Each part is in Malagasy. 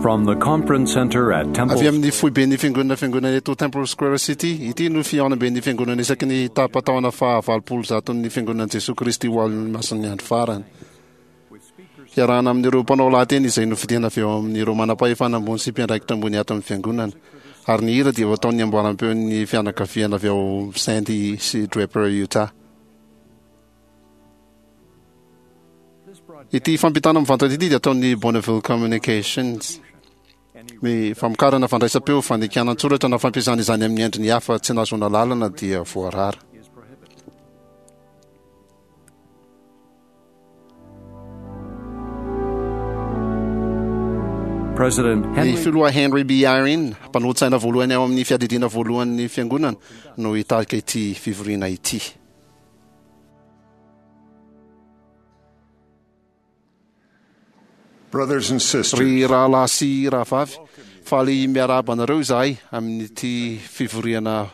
From the conference center at Temple Avy amin'ny foiben'ny fiangonana fiangonana eto Temple Square City, ity no fihaonamben'ny fiangonana isaky ny tapa-taona faha 80 ny fiangonan'i Jesoa Kristy ho an'ny Masin'ny Andro Farany. Hiarahana amin'ireo mpanao lahateny izay nofidina avy ao amin'ireo manam-pahefana ambony sy mpiandraikitra ambony ato amin'ny fiangonana. Ary ny hira dia ho ataon'ny amboaram-peon'ny fianakaviana avy ao Sandy sy Draper, Utah. Ity fampitana mivantana ity dia ataon'ny Bonneville Communications. Ny famokarana fandraisam-peo, fandikana an-tsoratra na fampiasana izany amin'ny endriny hafa tsy nahazoana lalana dia voarara. Ny Filoha Henry B. Eyring, mpanolotsaina voalohany ao amin'ny Fiadidiana Voalohan'ny Fiangonana, no hitarika ity fivoriana ity. Ry rahalahy sy rahavavy, faly miarahaba anareo izahay amin'ity fivoriana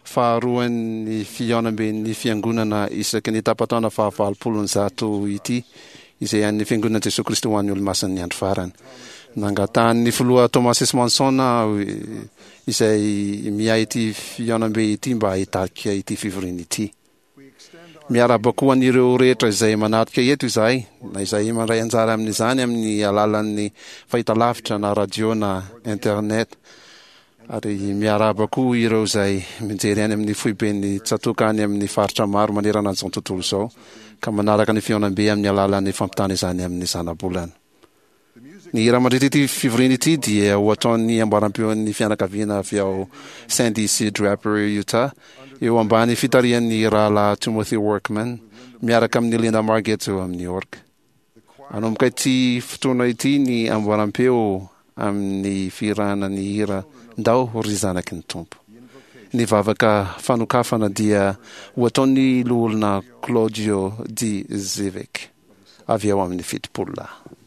faharoan'ny fihaonamben'ny Fiangonana isaky ny tapa-taona fahavalopolo ny zato ity, izay an'ny Fiangonan'i Jesoa Kristy ho an'ny Olomasin'ny Andro Farany. Nangatahan'ny Filoha Thomas S. Monson aho izay miahy ity fihaonambe ity mba hitarika ity fivoriana ity. Miarahaba koa an'ireo rehetra izay manatrika eto izahay, na izay mandray anjara amin'izany amin'ny alalan'ny fahitalavitra na radio na internet. Ary miarahaba koa ireo izay mijery any amin'ny foiben'ny tsatòka any amin'ny faritra maro manerana an'izao tontolo izao, ka manaraka ny fihaonambe amin'ny alalan'ny fampitana izany amin'ny zanabolana. Ny hira mandritra ity fivoriana ity dia ho ataon'ny ambaram-peon'ny fianakaviana avy ao Sandy sy Draper, Utah, eo ambany fitarihan'ny Rahalahy Timothy Workman, miaraka amin'i Linda Margetts eo amin'ny orga. Hanomboka ity fotoana ity ny amboaram-peo amin'ny fihirana ny hira Ndao ry zanaky ny Tompo. Ny vavaka fanokafana dia ho ataon'ny Loholona Claudio D. Zivic avy ao amin'ny Fitopololahy.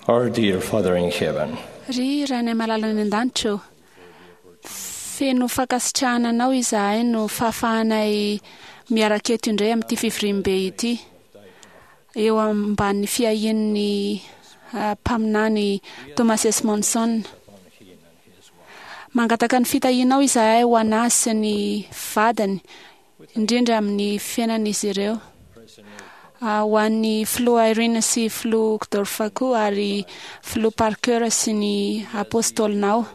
Our dear Father in heaven, Ry Rainay malala any an-danitra ô, feno fankasitrahana Anao izahay no fahafahanay miaraka eto indray amin'ity fivoriambe ity, eo ambanin'ny fiahian'ny mpaminany Thomas S. Monson. Mangataka ny fitahianao izahay ho an'azy sy ny vadiny, indrindra amin'ny fiainan'izy ireo. Ho an'ny Filoha Eyring sy Filoha Uchtdorf koa ary Filoha Parker sy ny Apôstôlinao.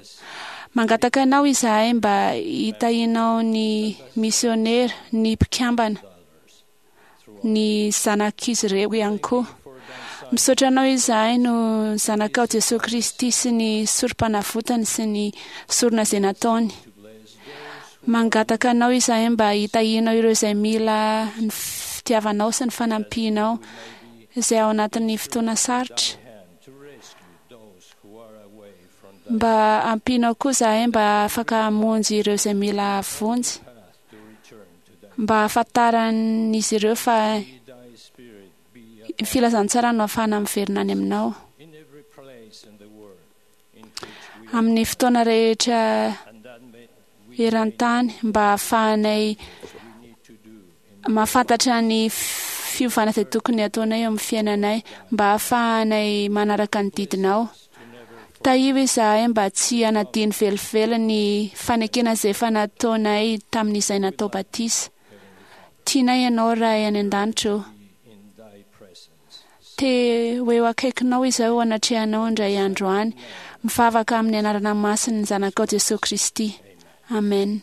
Mangataka Anao izahay mba hitahianao ny misiônera, ny mpikambana, ny zanak'izy ireo ihany koa. Misaotra Anao izahay noho ny Zanakao Jesoa Kristy sy ny Sorompanavotany sy ny sorona izay nataony. Mangataka Anao izahay mba hitahianao ireo izay mila ny fitiavanao sy ny fanampianao izay ao anatin'ny fotoana sarotra. Mba ampianao koa izahay mba afaka hamonjy ireo izay mila vonjy. Mba hahafantaran'izy ireo fa ny filazantsara no ahafahana miverina any aminao. Amin'ny fotoana rehetra eran-tany mba hahafahanay mahafantatra ny fiovana izay tokony hataonay eo amin'ny fiainanay, mba hahafahanay manaraka ny didinao. Tahio izahay mba tsy hanadino velively ny fanekena izay efa nataonay tamin'izay natao batisa. Tianay Ianao Ray any an-danitra ô. Te ho eo akaikinao izaho eo anatrehanao indray andro any. Mivavaka amin'ny anarana masin'ny Zanakao Jesoa Kristy. Amen.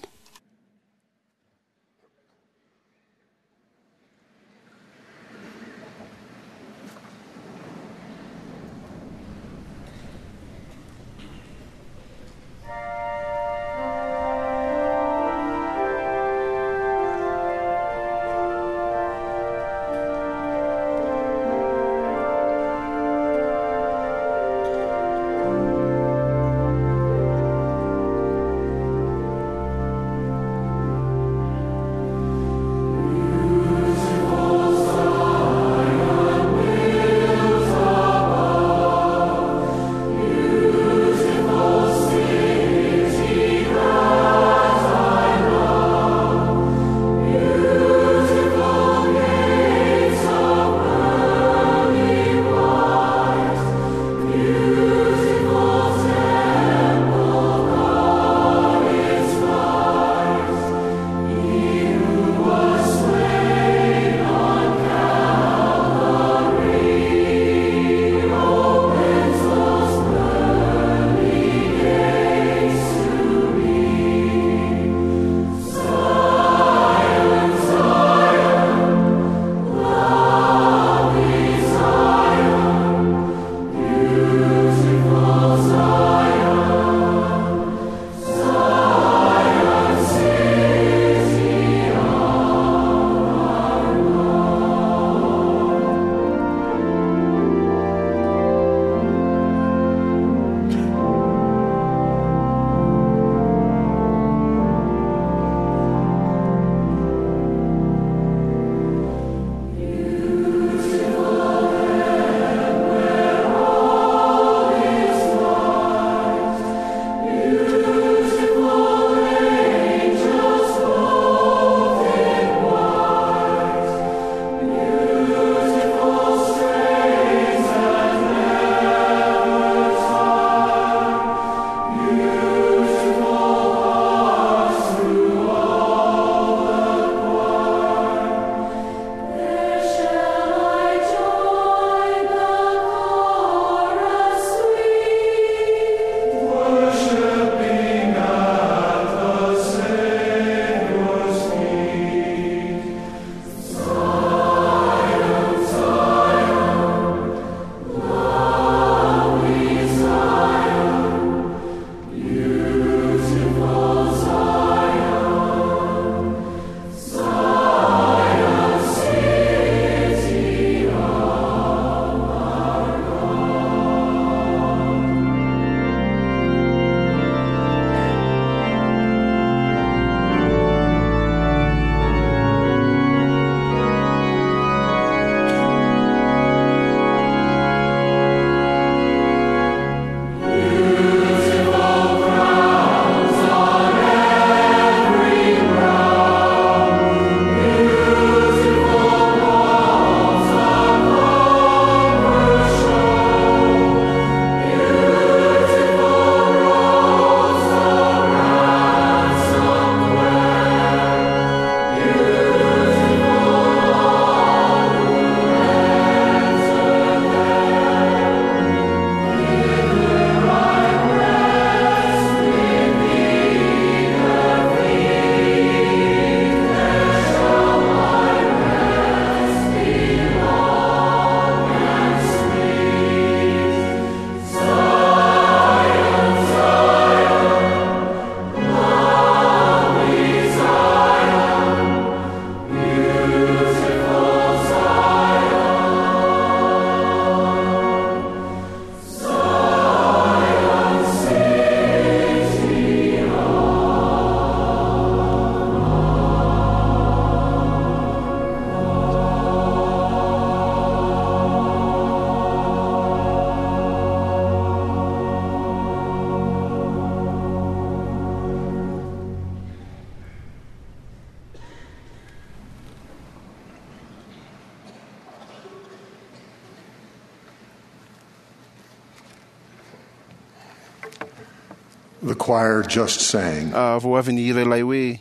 The choir just sang. Vao avy nihira ilay hoe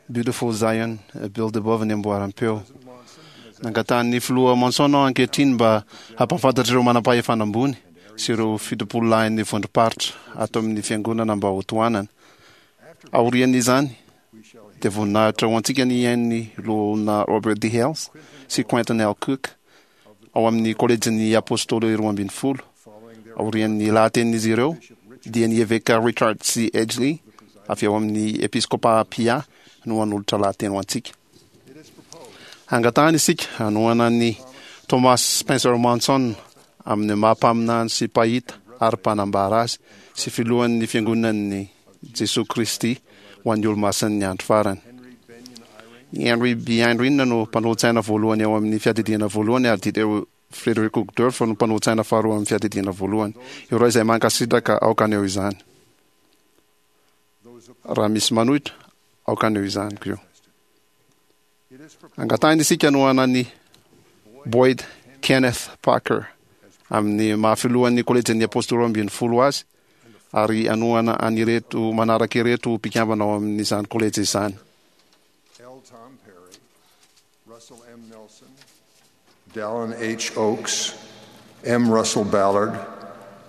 Beautiful Zion, Build Above ny amboaram-peo. Nangatahan'ny filoha Monson aho ankehitriny mba hampahafantatra ireo manam-pahefana ambony sy ireo fitopololahin'ny vondrom-paritra ato amin'ny fiangonana mba hotohanana. Aorian'izany, dia voninahitra ho antsika ny hihaino ny Loholona Robert D. Hales sy Quentin L. Cook ao amin'ny Kolejin'ny Apôstôly Roambinifolo. Aorian'ny lahatenin'izy ireo, dia ny Eveka Richard C. Edgley avy ao amin'ny Episkôpà Pia no hanolotra lahateny ho antsika. Angatahana isika hanohana an'i Thomas Spencer Monson amin'ny maha mpaminany sy mpahita ary mpanambara azy sy filohan'ny Fiangonan'i Jesoa Kristy ho an'ny Olomasin'ny Andro Farany. I Henry B. Eyring no mpanolotsaina voalohany ao amin'ny Fiadidiana Voalohany ary Dieter Frederick Uchtdorf no mpanolotsaina faharoa amin'ny Fiadidiana Voalohany. Ireo izay mankasitraka aoka haneho izany. Raha misy manohitra, aoka haneho izany koa. Angatahina isika hanohana an'i Boyd Kenneth Parker amin'ny maha filohan'ny Kolejin'ny Apôstôly Roambinifolo azy ary hanohana an'ireto manaraka ireto ho mpikambana ao amin'izany kolejy izany. L. Tom Perry, Russell M. Nelson, Dallin H. Oaks, M. Russell Ballard,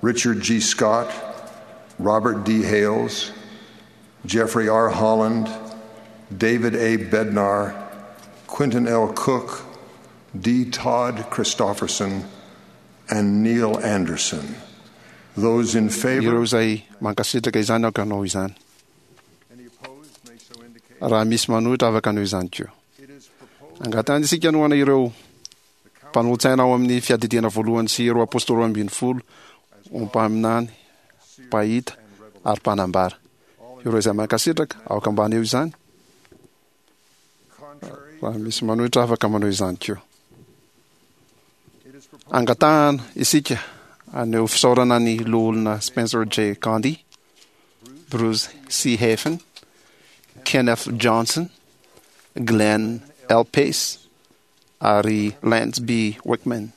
Richard G. Scott, Robert D. Hales, Jeffrey R. Holland, David A. Bednar, Quentin L. Cook, D. Todd Christofferson, and Neil Anderson. Those in favor. Ireo izay mankasitraka izany aoka hanao izany. Raha misy manohitra afaka hanao izany koa. Angatahana isika hanohana ireo mpanolotsaina ao amin'ny fiadidiana voalohany sy ireo apôstôly 12 ho mpaminany, mpahita ary mpanambara. Ireo izay mankasitraka, aoka mba haneho izany. Raha misy manohitra afaka manao izany koa. Angatahana isika haneho fisaorana ny Loholona Spencer J. Gandhi, Bruce C. Hafen, Kenneth Johnson, Glenn L. Pace ary Lance B. Wickman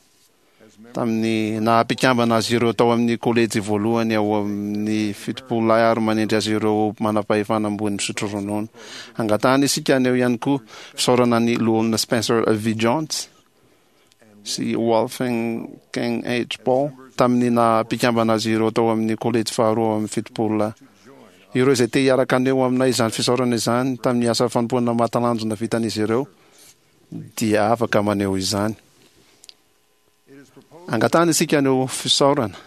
tamin'ny naha-mpikambana azy ireo tao amin'ny kolejy voalohany ao amin'ny Fitopololahy ary manendry azy ireo ho manam-pahefana ambony misotro ronono. Angatahana isika haneho ihany koa fisaorana ny Loholona Spencer V. Jones sy Wolfgang H. Paul tamin'ny naha-mpikambana azy ireo tao amin'ny kolejy faharoa ao amin'ny Fitopololahy. Ireo izay te hiaraka haneho aminay izany fisaorana izany tamin'ny asa fanompoana mahatalanjona vitan'izy ireo dia afaka maneho izany. Angatahana isika haneho fisaorana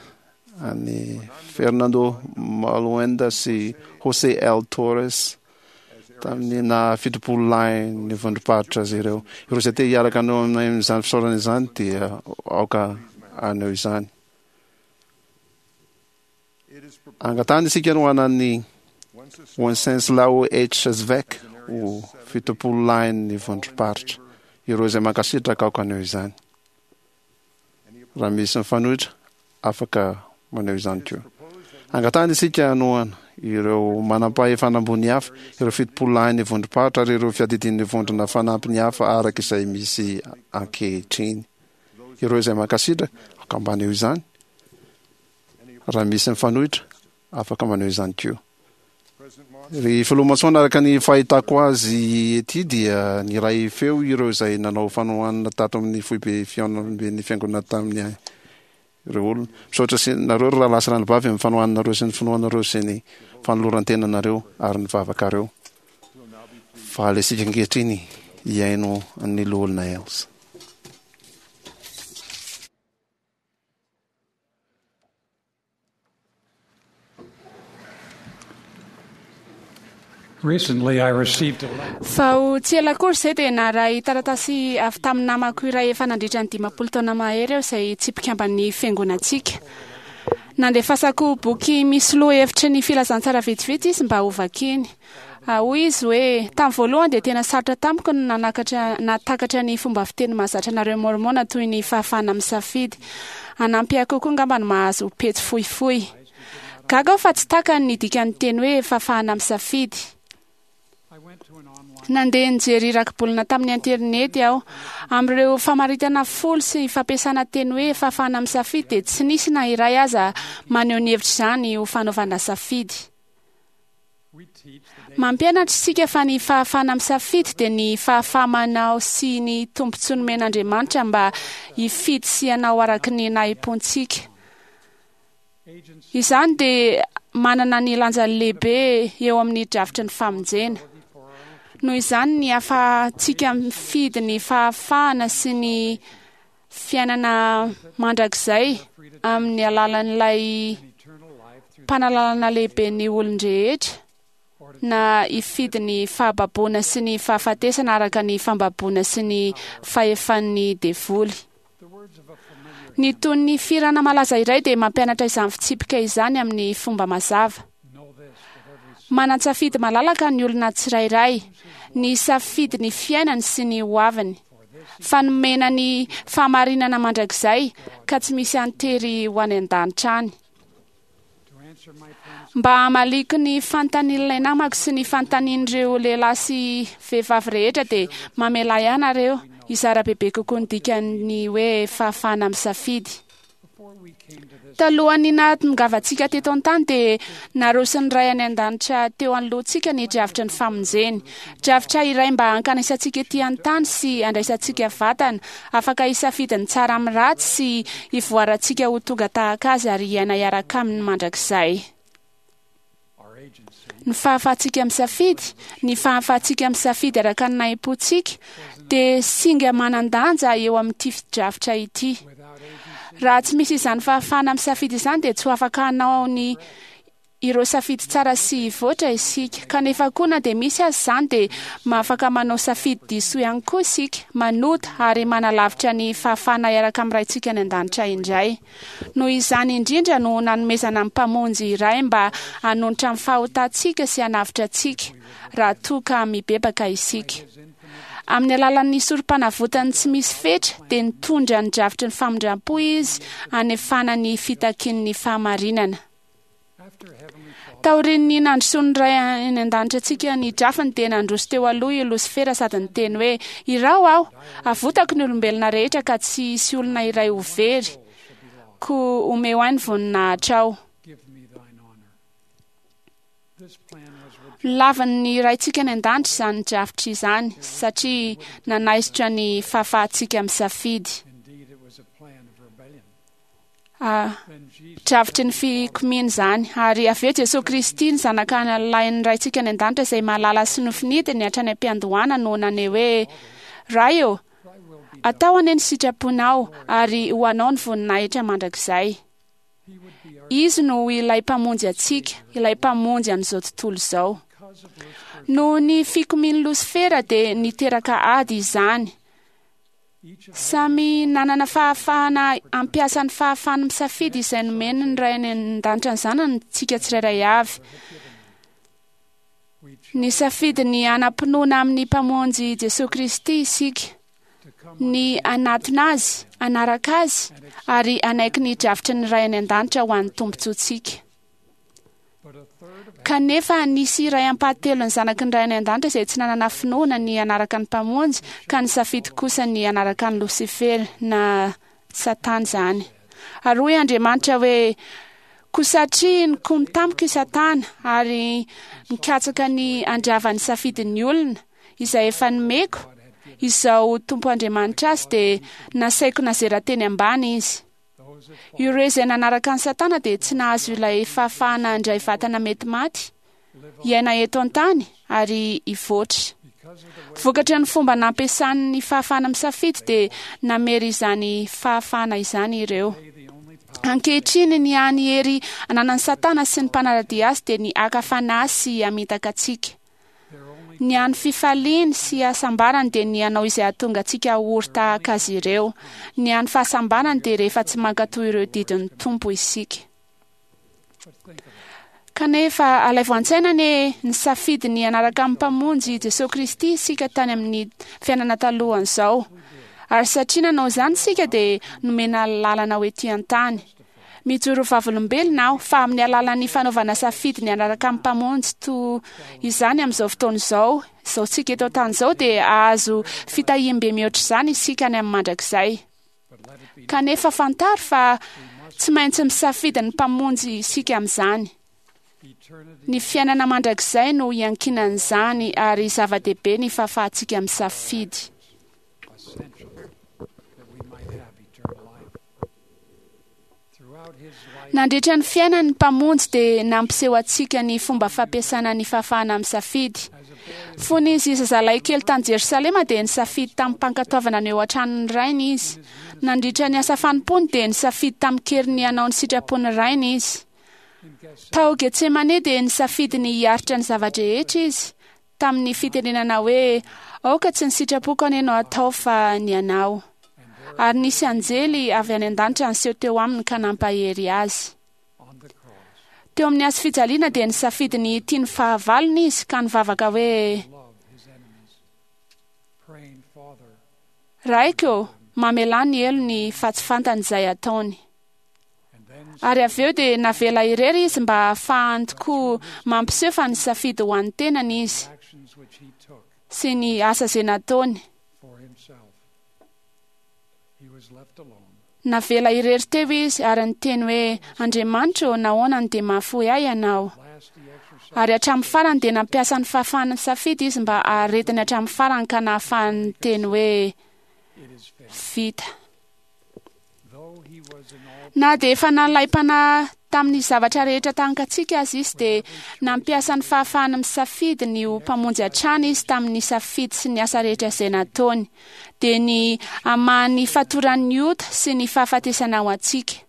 an'i Fernando Maluenda sy José L. Torres tamin'ny naha 70 lahy ny vondrom-paritra azy ireo. Ireo izay te hiaraka haneho aminay amin'izany fisaorana izany dia aoka haneho izany. Angatahana isika no hanan'ny Wenceslao H. Zvec ho 70 lahin'ny vondrom-paritra. Ireo izay mankasitraka aoka haneho izany. Raha misy mifanohitra, afaka maneho izany koa. Angatahana isika hanohana ireo manampahefana ambony hafa, ireo 70 lahin'ny vondrom-paritra ary ireo fiadidian'ny vondrona fanampiny hafa araka izay misy ankehitriny. Ireo izay mankasitraka, aoka mba haneho izany. Raha misy mifanohitra, afaka maneho izany koa. Ry Filoha Monson, araka ny fahitako azy ety dia niray feo ireo izay nanao fanohanana tato amin'ny foibe fihaonamben'ny fiangonana tamin'ny ireo olona. Misaotra sy nareo ry rahalahy sy ranabavy amin'ny fanohananareo sy ny finoanareo sy ny fanoloran-tenanareo ary ny vavakareo. Faly isika ankehitriny hihaino an'ny Loholona Hales. Vao tsy ela akory izay dia naharay taratasy avy tamin'ny namako iray efa nandritra ny 50 taona mahery aho izay tsy mpikamban'ny fiangonantsika. Nandefasako boky misy lohahevitry ny filazantsara vitsivitsy izy mba hovakiny. Hoy izy hoe, Tamin'ny voalohany dia tena sarotra tamiko ny nanakatra nahatakatra ny fomba fiteny mahazatra anareo Môrmôna toy ny fahafahana misafidy. Hanampy ahy kokoa angamba ny mahazo pejy fohifohy. Gaga aho fa tsy takany ny dikan'ny teny hoe fahafahana misafidy. Nandeha nijery rakibolana tamin'ny aterineto aho. Amin'ireo famaritana folo sy fampiasana teny hoe fahafahana misafidy dia tsy nisy na iray aza maneho ny hevitr'izany ho fanaovana safidy. Mampianatra isika fa ny fahafahana misafidy dia ny fahafaha-manao sy ny tombontsoa nomen'Andriamanitra mba hifidy sy hanao araka ny nahim-pontsika. Izany dia manana ny lanjany lehibe eo amin'ny drafitry ny famonjena. Noho izany ny ahafahantsika mifidy ny fahafahana sy ny fiainana mandrakizay amin'ny alalan'ilay mpanalalana lehibe ny olon-drehetra na hifidy ny fahababoana sy ny fahafatesana araka ny fambaboana sy ny fahefan'ny devoly. Ny tonon'ny fihirana malaza iray dia mampianatra izany fitsipika izany amin'ny fomba mazava. Manan-tsafidy malalaka ny olona tsirairay, ny hisafidy ny fiainany sy ny hoaviny. Fa nomena ny fahamarinana mandrakizay ka tsy misy antery ho any an-danitra any. Mba hamaliako ny fanontanian'ilay namako sy ny fanontanian'ireo lehilahy sy vehivavy rehetra dia mamelà ianareo hizara bebe kokoa ny dikan'ny hoe fahafahana misafidy. Talohan'ny nahatongavantsika teto an-tany dia narosin'ny Ray any An-danitra teo anoloantsika ny drafitry ny famonjeny. Drafitra iray mba hankanesantsika ety an-tany sy handraisantsika vatana, afaka hisafidy ny tsara amin'ny ratsy sy hivoarantsika ho tonga tahaka Azy ary hiaina hiaraka Aminy mandrakizay. Ny fahafahantsika misafidy, ny fahafahantsika misafidy araka ny nahim-pontsika, dia singa manan-danja eo amin'ity drafitra ity. Raha tsy misy izany fahafahana misafidy izany dia tsy ho afaka hanao ny ireo safidy tsara sy hivoatra isika. Kanefa koa na dia misy aza izany dia mahafaka manao safidy diso ihany koa isika, manota ary manalavitra ny fahafahana hiaraka amin'ny Raintsika any An-danitra indray. Noho izany indrindra no nanomezana ny Mpamonjy iray mba hanonitra ny fahotantsika sy hanavotra antsika raha toa ka mibebaka isika. Amin'ny alalan'ny sorompanavotany tsy misy fetra dia nitondra ny drafitry ny famindram-po Izy hanefana ny fitakian'ny fahamarinana. Taorian'ny nandrosoan'ny Ray any An-danitra antsika ny drafiny dia nandroso teo aloha i Losifera sady niteny hoe, Iraho aho! Avotako ny olombelona rehetra ka tsy hisy olona iray ho very, koa omeo ahy ny voninahitrao. Nolavin'ny Raintsika any An-danitra izany drafitra izany satria nanaisotra ny fahafahantsika misafidy. Drafitry ny fikomiana izany. Ary avy eo Jesoa Kristy, ny Zanaka lahin'ny Raintsika any An-danitra izay mahalala sy nofinidiny hatrany am-piandohana no naneho hoe, Ray ô, atao anie ny sitraponao, ary ho Anao ny voninahitra mandrakizay. Izy no ho ilay Mpamonjy antsika, ilay Mpamonjy an'izao tontolo izao. Noho ny fikomian'i Losifera dia niteraka ady izany. Samy nanana fahafahana hampiasa ny fahafahany misafidy izay nomeny ny Ray any An-danitra ny zanany isika tsirairay avy. Nisafidy ny hanam-pinoana amin'ny Mpamonjy Jesoa Kristy isika, ny hanatona Azy, hanaraka Azy, ary hanaiky ny drafitry ny Ray any An-danitra ho an'ny tombontsoantsika. Kanefa nisy iray ampahatelon'ny zanaky ny Ray any An-danitra izay tsy nanana finoana ny hanaraka ny Mpamonjy ka nisafidy kosa ny hanaraka an'i Losifera, na Satana izany. Ary hoy Andriamanitra hoe, Koa satria nikomy tamiko i Satana ary nikatsaka ny handrava ny safidin'ny olona, izay efa nomeko, Izaho Tompo Andriamanitra azy dia nasaiko nazera teny ambany izy. Ireo izay nanaraka an'i Satana dia tsy nahazo ilay fahafahana handray vatana mety maty, hiaina eto an-tany ary hivoatra. Vokatry ny fomba nampiasany ny fahafahana misafidy dia namery izany fahafahana izany ireo. Ankehitriny ny hany hery ananan'i Satana sy ny mpanara-dia azy dia ny haka fanahy sy hamitaka antsika. Ny hany fifaliany sy hasambarany dia ny hanao izay hahatonga antsika ho ory tahaka azy ireo. Ny hany fahasambarany dia rehefa tsy mankatò ireo didin'ny Tompo isika. Kanefa alaivo an-tsaina anie ny safidy ny hanaraka amin'ny Mpamonjy Jesoa Kristy isika tany amin'ny fiainana talohan'izao. Ary satria nanao izany isika dia nomena lalana ho ety an-tany. Mijoro ho vavolombelona aho fa amin'ny alalan'ny fanaovana safidy ny hanaraka ny Mpamonjy toa izany amin'izao fotoana izao, izao tsika eto an-tany izao, dia hahazo fitahiam-be mihoatra izany isika any amin'ny mandrakizay. Kanefa fantaro fa tsy maintsy misafidy ny Mpamonjy isika amin'izany. Ny fiainana mandrakizay no iankinan'izany ary zava-dehibe ny fahafahantsika misafidy. Nandritra ny fiainany ny Mpamonjy dia nampiseho antsika ny fomba fampiasana ny fahafahana misafidy. Fony izy zazalahy kely tany Jerosalema dia nisafidy tamim-pankatoavana ny eo an-tranon'ny Rainy izy. Nandritra ny asa fanompoany dia nisafidy tamin-kery ny hanao ny sitrapon'ny Rainy izy. Tao Getsemane dia nisafidy ny hiaritra ny zava-drehetra izy, tamin'ny fitenenana hoe, Aoka tsy ny sitrapoko anie no hatao fa ny anao. Ary nisy anjely avy any an-danitra niseho teo aminy ka nampahery azy. Teo amin'ny hazo fijaliana dia nisafidy ny hitia ny fahavalony izy ka nivavaka hoe, Raiko, mamelà ny helony fa tsy fantany izay ataony. Ary avy eo dia navela irery izy mba hahafahany tokoa mampiseho fa nisafidy ho an'ny tenany izy sy ny asa izay nataony. Navela irery teo izy ary niteny hoe, Andriamanitra ô, nahoana no dia mahafoy ahy Ianao? Ary hatramin'ny farany dia nampiasa ny fahafahany nisafidy izy mba haharetany hatramin'ny farany ka nahafahany niteny hoe, Vita. Na dia efa nalaim-panahy tamin'ny zavatra rehetra tahaka antsika aza izy dia nampiasa ny fahafahany misafidy ny ho mpamonjy hatrany izy tamin'ny safidy sy ny asa rehetra izay nataony, dia ny hamaha ny fatoran'ny ota sy ny fahafatesana ho antsika.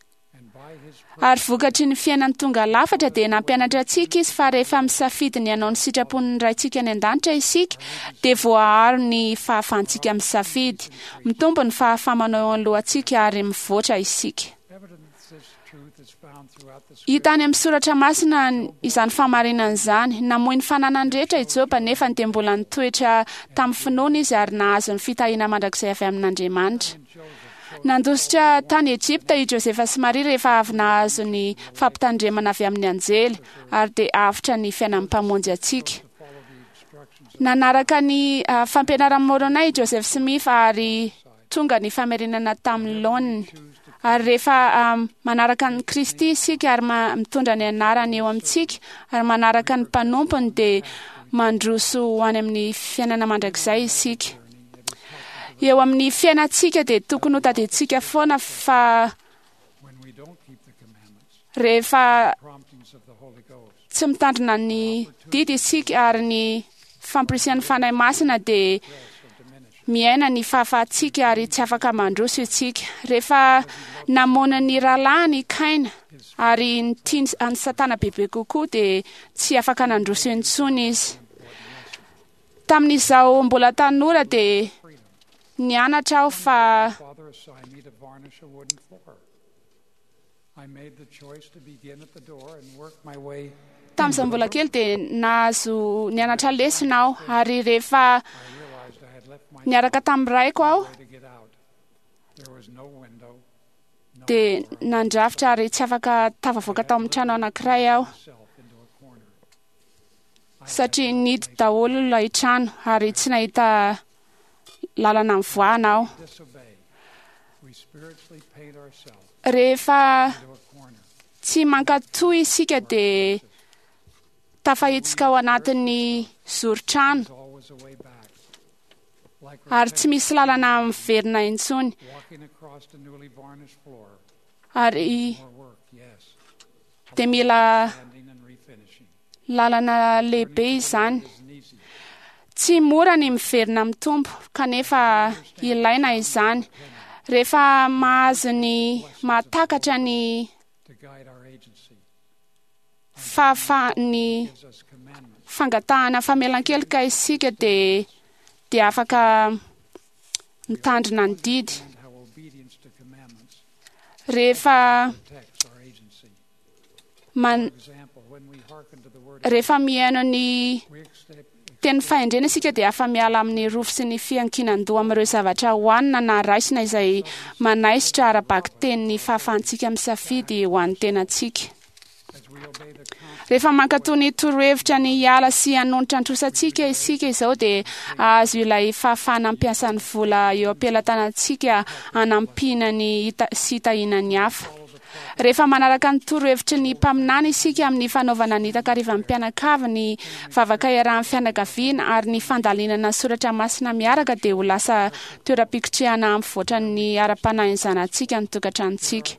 Ary vokatry ny fiainany tonga lafatra dia nampianatra antsika izy fa rehefa misafidy ny hanao ny sitrapon'ny Raintsika any an-danitra isika dia voaaro ny fahafahantsika misafidy. Mitombo ny fahafaha-manao eo anoloantsika ary mivoatra isika. Hita any amin'ny soratra masina izany fahamarinana izany. Namoy ny fananany rehetra i Joba nefa dia mbola nitoetra tamin'ny finoana izy ary nahazo ny fitahiana mandrakizay avy amin'Andriamanitra. Nandositra tany Egypta i Josefa sy Maria rehefa avy nahazo ny fampitandremana avy amin'ny anjely, ary dia avotra ny fiainan'ny Mpamonjy antsika. Nanaraka ny fampianaran'i Môrônay i Joseph Smith ary tonga ny famerenana tamin'ny laoniny. Ary rehefa manaraka an'i Kristy isika ary mitondra ny anarany eo amintsika ary manaraka ny mpanompony dia mandroso ho any amin'ny fiainana mandrakizay isika. Eo amin'ny fiainantsika dia tokony ho tadidintsika foana fa rehefa tsy mitandrina ny didy isika ary ny fampirisihan'ny Fanahy Masina dia miaina ny fahafahantsika ary tsy afaka mandroso isika. Rehefa namono ny rahalahiny i Kaina ary nitia an'i Satana bebe kokoa dia tsy afaka nandroso intsony izy. Tamin'izaho mbola tanora dia nianatra aho fa Tamin'izaho mbola kely dia nahazo nianatra lesona aho ary rehefa niaraka tamin'ny raiko aho dia nandrafitra ary tsy afaka tafavoaka tao amin'ny trano anankiray aho. Satria nihidy daholo ilay trano ary tsy nahita lalana nivoahana aho. Rehefa tsy mankatò isika dia tafahetsika ao anatin'ny zoron-trano ary tsy misy lalana miverina intsony. Ary dia mila lalana lehibe izany. Tsy mora ny miverina amin'ny Tompo, kanefa ilaina izany. Rehefa mahazo ny mahatakatra ny fahafahan'ny fangatahana famelan-keloka isika dia dia afaka mitandrina ny didy. Rehefa Man, rehefa mihaino ny teny fahendrena isika dia afa-miala amin'ny rofy sy ny fiankinan-doha amin'ireo zavatra hohanina na raisina izay manaisotra ara-bakiteny ny fahafahantsika misafidy ho an'ny tenantsika. Rehefa mankatò ny torohevitra ny hiala sy hanonitra ny trosantsika isika izao dia hahazo ilay fahafahana hampiasa ny vola eo am-pelatanantsika hanampiana ny sy hitahiana ny hafa. Rehefa manaraka ny torohevitry ny mpaminany isika amin'ny fanaovana ny takarivan'ny mpianakavy, ny vavaka iarahan'ny fianakaviana ary ny fandalinana soratra masina miaraka dia ho lasa toeram-pikotrehana hampivoatra ny ara-panahin'ny zanatsika ny tokantranontsika.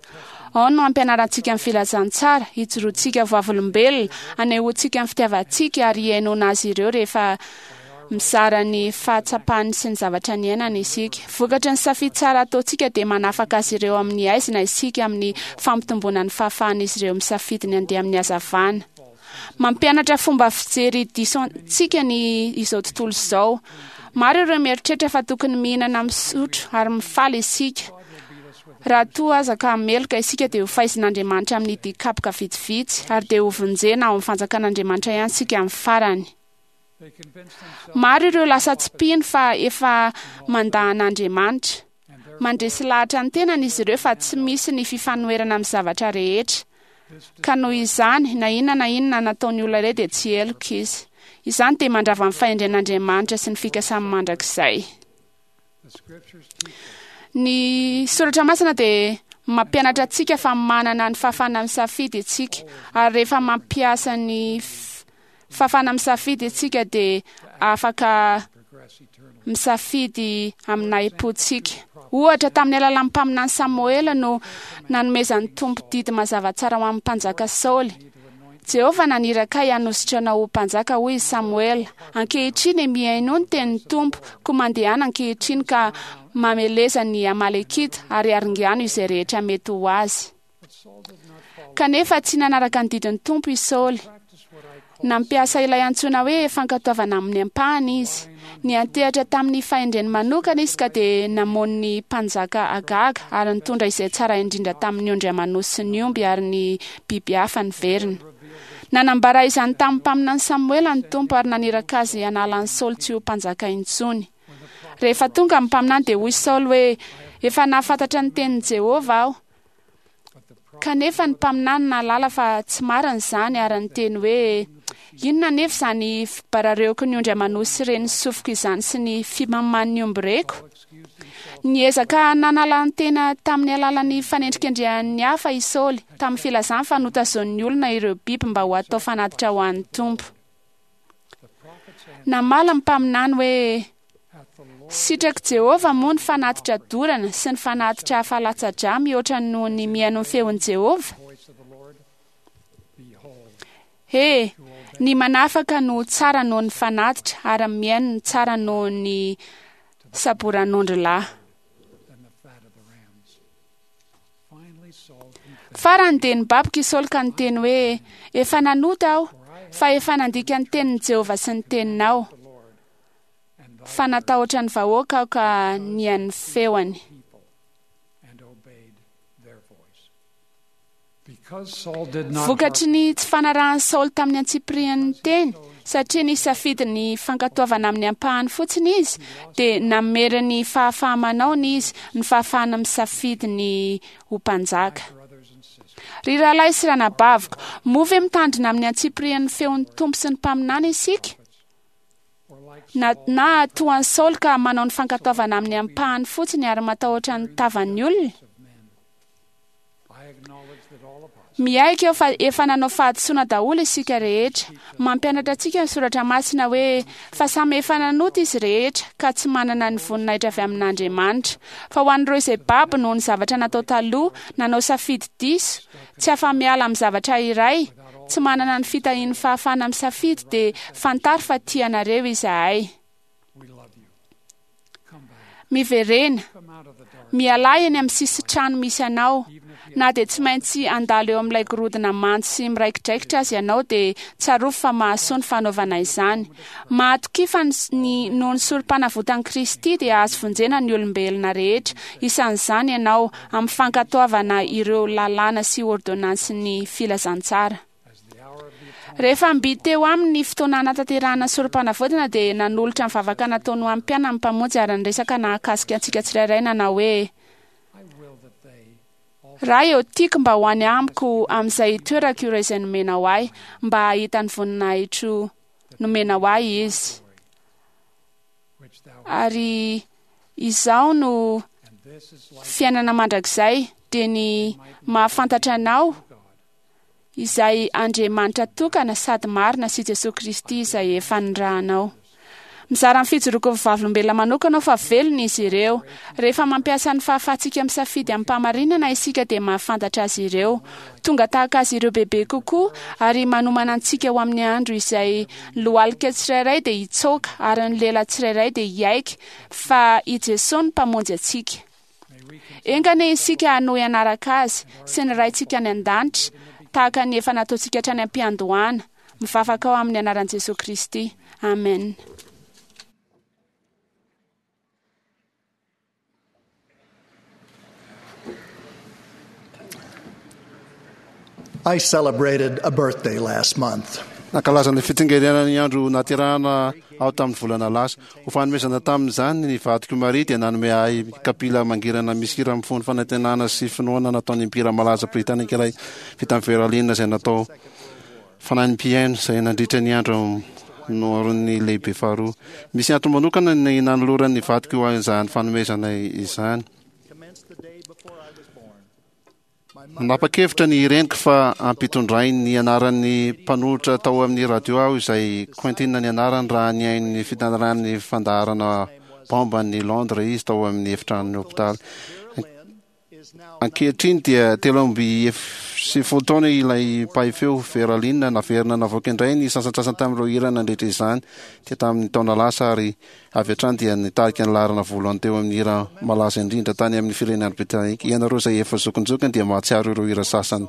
Ao no hampianarantsika ny filazantsara, hijoroantsika vavolombelona, hanehoantsika ny fitiavantsika ary hihainoana azy ireo rehefa mizara ny fahatsapany sy ny zavatra niainany isika. Vokatry ny safidy tsara ataontsika dia manafaka azy ireo amin'ny haizina isika amin'ny fampitomboana ny fahafahan'izy ireo misafidy ny handeha amin'ny hazavana. Mampianatra fomba fijery diso antsika ny izao tontolo izao. Maro ireo mieritreritra fa tokony mihinana, misotro ary mifaly isika. Raha toa aza ka meloka isika dia ho faizin'Andriamanitra amin'ny dikapoka vitsivitsy ary dia ho vonjena ao amin'ny fanjakan'Andriamanitra ihany isika amin'ny farany. Maro ireo lasa tsy mpino fa efa mandà an'Andriamanitra. Mandresy lahatra ny tenany izy ireo fa tsy misy ny fifanoherana amin'ny zavatra rehetra. Ka noho izany, na inona na inona nataon'ny olona iray dia tsy heloka izy. Izany dia mandrava ny fahendren'Andriamanitra sy ny fikasany mandrakizay. Ny soratra masina dia mampianatra antsika fa manana ny fahafahana misafidy isika ary rehefa mampiasa ny fahafahana misafidy isika dia afaka misafidy amin'ny nahim-pontsika. Ohatra, tamin'ny alalan'ny mpaminany Samoela no nanomezan'ny Tompo didy mazava tsara ho an'ny mpanjaka Saoly. Jehovah naniraka ahy hanositra anao ho mpanjaka, hoy i Samoela. Ankehitriny, mihainoa ny tenin'ny Tompo, koa mandehana ankehitriny ka mameleza ny Amalekita ary aringano izay rehetra mety ho azy. Kanefa tsy nanaraka ny didin'ny Tompo i Saoly. Nampiasa ilay antsoina hoe fankatoavana amin'ny ampahany izy. Niantehatra tamin'ny fahendreny manokana izy ka dia namono ny mpanjaka Agaga ary nitondra izay tsara indrindra tamin'ny ondry aman'osy sy ny omby ary ny biby hafa niverina. Nanambara izany tamin'ny mpaminany Samoela ny Tompo ary naniraka azy hanala an'i Saoly tsy ho mpanjaka intsony. Rehefa tonga ny mpaminany dia hoy Saoly hoe, Efa nahafantatra ny tenin'i Jehovah aho. Kanefa ny mpaminany nahalala fa tsy marina izany ary niteny hoe, Inona anefa izany fibarareoky ny ondry aman'osy ren'ny sofiko izany sy ny fimaman'ny omby reko? Niezaka nanala ny tena tamin'ny alalan'ny fanendrikendrehan'ny hafa i Saoly, tamin'ny filazany fa notazonin'ny olona ireo biby mba ho atao fanatitra ho an'ny Tompo. Namaly ny mpaminany hoe, Sitrak'i Jehovah moa ny fanatitra dorana sy ny fanatitra hafa latsa-drà mihoatra noho ny mihaino ny feon'i Jehovah? He, ny manafaka no tsara noho ny fanatitra ary ny mihaino no tsara noho ny saboran'ondry lahy. Farany dia nibaboka i Saoly ka niteny hoe, Efa nanota aho, fa efa nandika ny tenin'i Jehovah sy ny teninao. Fa natahotra ny vahoaka aho ka nihaino ny feony. Vokatry ny tsy fanarahan'i Saoly tamin'ny antsipirian'ny teny, satria nisafidy ny fankatoavana amin'ny ampahany fotsiny izy, dia namery ny fahafaha-manaony izy, ny fahafahana misafidy ny ho mpanjaka. Ry rahalahy sy ranabaviko, moa ve mitandrina amin'ny antsipirian'ny feon'ny Tompo sy ny mpaminany isika? Na, na toa an'i Saoly ka manao ny fankatoavana amin'ny ampahany fotsiny ary matahotra ny tavan'ny olona? Miaiky aho fa efa nanao fahadisoana daholo isika rehetra. Mampianatra antsika ny soratra masina hoe fa samy efa nanota izy rehetra ka tsy manana ny voninahitra avy amin'Andriamanitra. Fa ho an'ireo izay babo noho ny zavatra natao taloha, nanao safidy diso, tsy afa-miala amin'ny zavatra iray, tsy manana ny fitahian'ny fahafahana misafidy dia fantaro fa tia anareo izahay. Miverena. Mialà eny amin'ny sisin-trano misy anao. Na dia tsy maintsy handalo eo amin'ilay gorodona mando sy miraikidraikitra aza ianao dia tsarovy fa mahasoa ny fanaovana izany. Mahatokia fa ny noho ny sorom-panavotan'i Kristy dia azo vonjena ny olombelona rehetra, isan'izany ianao, amin'ny fankatoavana ireo lalàna sy ôrdônansin'ny filazantsara. Rehefa mby teo aminy ny fotoana hanatanterahana ny sorom-panavotana dia nanolotra ny vavaka nataony ho an'ny mpianany ny Mpamonjy ary niresaka nahakasika antsika tsirairay nanao hoe, Ray ô, tiako mba ho any amiko amin'izay itoerako ireo izay nomenao ahy, mba hahita ny voninahitro nomenao ahy izy. Ary izao no fiainana mandrakizay. dia ny mahafantatra Anao, izay Andriamanitra tokana sady marina sy Jesoa Kristy izay efa nirahanao. Mizara ny fijoroako ho vavolombelona manokana aho fa velona izy ireo. Rehefa mampiasa ny fahafahantsika misafidy amim-pahamarinana isika dia mahafantatra azy ireo. Tonga tahaka azy ireo bebe kokoa ary manomana antsika ho amin'ny andro izay ny lohalika tsirairay dia hitsoaka ary ny lela tsirairay dia hiaiky fa i Jesoa no Mpamonjy antsika. Enga anie isika hanohy hanaraka Azy sy ny Raintsika any An-danitra tahaka ny efa nataontsika hatrany am-piandohana. Mivavaka aho amin'ny anaran'i Jesoa Kristy. Amen. I celebrated a birthday last month. Nankalaza ny fitsingerenan'ny andro nahaterahana aho tamin'ny volana lasa. Ho fanomezana tamin'izany, ny vadiko Maria dia nanome ahy kapila mangirana misy hira mifono fanantenana sy finoana nataon'ny mpihira malaza britanika iray vita amin'ny veralina izay natao fanahin'ny mpihaino izay nandritra ny andro noharon'ny lehibe faharoa. Misy antony manokana ny nanoloran'ny vadiko izany fanomezana izany. Nanapa-kevitra ny reniko fa hampitondrainy ny anaran'ny mpanolotra tao amin'ny radio aho izay Quentin ny anarany raha nihaino ny fitantaran'ny fandaharana Bomba an'i Londres izy tao amin'ny efitranon'ny hopitaly. Ankehitriny dia 93 taona ilay mpahay feo, Vera Lynn, naverina navoaka indray ny sasantsasany tamin'ireo hira nandritra izany dia tamin'ny taona lasa ary avy hatrany dia nitarika ny laharana voalohany teo amin'ny hira malaza indrindra tany amin'ny firenena Britanika. Ianareo izay efa zokinjokiny dia mahatsiaro ireo hira sasany.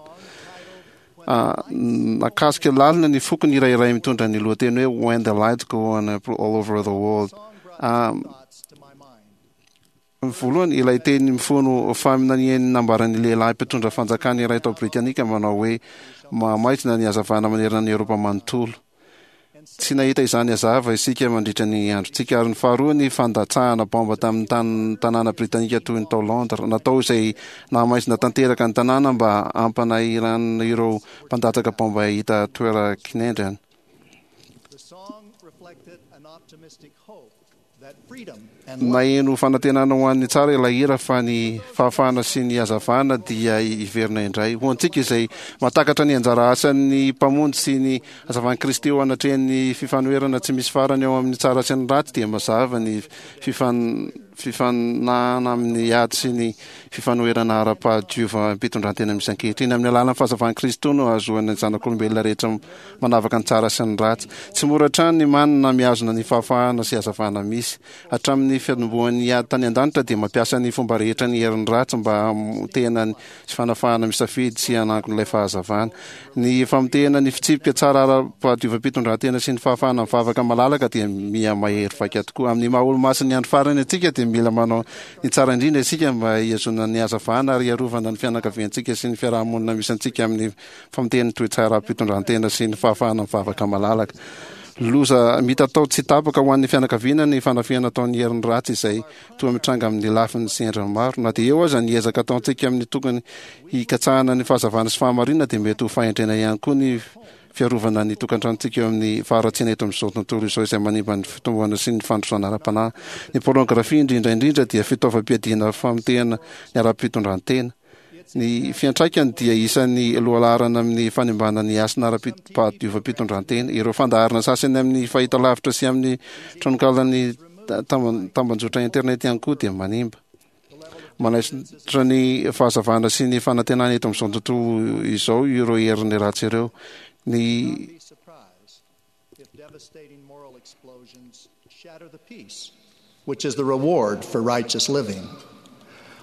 Nakasika lalina ny foko ny hira iray mitondra ny lohateny hoe When the Lights Go On All Over the World. Voalohany, ilay teny mifono faminanian'ny nambaran'ny lehilahy mpitondra fanjakana iray tao Britanika manao hoe mahamaizina ny hazavana manerana an'i Eoropa manontolo. Tsy nahita izany hazava isika mandritra ny androntsika. Ary ny faharoa, ny fandatsahana baomba tamin'ny tanàna britanika toy ny tao Londres. Natao izay nahamaizina tanteraka ny tanàna mba hampanahiranana ireo mpandatsaka baomba hahita toeran-kinendrena. Naheno fanantenana ho an'ny tsara ilay hira fa ny fahafahana sy ny hazavana dia hiverina indray. Ho antsika izay mahatakatra ny anjara asan'ny Mpamonjy sy ny hazavan'i Kristy eo anatrehan'ny fifanoherana tsy misy farany eo amin'ny tsara sy ny ratsy dia mazava ny fifanahana amin'ny ady sy ny fifanoherana ara-pahadiovam-pitondrantena misy ankehitriny. Amin'ny alalan'ny fahazavan'i Kristy no ahazoan'ny zanak'olombelona rehetra manavaka ny tsara sy ny ratsy. Tsy mora hatrany ny manana mihazona ny fahafahana sy hazavana misy. Hatramin'ny fiatombohan'ny ady tany an-danitra dia mampiasa ny fomba rehetra ny herin'ny ratsy mba hamotehana ny sy fanafahana misafidy sy hanangona ilay fahazavana. Ny famotehana ny fitsipika tsara ara-pahadiovam-pitondrantena sy ny fahafahana mivavaka malalaka dia miha mahery vaika tokoa. Amin'ny maha olo-masin'ny andro farany antsika dia mila manao ny tsara indrindra isika mba hihazonana ny hazavana ary hiarovana ny fianakaviantsika sy ny fiaraha-monina misy antsika amin'ny Famotehan'ny toe-tsaram-pitondrantena sy ny fahafahana mivavaka malalaka. Loza mitatao tsy tapaka ho an'ny fianakaviana ny fanafihana ataon'ny herin'ny ratsy izay toa mitranga amin'ny lafiny sy endriny maro. Na dia eo aza ny ezaka ataontsika amin'ny tokony hikatsahana ny fahazavana sy fahamarinana dia mety ho fahendrena ihany koa ny fiarovana ny tokantranontsika eo amin'ny faharatsiana eto amin'izao tontolo izao izay manimba ny fitomboana sy ny fandrosoana ara-panahy. Ny pornografia indrindra indrindra dia fitaovam-piadiana famotehana ny ara-pitondrantena. Ny fiantraikany dia isan'ny lohalaharana amin'ny fanimbana ny hasina ara-pahadiovam-pitondrantena. Ireo fandaharana sasany amin'ny fahitalavitra sy amin'ny tranokalan'ny tambanjotra internet ihany koa dia manimba. Manaisotra ny fahazavana sy ny fanantenana eto amin'izao tontolo izao ireo herin'ny ratsy ireo. Ny Which is the reward for righteous living.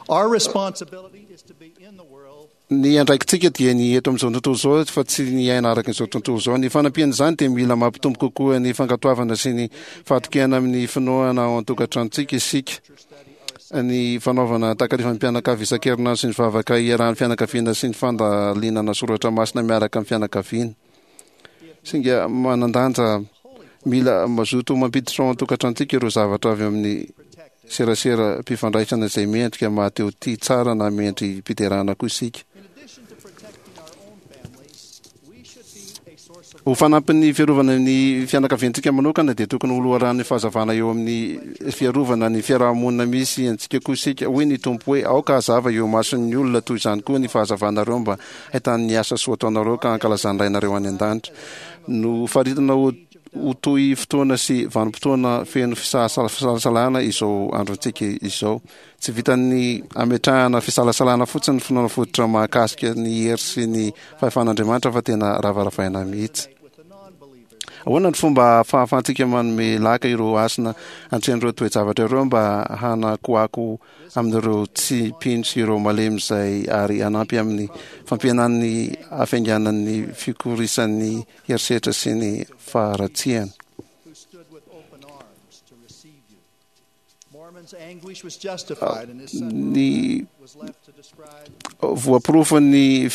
Our responsibility is to be in the world. Ny andraikitsika dia ny eto amin'izao tontolo izao fa tsy ny hiaina araka izao tontolo izao. Ny fanampian'izany dia mila mampitombo kokoa ny fankatoavana sy ny fahatokiana amin'ny finoana ao an-tokantranontsika isika. Ny fanaovana takarivan'ny mpianakavy isan-kerinandro sy ny vavaka iarahan'ny fianakaviana sy ny fandalinana soratra masina miaraka amin'ny fianakaviana. Singa manan-danja mila mazoto mampiditra ao an-tokantranontsika ireo zavatra avy amin'ny seraseram-pifandraisana izay mendrika maha-te-ho tia tsara na mendri-piderana koa isika. Ho fanampin'ny fiarovana ny fianakaviantsika manokana dia tokony ho loharanon'ny fahazavana eo amin'ny fiarovana ny fiaraha-monina misy antsika koa isika. Hoy ny Tompo hoe, Aoka hazava eo imason'ny olona toy izany koa ny fahazavanareo mba hahitany ny asa soa ataonareo ka hankalazan'ny Rainareo any an-danitra. Nofaritana ho ho toy fotoana sy vanim-potoana feno fisalasalana izao androntsika izao. Tsy vitan'ny ametrahana fisalasalana fotsiny ny finoana fototra mahakasika ny hery sy ny fahefan'Andriamanitra fa tena ravaravaina mihitsy. Ahoana ny fomba fahafahantsika manome laka ireo hasina antren'ireo toe-javatra ireo mba hanakoako amin'ireo tsy mpino sy ireo malemy izay ary hanampy amin'ny fampihenan'ny hafainganan'ny fikorisan'ny herisetra sy ny faharatsiana? Ny voaporofon'ny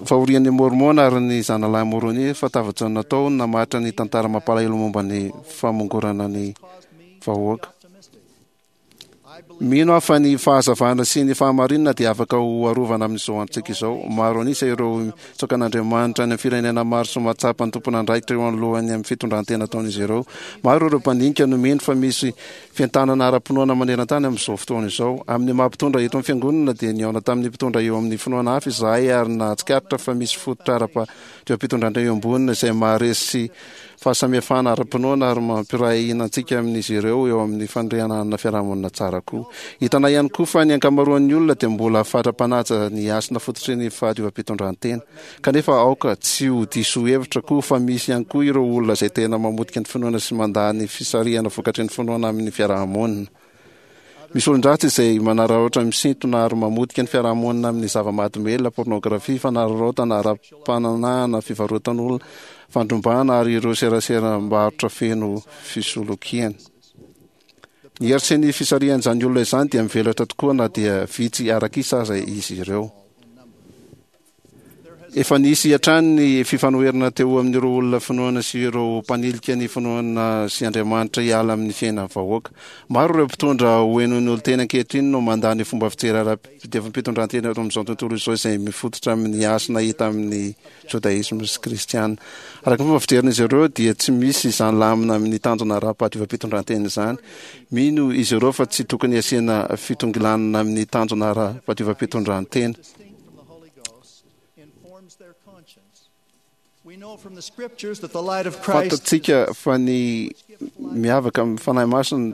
fahorian'ny Môrmôna ary ny zanalahy Môrônia fa tafajanona tao no namaritra ny tantara mampalahelo momba ny famongorana ny vahoaka. Mino aho fa ny fahazavana sy ny fahamarinana dia afaka ho arovana amin'izao androntsika izao. Maro an'isa ireo mitsaoka an'Andriamanitra any amin'ny firenena maro sy mahatsapa ny tompon'andraikitra eo anoloan'ny amin'ny fitondran-tena ataon'izy ireo. Maro ireo mpandinika no mino fa misy fientanana ara-pinoana maneran-tany amin'izao fotoana izao. Amin'ny maha mpitondra eto amin'ny Fiangonana dia nihaona tamin'ny mpitondra eo amin'ny finoana hafa izahay ary nahatsikaritra fa misy fototra ara-pitondrantena iombonana izay maharesy sy fahasamihafana ara-pinoana ary mampiray hina antsika amin'izy ireo eo amin'ny fanorenana fiarahamonina tsara koa. Hitanay ihany koa fa ny ankamaroan'ny olona dia mbola fatra-panaja ny hasina fototry ny fahadiovam-pitondrantena. Kanefa aoka tsy ho diso hevitra koa fa misy ihany koa ireo olona izay tena mamotika ny finoana sy mandà ny fisarihana vokatry ny finoana amin'ny fiarahamonina. Misy olon-dratsy izay manararaotra misintona ary mamotika ny fiarahamonina amin'ny zava-mahadomelina, pornografia, fanararaotana ara-pananahana, fivarotan'olona, fandrombahana ary ireo seraseram-barotra feno fisolokiana. Ny hery sy ny fisarihan'izany olona izany dia mivelatra tokoa na dia vitsy araka isa aza izy ireo. Efa nisy hatrany ny fifanoherana teo amin'ireo olona finoana sy ireo mpanilika ny finoana sy Andriamanitra hiala amin'ny fiainan'ny vahoaka. Maro ireo mpitondra ho henoin'ny olon-tena ankehitriny no mandà ny fomba fijery ara-pitevam-pitondrantena eto amin'izao tontolo izao izay mifototra amin'ny hasina hita amin'ny Jodaisma sy Kristiana. Araka ny fomba fijerin'izy ireo dia tsy misy izany lamina amin'ny tanjona ara-pahadiovam-pitondrantena izany. Mino izy ireo fa tsy tokony hasiana fitongilanana amin'ny tanjona ara-pahadiovam-pitondrantena. Fantatsika fa ny miavaka amin'ny Fanahy Masina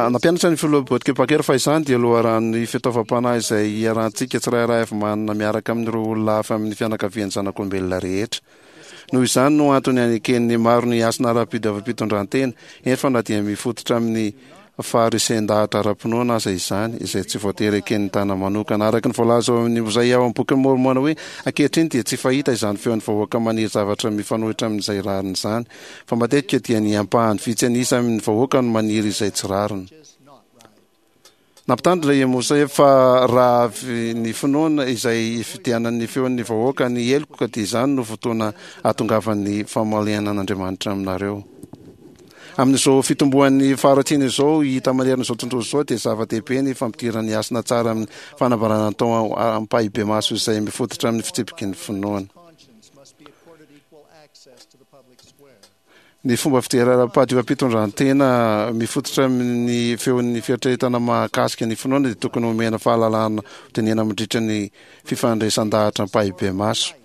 Nampianatra ny Filoha Boyd K. Packer fa izany dia loharanon'ny fitaovam-panahy izay iarahantsika tsirairay avy manana miaraka amin'ireo olona hafa amin'ny fianakavian'ny zanak'olombelona rehetra. Noho izany no antony aneken'ny maro ny hasina ara-pidiovam-pitondrantena, eny fa na dia mifototra amin'ny faharesen-dahatra ara-pinoana aza izany, izay tsy voatery eken'ny tana manokana. Araka ny voalaza ao amin'ny Mozay ao amin'ny Bokin'i Môrmôna hoe, Ankehitriny dia tsy fahita izany feon'ny vahoaka maniry zavatra mifanohitra amin'izay rariny izany, fa matetika dia ny ampahany vitsy an'isa amin'ny vahoaka no maniry izay tsy rariny. Nampitandrina i Mosè fa raha avy ny finoana izay ifidianan'ny feon'ny vahoaka ny heloka dia izany no fotoana hahatongavan'ny famalianan'Andriamanitra aminareo. Amin'izao fitomboan'ny faharatsiana izao hita manerana izao tontolo izao dia zava-dehibe ny fampidirana ny hasina tsara amin'ny fanambarana atao ampahibemaso izay mifototra amin'ny fitsipiky ny finoana. Ny fomba fijery ara-pahadiovam-pitondrantena mifototra amin'ny feon'ny fieritreretana mahakasika ny finoana dia tokony homena fahalalahana hodinihana mandritra ny fifandraisan-dahatra ampahibemaso.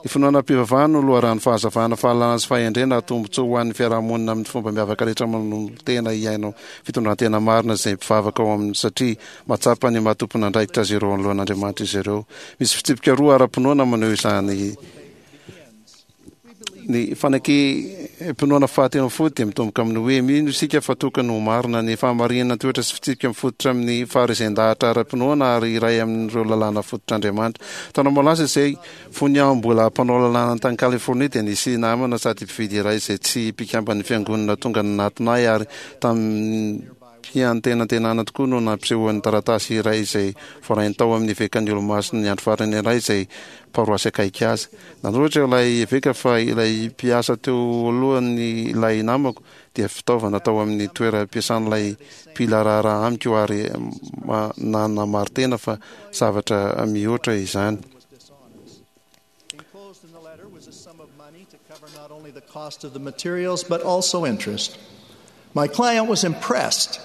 Ny finoana ara-pivavahana no loharanon'ny fahazavana, fahalalana sy fahendrena ary tombontsoa ho an'ny fiarahamonina amin'ny fomba miavaka rehetra manolo-tena hiaina fitondrantena marina izay mpivavaka ao aminy satria mahatsapa ny maha tompon'andraikitra azy ireo anoloan'Andriamanitra izy ireo. Misy fitsipika roa ara-pinoana maneho izany. Ny fanekem-pinoana fahatelo ambin'ny folo dia mitomboka amin'ny hoe mino isika fa tokony ho marina ny fahamarinana toetra sy fitsipika mifototra amin'ny faharezen-dahatra ara-pinoana ary iray amin'ireo lalàna fototr'Andriamanitra. Taona maro lasa izay, fony aho mbola mpanao lalàna tany Californie dia nisy namana sady mpividy iray izay tsy mpikamban'ny fiangonana tonga nanatona ahy ary tamin'ny Fiantenantenana tokoa no nampisehoan'ny taratasy iray izay voarainy tao amin'ny evekan'ny Olomasin'ny Andro Farany iray izay paroasy akaiky azy. Nanoratra ilay eveka fa ilay mpiasa teo alohan'ilay namako dia fitaovana tao amin'ny toeram-piasan'ilay mpila raharaha amiko ary nanamari-tena fa zavatra mihoatra izany. Enclosed in the letter was a sum of money to cover not only the cost of the materials but also interest. My client was impressed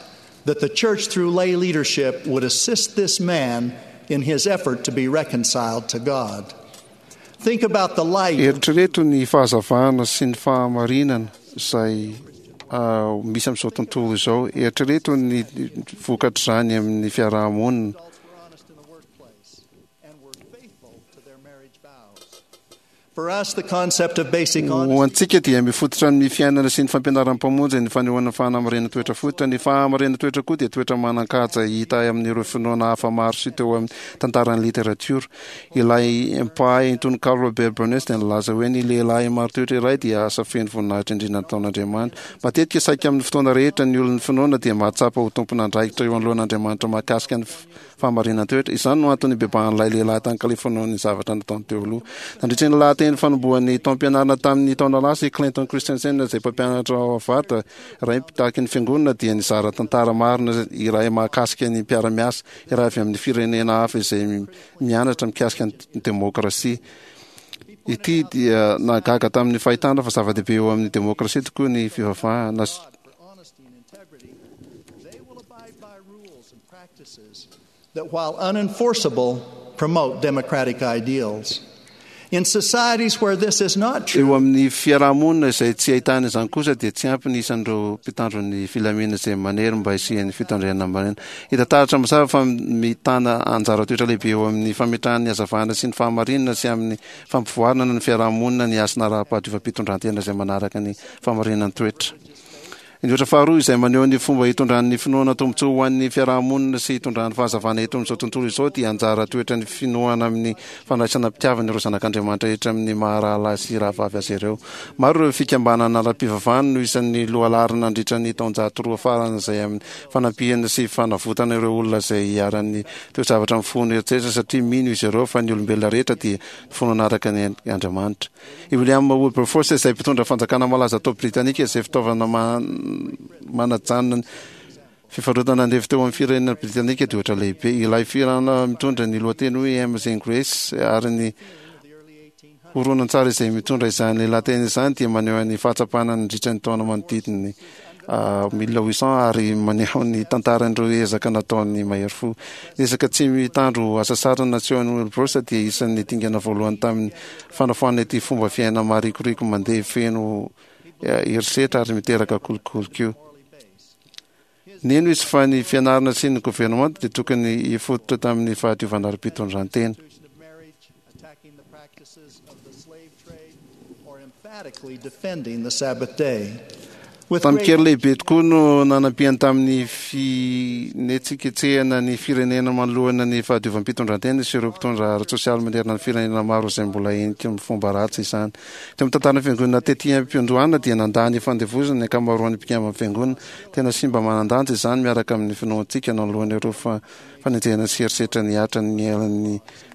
that the church, through lay leadership, would assist this man in his effort to be reconciled to God. Think about the light. Eritrereto ny fahazavana sy ny fahamarinana izay misy amin'izao tontolo izao. Eritrereto ny vokatr'izany amin'ny fiaraha-monina. Ho antsika dia mifototra amin'ny fiainana sy ny fampianaran'ny Mpamonjy ny fanehoana ny fahamarinana-toetra fototra. Ny fahamarinana-toetra koa dia toetra manan-kaja hita amin'ireo finoana hafa maro sy teo amin'ny tantaran'ny literatiora. Ilay mpahay tononkalo Robert Burns dia nilaza hoe ny lehilahy marin-toetra iray dia asa feno voninahitra indrindra nataon'Andriamanitra. Matetika saika amin'ny fotoana rehetra ny olon'ny finoana dia mahatsapa ho tompon'andraikitra eo anoloan'Andriamanitra mahakasika ny fahamarinan-toetra. Izany no antony nibebahan'ilay lehilahy tany Californie noho ny zavatra nataony teo aloha. Nandritra ny lahateny fanombohan'ny taom-pianarana tamin'ny taona lasa, i Clinton Christensen, izay mpampianatra ao Harvard, iray mpitaky ny fiangonana, dia nizara tantara marina iray mahakasika ny mpiara-miasa iray avy amin'ny firenena hafa izay mianatra mikasika ny demokrasia. Ity dia nahagaga tamin'ny fahitana fa zava-dehibe eo amin'ny demokrasia tokoa ny fivavahana. That while unenforceable, promote democratic ideals. In societies where this is not true, Eo amin'ny fiaraha-monina izay tsy ahitana izany kosa dia tsy ampy ny isan'ireo mpitandro ny filaminana izay manery mba hisian'ny fitandremana marina. Hita taratra mazava fa mitana anjara toetra lehibe eo amin'ny fametrahana ny hazavana sy ny fahamarinana sy amin'ny fampivoarana ny fiaraha-monina ny hasina ara-pahadiovam-pitondrantena izay manaraka ny fahamarinan-toetra. Ny ohatra faharoa izay maneho ny fomba hitondran'ny finoana tombontsoa ho an'ny fiaraha-monina sy hitondrany fahazavana eto amin'izao tontolo izao dia anjara toetran'ny finoana amin'ny fandraisana am-pitiavana ireo zanak'Andriamanitra rehetra amin'ny maha rahalahy sy rahavavy azy ireo. Maro ireo fikambanana ara-pivavahana no isan'ny lohalaharana nandritra ny taonjato roa farany izay amin'ny fanampiana sy fanavotana ireo olona izay iharan'ny toe-javatra mifono eritreritra satria mino izy ireo fa ny olombelona rehetra dia finoana araka ny Andriamanitra. I William Wilberforce izay mpitondra fanjakana malaza tao Britanika izay fitaovana manajanona ny fivarotana andevo teo amin'ny firenena Britanika dia ohatra lehibe. Ilay fihirana mitondra ny lohateny hoe Amazing Grace ary ny horonantsary izay mitondra izany lahateny izany dia maneho ny fahatsapana nandritra ny taona manodidina ny 1800 ary maneho ny tantaran'ireo ezaka nataon'ny mahery fo. Ny ezaka tsy mitandro hasasarana nasehon'i Wilberforce dia isan'ny dingana voalohany tamin'ny fanafoanana ity fomba fiaina marikoriko mandeha feno herisetra ary miteraka kolikoly koa. Nino izy fa ny fianarana sy ny governemanta dia tokony hifototra tamin'ny fahadiovana ara-pitondrantena. Tamin-kery lehibe tokoa no nanampiany tamin'ny finetsiketsehana ny firenena manoloana ny fahadiovam-pitondrantena sy ireo mpitondra ara-tsosialy manerana ny firenena maro izay mbola henika amin'ny fomba ratsy izany. Teo amin'ny tantaran'ny fiangonana tety am-piandohana dia nandà ny fandevozana ny ankamaroan'ny mpikamban'ny fiangonana. Tena simba manan-danja izany miaraka amin'ny finoantsika nanoloana ireo fanenjehana sy herisetra nihatra ny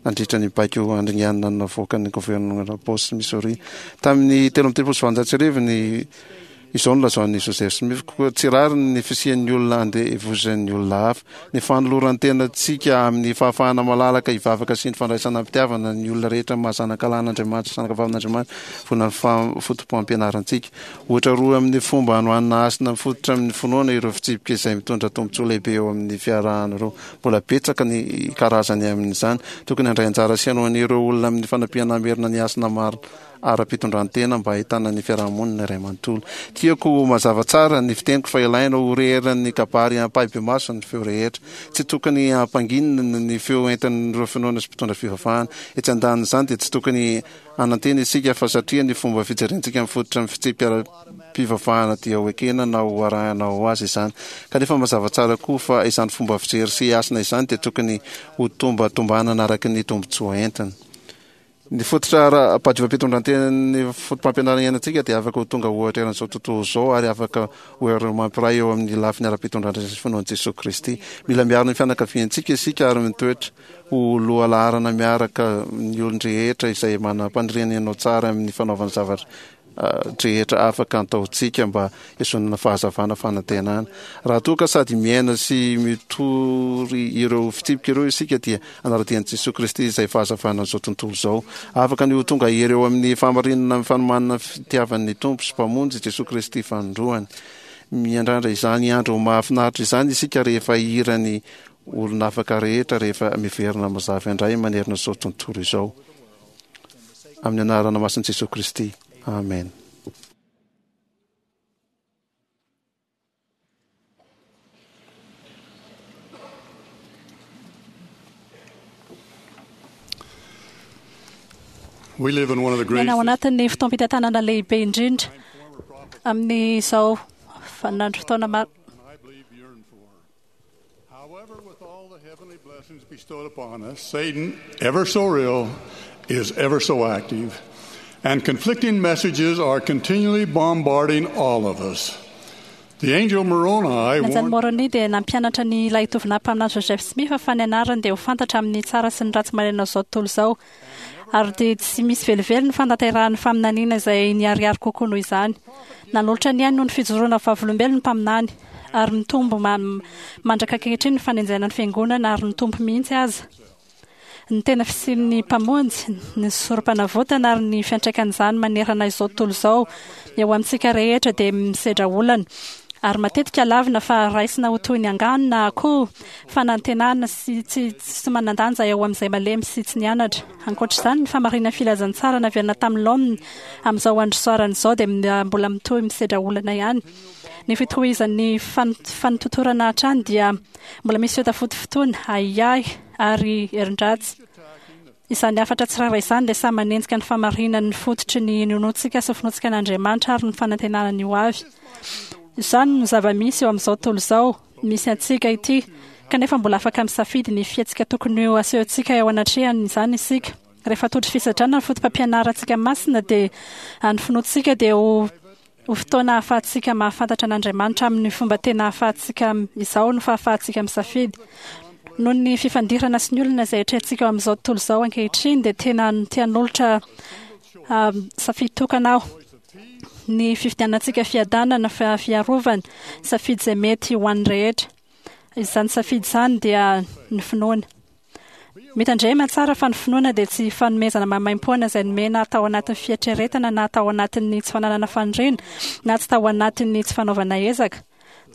nandritra ny baiko handringanana navoakan'ny governemanta Boss Missouri tamin'ny 1833 ny Izao no lazain'i Joseph Smith, Koa tsy rariny ny fisian'ny olona andevozan'ny olona hafa. Ny fanoloran-tenantsika amin'ny fahafahana malalaka hivavaka sy ny fandraisana am-pitiavana ny olona rehetra maha zanakalahin'Andriamanitra sy zanakavavin'Andriamanitra vona ny foto-pampianarantsika. Ohatra roa amin'ny fomba hanohanana hasina mifototra amin'ny finoana ireo fitsipika izay mitondra tombontsoa lehibe eo amin'ny fiarahana ireo. Mbola betsaka ny karazany amin'izany. Tokony handray anjara sy hanohana ireo olona amin'ny fanampiana hamerina ny hasina marina ara-pitondrantena mba hahitana ny fiarahamonina iray manontolo. Tiako ho mazava tsara ny fiteniko fa ilaina ho re eran'ny kabary ampahibemaso ny feo rehetra. Tsy tokony hampanginina ny feo entin'ireo finoana sy mpitondra fivavahana. Etsy andanin'izany dia tsy tokony hanantena isika fa satria ny fomba fijerentsika mifototra amin'ny fitsipika ara-pivavahana dia ho ekena na ho arahina ho azy izany. Kanefa mazava tsara koa fa izany fomba fijery sy hasina izany dia tokony ho tombatombanana araka ny tombontsoa entiny. Ny fototra ara-pahadiovam-pitondrantenan'ny fotopampianarana iainantsika dia afaka ho tonga ohatra eran'izao tontolo izao ary afaka ho ireo mampiray eo amin'ny lafiny ara-pitondrantena sy finoan'i Jesoa Kristy. Mila miaro ny fianakaviantsika isika ary mitoetra ho lohalaharana miaraka ny olon-drehetra izay manam-paniriana hanao tsara amin'ny fanaovana zavatra. Drehetra afaka antaontsika mba hisonana fahazavana fanantenana. Raha toa ka sady miaina sy mitory ireo fitsipika ireo isika dia hanara-dia an'i Jesoa Kristy izay fahazavanan'izao tontolo izao. Afaka ny ho tonga hery eo amin'ny fahamarinana amin'ny fanomanana ny fitiavan'ny Tompo sy Mpamonjy Jesoa Kristy fanindroany. Miandrandra izany andro mahafinaritra izany isika rehefa hihira ny olon'afaka rehetra rehefa miverina mazava indray manerana izao tontolo izao. Amin'ny anarana masin'i Jesoa Kristy. Amen. Miaina ao anatin'ny fotoam-pitantanana lehibe indrindra amin'izao vaninandro fotoana maro. However, with all the heavenly blessings bestowed upon us, Satan, ever so real, is ever so active, and conflicting messages are continually bombarding all of us. The angel Moroni Ny anjely warned Moroni dia nampianatra ny lahitovinà mpaminany Joseph Smith fa ny anarany dia ho fantatra amin'ny tsara sy ny ratsy manerana izao tontolo izao, ary dia tsy misy velively ny fanatanterahan'ny faminaniana izay niharihary kokoa noho izany. Nanolotra ny ainy noho ny fijoroana vavolombelona ny mpaminany, ary mitombo mandraka ankehitriny ny fanenjehana ny Fiangonana ary ny Tompo mihitsy aza. Ny tena fisian'ny Mpamonjy, ny Sorompanavotana ary ny fiantraikan'izany manerana izao tontolo izao eo amintsika rehetra dia misedra olana ary matetika lavina fa raisina ho toy ny angano na koa fanantenana sy tsy tsy manan-danja eo amin'izay malemy sy tsy nianatra. Ankoatra izany, ny fahamarinan'ny filazantsara naverina tamin'ny laoniny amin'izao andro soarana izao dia mbola mitohy misedra olana ihany. Ny fitohizan'ny fanototorana hatrany dia mbola misy fihotafotofotoana, ahiahy ary herin-dratsy. Izany hafatra tsirairay izany dia samy manenjika ny fahamarinan'ny fototry ny inoantsika sy finoantsika an'Andriamanitra ary ny fanantenana ny ho avy. Izany no zava-misy eo amin'izao tontolo izao misy antsika ity, kanefa mbola afaka misafidy ny fihetsika tokony ho asehontsika eo anatrehany izany isika. Rehefa tojo fisedrana ny fotopampianarantsika masina dia ny finoantsika dia ho ho fotoana ahafahantsika mahafantatra an'Andriamanitra amin'ny fomba tena ahafahantsika izao no fahafahantsika misafidy. Noho ny fifandirana sy ny olona izay atrehintsika eo amin'izao tontolo izao ankehitriny dia tena te hanolotra safidy tokana aho. Ny fifidianantsika fiadanana, fiarovana, safidy izay mety ho an'ny rehetra. Izany safidy izany dia ny finoana. Mitandrema tsara fa ny finoana dia tsy fanomezana maimaimpoana izay nomena tao anatin'ny fieritreretana na tao anatin'ny tsy fananana faniriana na tsy tao anatin'ny tsy fanaovana ezaka.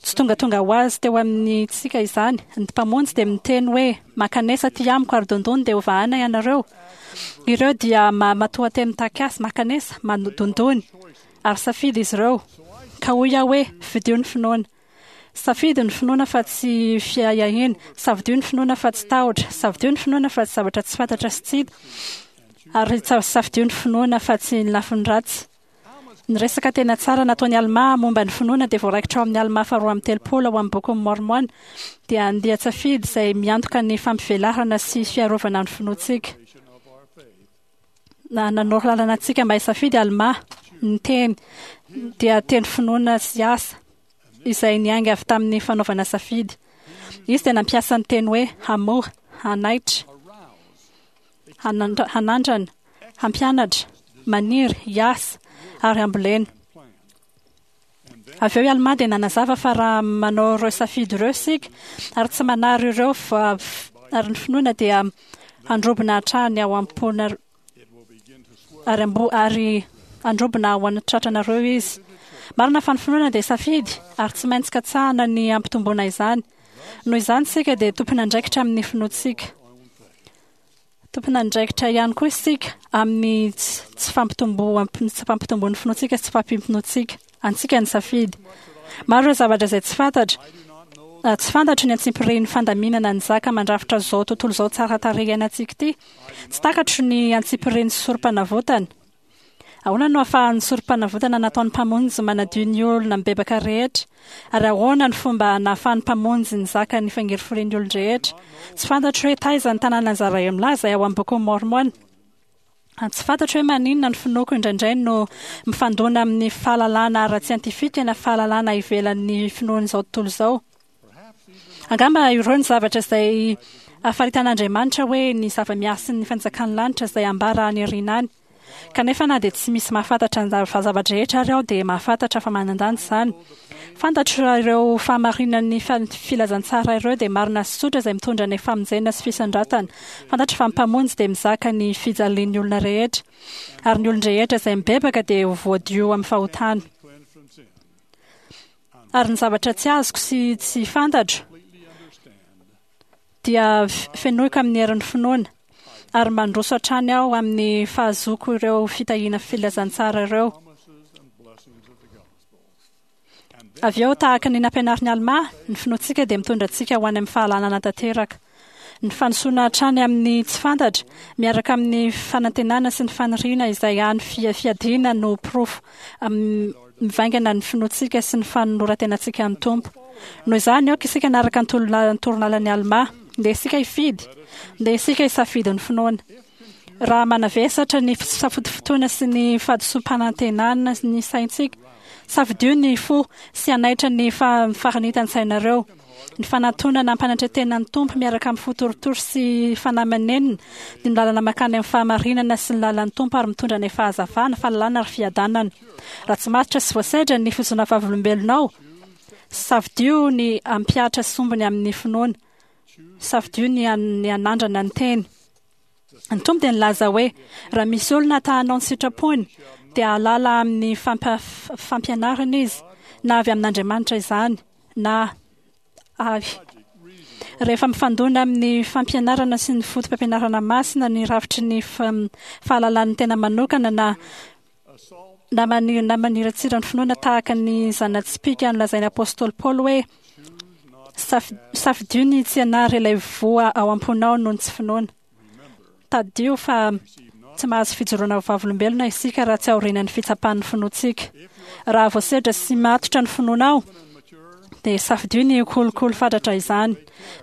Tsy tongatonga ho azy teo amintsika izany. Ny Mpamonjy dia miteny hoe, Mankanesa aty amiko ary dondony dia hovahana ianareo. Ireo dia matoanteny mitaky asa, mankanesa, dondony. Ary safidy izy ireo. Ka hoy aho hoe, Fidio ny finoana. Safidy ny finoana fa tsy fiahiahiana, safidio ny finoana fa tsy tahotra, safidio ny finoana fa tsy zavatra tsy fantatra sy tsy hita, ary safidio ny finoana fa tsy ny lafiny ratsy. Ny resaka tena tsara nataon'i Almà momba ny finoana dia voaraikitra ao amin'ny Almà faharoa amby 30 ao amin'ny Bokin'i Môrmôna, dia andian-tsafidy izay miantoka ny fampivelarana sy fiarovana ny finoantsika. Na nanoro lalana antsika mba hisafidy Almà, ny teny dia teny finoana sy asa izay niainga avy tamin'ny fanaovana safidy. Izy dia nampiasa ny teny hoe hamoha, hanaitra, hanandrana, hampianatra, maniry, hiasa, ary hambolena. Avy eo i Almà dia nanazava fa raha manao ireo safidy ireo isika ary tsy manary ireo ary ny finoana dia handrobona hatrany ao am-ponareo ary ambo ary handrobona ao an-tratranareo izy. Marina fa ny finoana dia safidy ary tsy maintsy katsahana ny hampitomboana izany. Noho izany isika dia tompon'andraikitra amin'ny finoantsika. Tompon'andraikitra ihany koa isika amin'ny tsy fampitomboam-, tsy fampitomboan'ny finoantsika sy tsy fahampiam-pinoantsika. Antsika ny safidy. Maro ireo zavatra izay tsy fantatra. Tsy fantatro ny antsimpirihin'ny fandaminana ny zaka mandrafitra izao tontolo izao tsara tarehy iainantsika ity. Tsy takatro ny antsimpirihin'ny sorom-panavotana. Ahoana no ahafahan'ny sorom-panavotana nataon'ny Mpamonjy manadio ny olona mibebaka rehetra? Ary ahoana no fomba nahafahan'ny Mpamonjy nizaka ny fangirifirian'ny olon-drehetra? Tsy fantatro hoe taiza ny tanànan'i Zarahemlà izay ao amin'ny Bokin'i Môrmôna. Tsy fantatro hoe maninona ny finoako indraindray no mifandona amin'ny fahalalana ara-tsiantifika na fahalalana ivelan'ny finoan'izao tontolo izao. Angamba ireo ny zavatra izay afaritan'Andriamanitra hoe ny zava-miasin'ny fanjakan'ny lanitra izay ambara any aoriana any. Kanefa na dia tsy misy mahafantatra ny zava-drehetra ary aho dia mahafantatra fa manan-danja izany. Fantatro fa ireo fahamarinan'ny filazantsara ireo dia marina sy tsotra izay mitondra ny famonjena sy fisandratana. Fantatro fa ny Mpamonjy dia mizaka ny fijalian'ny olona rehetra, ary ny olon-drehetra izay mibebaka dia ho voadio amin'ny fahotana. Ary ny zavatra tsy azoko sy tsy fantatro dia fenoiko amin'ny herin'ny finoana, ary mandroso hatrany aho amin'ny fahazoako ireo fitahiana filazantsara ireo. Avy eo, tahaka ny nampianarin'i Almà, ny finoantsika dia mitondra antsika ho any amin'ny fahalalana tanteraka. Ny fandrosoana hatrany amin'ny tsy fantatra, miaraka amin'ny fanantenana sy ny faniriana izay hany fiadiana no porofo mivaingana ny finoantsika sy ny fanoloran-tenantsika ny Tompo. Noho izany, aoka isika hanaraka ny torolalan'i Almà. Ndeha isika hifidy. Ndeha isika hisafidy ny finoana. Raha manavesatra ny fisafotofotoana sy ny fahadisoam-panantenana ny saintsika, safidio ny fo sy hanaitra ny faharanitan-tsainareo. Ny fanantonana ampanatretena ny Tompo miaraka amin'ny fo torotoro sy fanahy manenina dia ny lalana mankany amin'ny fahamarinana sy ny lalan'ny Tompo ary mitondra ny fahazavana, fahalalana ary fiadanana. Raha tsy matotra sy voasedra ny fizoana vavolombelonao, safidio ny hampihatra sombiny amin'ny finoana. Safidio ny hanandrana ny teny. Ny Tompo dia nilaza hoe, Raha misy olona ta hanao ny sitrapony, dia hahalala amin'ny fampianarana izy, na avy amin'Andriamanitra izany, na avy. Rehefa mifandona amin'ny fampianarana sy ny foto-pampianarana masina ny rafitry ny fahalalan'ny tena manokana na na maniratsira ny finoana tahaka ny zana-tsipìka nolazain'ny apostoly Paoly hoe, Safidio ny tsy hanary ilay voa ao am-ponao noho ny tsy finoana. Tadidio fa tsy mahazo fijoroana ho vavolombelona isika raha tsy aorianan'ny fitsapan'ny finoantsika. Raha voasedra sy matotra ny finoanao, dia safidio ny hikolokolo fatratra izany.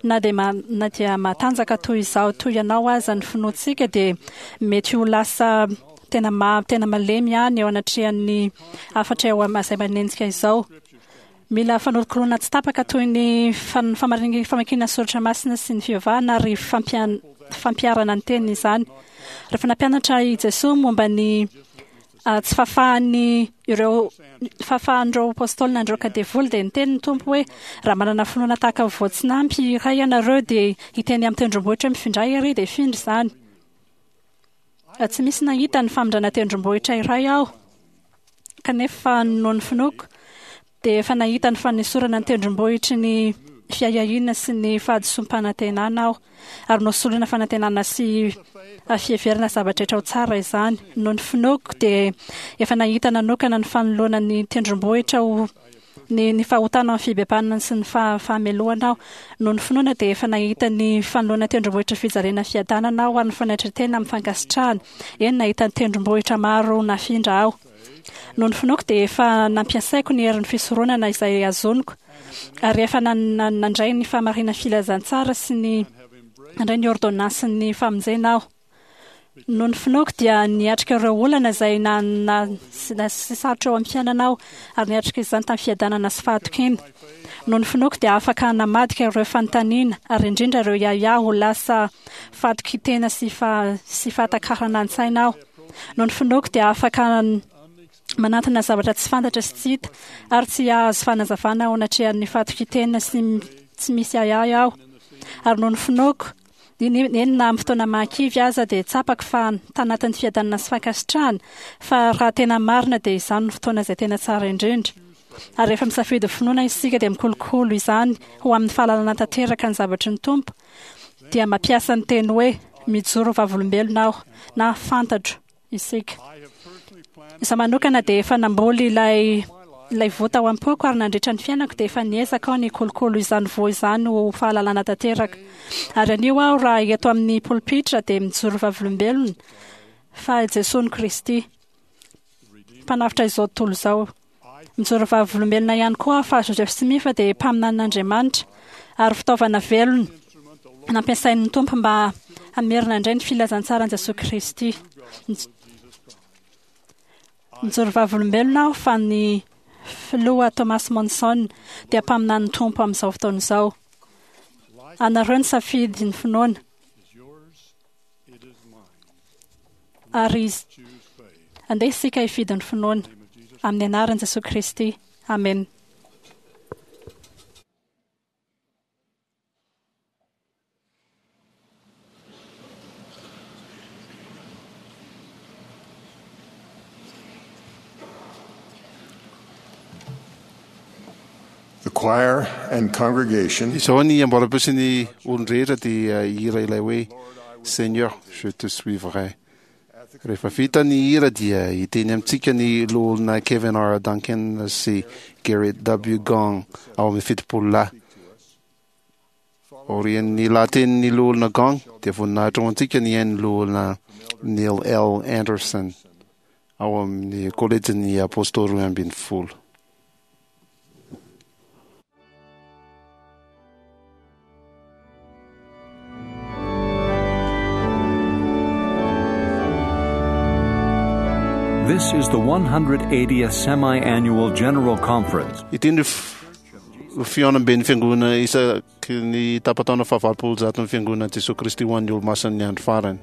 Na dia na dia matanjaka toy izaho toy ianao aza ny finoantsika dia mety ho lasa tena ma tena malemy ihany eo anatrehan'ny hafatra eo izay manenjika izao. Mila fanolokoloana tsy tapaka toy ny famakiana soratra masina sy ny fivavahana ary fampiharana ny teniny izany. Rehefa nampianatra i Jesoa momba ny tsy fahafahan'ny ireo fahafahan'ireo apôstôly nandroaka devoly dia niteny ny Tompo hoe raha manana finoana tahaka ny voatsinampy iray ianareo dia hiteny amin'ny tendrombohitra hoe mifindray ery dia hifindra izany. Tsy misy nahita ny famindrana tendrombohitra iray aho. Kanefa noho ny finoako, dia efa nahita ny fanesorana ny tendrombohitry ny fiahiahiana sy ny fahadisoam-panantenana aho, ary nosoloina fanantenana sy fiheverana zava-drehetra ho tsara izany. Noho ny finoako, dia efa nahita nanokana ny fanoloana ny tendrombohitra ho ny, ny fahotana amin'ny fibebanana sy ny fahamelohana aho. Noho ny finoana dia efa nahita ny fanoloana tendrombohitra fijaliana fiadanana aho ary ny fanetren-tena amin'ny fankasitrahana. Eny, nahita ny tendrombohitra maro nafindra aho. Noho ny finoako dia efa nampiasaiko ny herin'ny fisoronana izay azoniko ary efa nandray ny fahamarinan'ny filazantsara sy ny nandray ny ôrdônansin'ny famonjena aho. Noho ny finoako dia niatrika ireo olana izay na na sy sarotra eo amin'ny fiainana aho ary niatrika izany tamin'ny fiadanana sy fahatokiana. Noho ny finoako dia afaka namadika ireo fanontaniana ary indrindra ireo ahiahy ho lasa fahatokian-tena sy sy fahatakarana an-tsaina aho. Noho ny finoako dia afaka manantona zavatra tsy fantatra sy tsy hita ary tsy hahazo fanazavana ao anatrehan'ny fahatokian-tena sy tsy misy ahiahy aho. Ary noho ny finoako Eny na amin'ny fotoana mahakivy aza dia tsapako fa tanatin'ny fiadanana sy fankasitrahana fa raha tena marina dia izany no fotoana izay tena tsara indrindra. Ary rehefa misafidy finoana isika dia mikolokolo izany ho amin'ny fahalalana tanteraka ny zavatry ny Tompo dia mampiasa ny teny hoe mijoro vavolombelona aho na fantatro isika. Izaho manokana dia efa namboly ilay ilay voa tao am-poko ary nandritra ny fiainako dia efa niezaka aho nikolokolo izany voa izany ho fahalalana tanteraka. Ary anio aho raha eto amin'ny polipitra dia mijoro vavolombelona fa Jesoa no Kristy, Mpanavotra izao tontolo izao. Mijoro vavolombelona ihany koa aho fa Joseph Smith dia mpaminanin'Andriamanitra ary fitaovana velona nampiasain'ny Tompo mba hamerina indray ny filazantsaran'i Jesoa Kristy. Mijoro vavolombelona aho fa ny Filoha Thomas Monson dia mpaminanin'ny Tompo amin'izao fotoana izao. Anareo ny safidy ny finoana. Ary izy. Andeha isika hifidy ny finoana. Amin'ny anaran'i Jesoa Kristy. Amen. The choir and congregation. Izao ny amboaram-peo sy ny olon-drehetra dia hihira ilay hoe Seigneur, je te suivrai. Rehefa vita ny hira dia hiteny amintsika ny loholona Kevin R. Duncan sy Gerrit W. Gong ao amin'ny 70 lahy. Aorian'ny lahatenin'ny loholona Gong dia voninahitra ho antsika ny hain'ny loholona Neil L. Anderson ao amin'ny kolejin'ny Apôstôly 12. This is the 180th Semi-Annual General Conference. Ity no fihaonamben'ny Fiangonana isaky ny tapa-taona fahavalopolo jaton'ny Fiangonana Jesoa Kristy ho an'ny Olomasin'ny Andro Farany.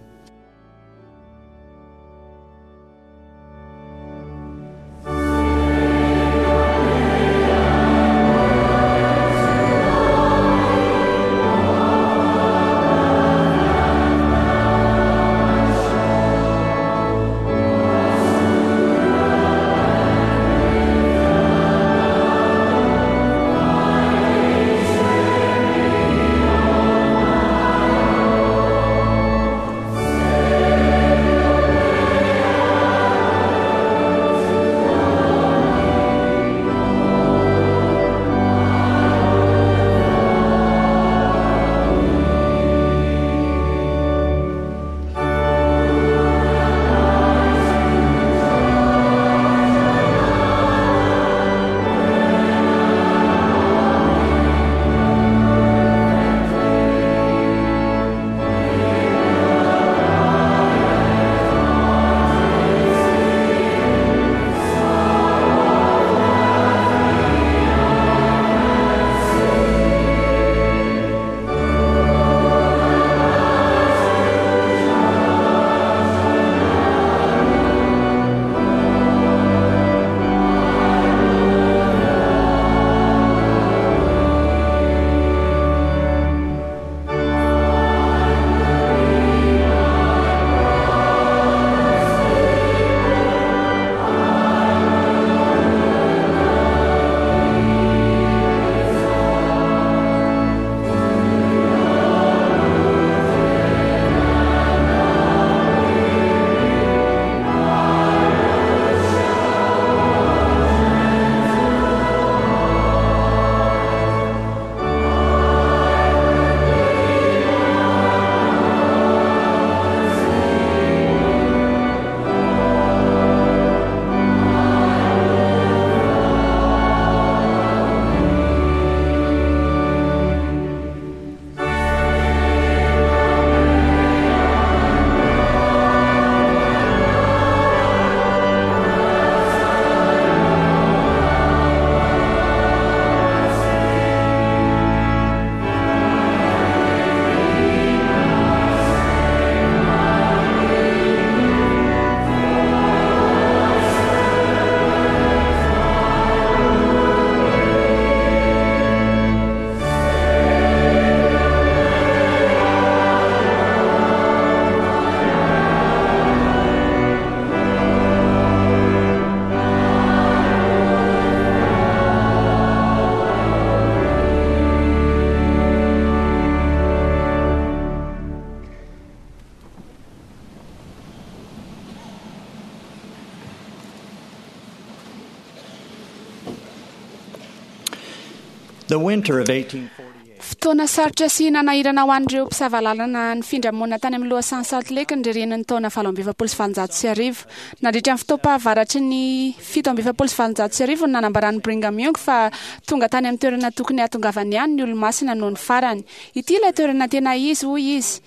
The winter of 1848. Fotoana sarotra sy nanahirana ho an'ireo mpisava lalana nifindra monina tany amin'ny lohasahan'i Salt Lake ny ririnin'ny taona 1848. Nandritra ny fotoam-pahavaratry ny 1847 no nanambaran'i Brigham Young fa tonga tany amin'ny toerana tokony hahatongavany ihany ny Olomasina nony farany. Ity ilay toerana tena izy, hoy izy,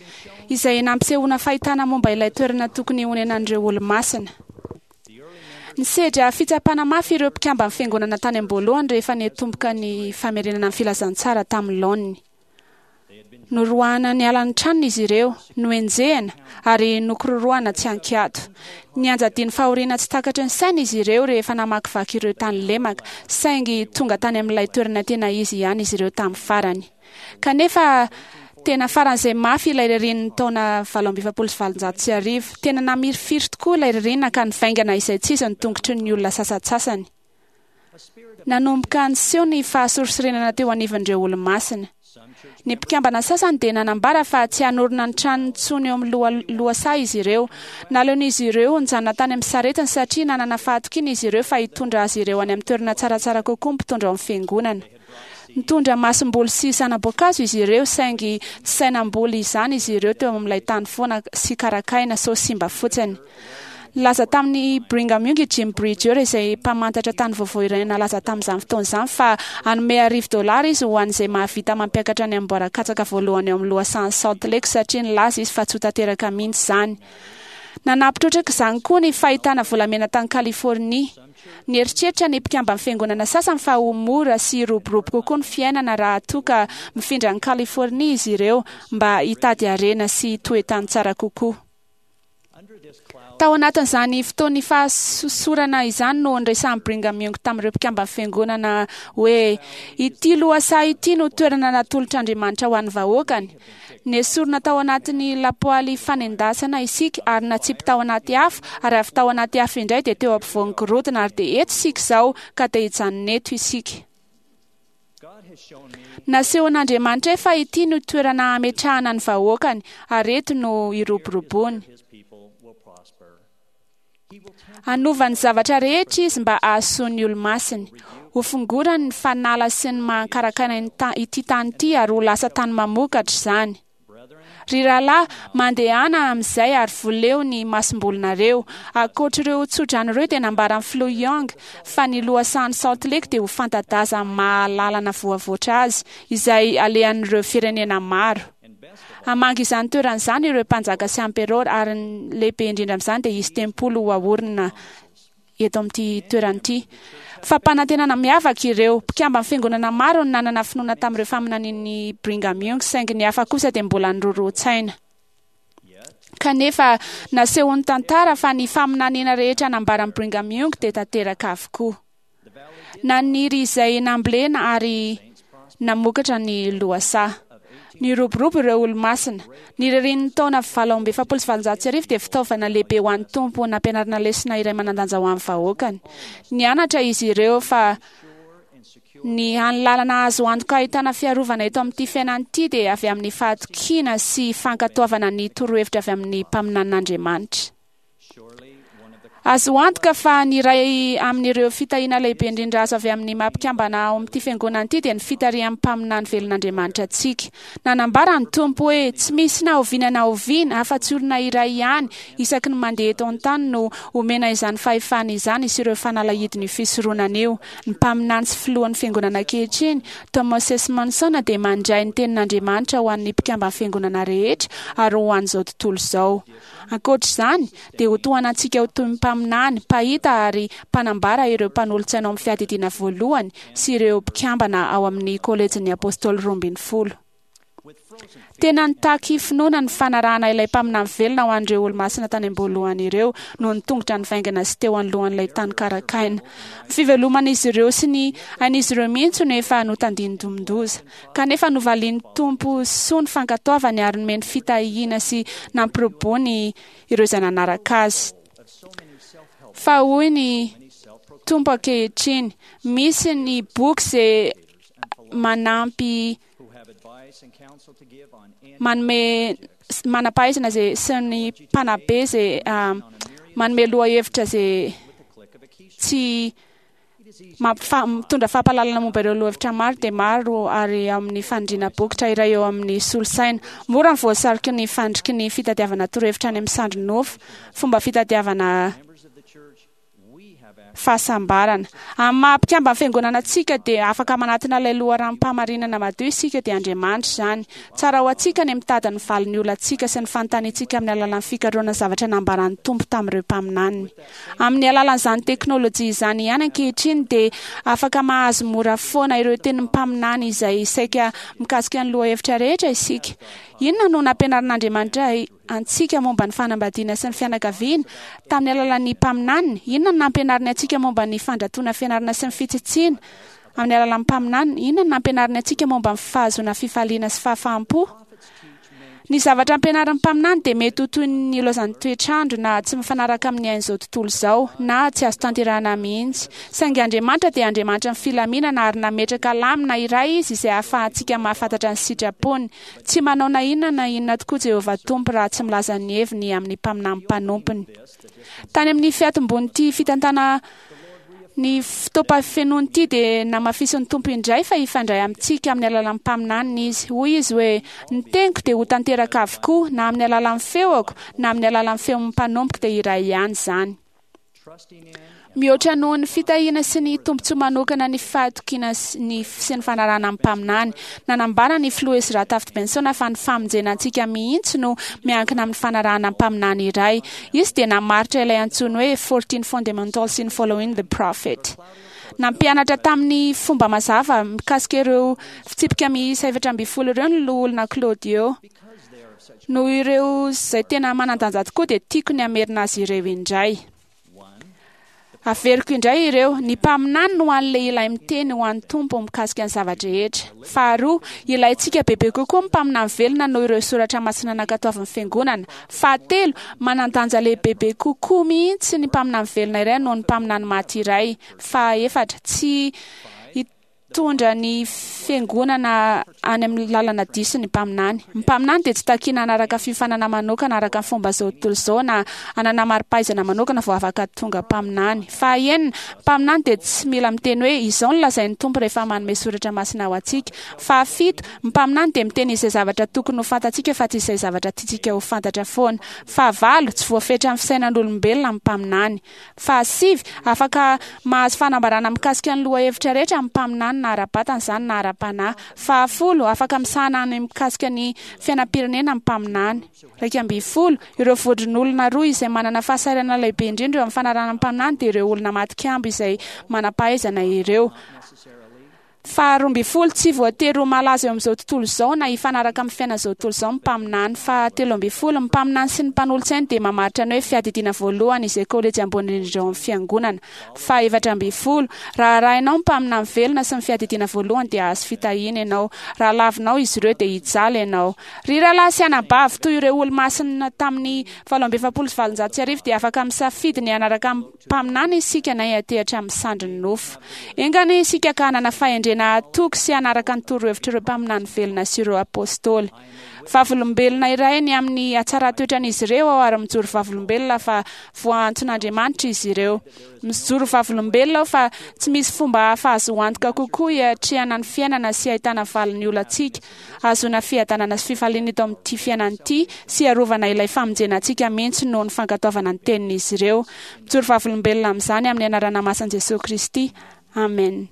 izay nampisehoana fahitana momba ilay toerana tokony honenan'ireo Olomasina. Nisedra fitsapana mafy ireo mpikamban'ny Fiangonana tany am-boalohany rehefa niatomboka ny famerenana ny filazantsara tamin'ny laoniny. Noroahana niala ny tranony izy ireo, nohenjehina ary nokororohana tsy an-kiato. Nianjadian'ny fahoriana tsy takatry ny saina izy ireo rehefa namakivaky ireo tany lemaka, saingy tonga tany amin'ilay toerana tena izy ihany izy ireo tamin'ny farany. Kanefa, tena faran'izay mafy ilay ririnin'ny taona 1848. Tena namirifiry tokoa ilay ririnina ka nivaingana izaitsizy ny tongotry ny olona sasantsasany. Nanomboka niseho ny fahasorisorenana teo anivon'ireo Olomasina. Ny mpikambana sasany dia nanambara fa tsy hanorina ny tranony intsony eo amin'ny loha lohasaha izy ireo. Naleon'izy ireo nijanona tany amin'ny saretiny satria nanana fahatokiana izy ireo fa hitondra azy ireo any amin'ny toerana tsaratsara kokoa ny mpitondra ao amin'ny fiangonana. Nitondra masomboly sy zana-boankazo izy ireo saingy tsy sahy namboly izany izy ireo teo amin'ilay tany foana sy karakaina sao simba fotsiny. Nilaza tamin'i Brigham Young i Jim Bridger izay mpamantatra tany vaovao iray nalaza tamin'izany fotoana izany fa hanome $100 izy ho an'izay mahavita mampiakatra ny amboara katsaka voalohany ao amin'ny lohasahan'i Salt Lake satria nilaza izy fa tsy ho tanteraka mihitsy izany. Nanampy trotraka izany koa ny fahitana volamena tany Californie. Nieritreritra ny mpikamban'ny fiangonana sasany fa ho mora sy hiroborobo kokoa ny fiainana raha toa ka mifindra any Californie izy ireo mba hitady harena sy toe-tany tsara kokoa. Tao anatin'izany fotoan'ny fahasosorana izany no niresahan'i Brigham Young tamin'ireo mpikamban'ny Fiangonana hoe, Ity lohasaha ity no toerana natolotr'Andriamanitra ho an'ny vahoakany. Nesorina tao anatin'ny lapoaly fanendasana isika ary natsipy tao anaty afo, ary avy tao anaty afo indray dia teo ampovoan'ny gorodona, ary dia eto isika izao, ka te hijanona eto isika. Nasehon'Andriamanitra ahy fa ity no toerana hametrahana ny vahoakany, ary eto no hiroboroboany. Hanova ny zavatra rehetra Izy mba hahasoa ny olo-masiny. Hofongorany ny fanala sy ny maha-karankaina ity tany ity ary ho lasa tany mamokatra izany. Ry rahalahy, mandehana amin'izay ary voleo ny masombolinareo. Ankoatr'ireo tsodrano ireo dia nambaran'ny Filoha Young fa ny lohasahan'i Salt Lake dia ho fanta-daza amin'ny maha lalana voavoatra azy, izay alehan'ireo firenena maro. Hamangy izany toerana izany ireo mpanjaka sy amperôra ary ny lehibe indrindra amin'izany dia hisy tempoly ho aorina eto amin'ity toerana ity. Fampanantenana miavaka ireo. Mpikamban'ny Fiangonana maro no nanana finoana tamin'ireo faminanian'i Brigham Young, saingy ny hafa kosa dia mbola niroroa-tsaina. Kanefa, nasehon'ny tantara fa ny faminaniana rehetra nambaran'i Brigham Young dia tanteraka avokoa. Naniry izay nambolena ary namokatra ny lohasaha. Niroborobo ireo Olomasina. Ny ririnin'ny taona 1848 dia fitaovana lehibe ho an'ny Tompo nampianarana lesona iray manan-danja ho an'ny vahoakany. Nianatra izy ireo fa ny hany lalana azo antoka ahitana fiarovana eto amin'ity fiainana ity dia avy amin'ny fahatokiana sy fankatoavana ny torohevitra avy amin'ny mpaminanin'Andriamanitra. Azo antoka fa ny iray amin'ireo fitahiana lehibe indrindra azo avy amin'ny maha mpikambana ao amin'ity fiangonana ity dia ny fitarihan'ny mpaminany velon'Andriamanitra antsika. Nanambara ny Tompo hoe tsy misy na oviana na oviana afa-tsy olona iray ihany isaky ny mandeha eto an-tany no omena izany fahefana izany sy ireo fanalahidin'io fisoronana io. Ny mpaminany sy filohan'ny fiangonana ankehitriny, Thomas S. Monson, dia mandray ny tenin'Andriamanitra ho an'ny mpikamban'ny fiangonana rehetra ary ho an'izao tontolo izao. Ankoatra izany, dia ho tohanantsika ho toy ny mpaminany, mpahita ary mpanambara ireo mpanolotsaina ao amin'ny Fiadidiana Voalohany sy ireo mpikambana ao amin'ny Kôlejin'ny Apôstôly Roambinifolo. Tena nitaky finoana ny fanarahana ilay mpaminany velona ho an'ireo Olomasina tany am-boalohany ireo noho ny tongotra nivaingana sy teo anoloan'ilay tany karakaina. Ny fiveloman'izy ireo sy ny ain'izy ireo mihitsy no efa notandindomin-doza. Kanefa novalian'ny Tompo soa ny fankatoavany ary nomeny fitahiana sy nampirobony ireo izay nanaraka Azy. Fa hoy ny Tompo ankehitriny, misy ny boky izay manampy manome manam-pahaizana izay sy ny mpanabe izay manome lohahevitra izay tsy Mitondra fampahalalana momba ireo lohahevitra maro dia maro ary amin'ny fanindriana bokotra iray eo amin'ny solosaina. Mora ny voasariky ny fandriky ny fitadiavana torohevitra any amin'ny sandry nofo, fomba fitadiavana fahasambarana. Amin'ny maha mpikamban'ny fiangonana antsika dia afaka manatona ilay loharanom-pahamarinana madio isika dia Andriamanitra izany. Tsara ho antsika ny mitady ny valin'ny olantsika sy ny fanontaniantsika amin'ny alalan'ny fikarohana ny zavatra nambaran'ny Tompo tamin'ireo mpaminaniny. Amin'ny alalan'izany teknolojia izany ihany ankehitriny dia afaka mahazo mora foana ireo tenin'ny mpaminany izay saika mikasika ny lohahevitra rehetra isika. Inona no nampianarin'Andriamanitra antsika momba ny fanambadiana sy ny fianakaviana tamin'ny alalan'ny mpaminaniny? Inona no nampianariny antsika momba ny fandratoana fianarana sy ny fitsitsiana amin'ny alalan'ny mpaminaniny? Inona no nampianariny antsika momba ny fahazoana fifaliana sy fahafaham-po? Ny zavatra ampianarin'ny mpaminany dia mety ho toy ny ilaozan'ny toetr'andro na tsy mifanaraka amin'ny ain'izao tontolo izao na tsy azo tanterahina mihitsy. Saingy Andriamanitra dia Andriamanitry ny filaminana ary nametraka lamina iray Izy izay ahafahantsika mahafantatra ny sitrapony. Tsy manao na inona na inona tokoa Jehovah Tompo raha tsy milaza ny heviny amin'ny mpaminany mpanompony. Tany amin'ny fiatombon'ity fitantana ny fotoam-pahafenoany ity dia namafisin'ny Tompo indray fa hifandray amintsika amin'ny alalan'ny mpaminaniny Izy. Hoy Izy hoe, Ny teniko dia ho tanteraka avokoa, na amin'ny alalan'ny feoko, na amin'ny alalan'ny feon'ny mpanompoko dia iray ihany izany. Mihoatra noho ny fitahiana sy ny tombontsoa manokana ny fahatokiana ny sy ny fanarahana ny mpaminany. Nanambara ny filoha Ezra Taft Benson fa ny famonjena antsika mihitsy no miankina amin'ny fanarahana ny mpaminany iray. Izy dia namaritra ilay antsoiny hoe 14 Fundamentals in Following the Prophet. Nampianatra tamin'ny fomba mazava mikasika ireo fitsipika miisa 14 ireo ny loholona Claudio. Noho ireo izay tena manan-danja tokoa dia tiako ny hamerina azy ireo indray. Averiko indray ireo, ny mpaminany no hany lehilahy miteny ho an'ny Tompo mikasika ny zava-drehetra. Faharoa, ilaintsika bebe kokoa ny mpaminany velona noho ireo soratra masina nankatoavin'ny Fiangonana. Fahatelo, manan-danja lehibebe kokoa mihitsy ny mpaminany velona iray noho ny mpaminany maty iray. Fahaefatra, tsy Hitondra ny fiangonana any amin'ny lalana diso ny mpaminany. Ny mpaminany dia tsy takiana hanaraka fiofanana manokana araka ny fomba izao tontolo izao na hanana mari-pahaizana manokana vao afaka tonga mpaminany. Fahaenina, ny mpaminany dia tsy mila miteny hoe izao no lazain'ny Tompo rehefa manome soratra masina ho antsika. Fahafito, ny mpaminany dia miteny izay zavatra tokony ho fantatsika fa tsy izay zavatra tiantsika ho fantatra foana. Fahavalo, tsy voafetra amin'ny fisainan'olombelona ny mpaminany. Fahasivy, afaka mahazo fanambarana mikasika ny lohahevitra rehetra amin'ny mpaminany na ara-batana izany na ara-panahy. Fahafolo, afaka misahana ny mikasika ny fiainam-pirenena ny mpaminany. 11, Ireo vondron'olona roa izay manana fahasahiranana lehibe indrindra eo amin'ny fanarahana ny mpaminany dia ireo olona matin-kambo izay manam-pahaizana ireo. Faharoambinifolo, tsy voatery ho malaza eo amin'izao tontolo izao na hifanaraka amin'ny fiainan'izao tontolo izao ny mpaminany. Fahatelo ambinifolo, ny mpaminany sy ny mpanolotsainy dia mamaritra ny hoe fiadidiana voalohany izay kolejy ambony indrindra ao amin'ny fiangonana. Fahaefatra ambinifolo, raha arahinao ny mpaminany velona sy ny fiadidiana voalohany dia hahazo fitahiana ianao. Raha lavinao izy ireo dia hijaly ianao. Ry rahalahy sy anabavy, toy ireo olomasina tamin'ny 1848 dia afaka misafidy ny hanaraka ny mpaminany isika na hiantehatra amin'ny sandrin'ny nofo. Enga anie isika ka hanana fahendrena hatoky sy hanaraka ny torohevitr'ireo mpaminany velona sy ireo apostoly. Vavolombelona iray ny amin'ny hatsaran-toetran'izy ireo aho ary mijoro vavolombelona fa voaantson'Andriamanitra izy ireo. Mijoro vavolombelona aho fa tsy misy fomba hafa azo antoka kokoa hiatrehana ny fiainana sy hahitana valin'ny olantsika, hahazoana fiadanana sy fifaliana eto amin'ity fiainana ity sy hiarovana ilay famonjena antsika mihitsy noho ny fankatoavana ny tenin'izy ireo. Mijoro vavolombelona amin'izany amin'ny anarana masin'i Jesoa Kristy. Amen.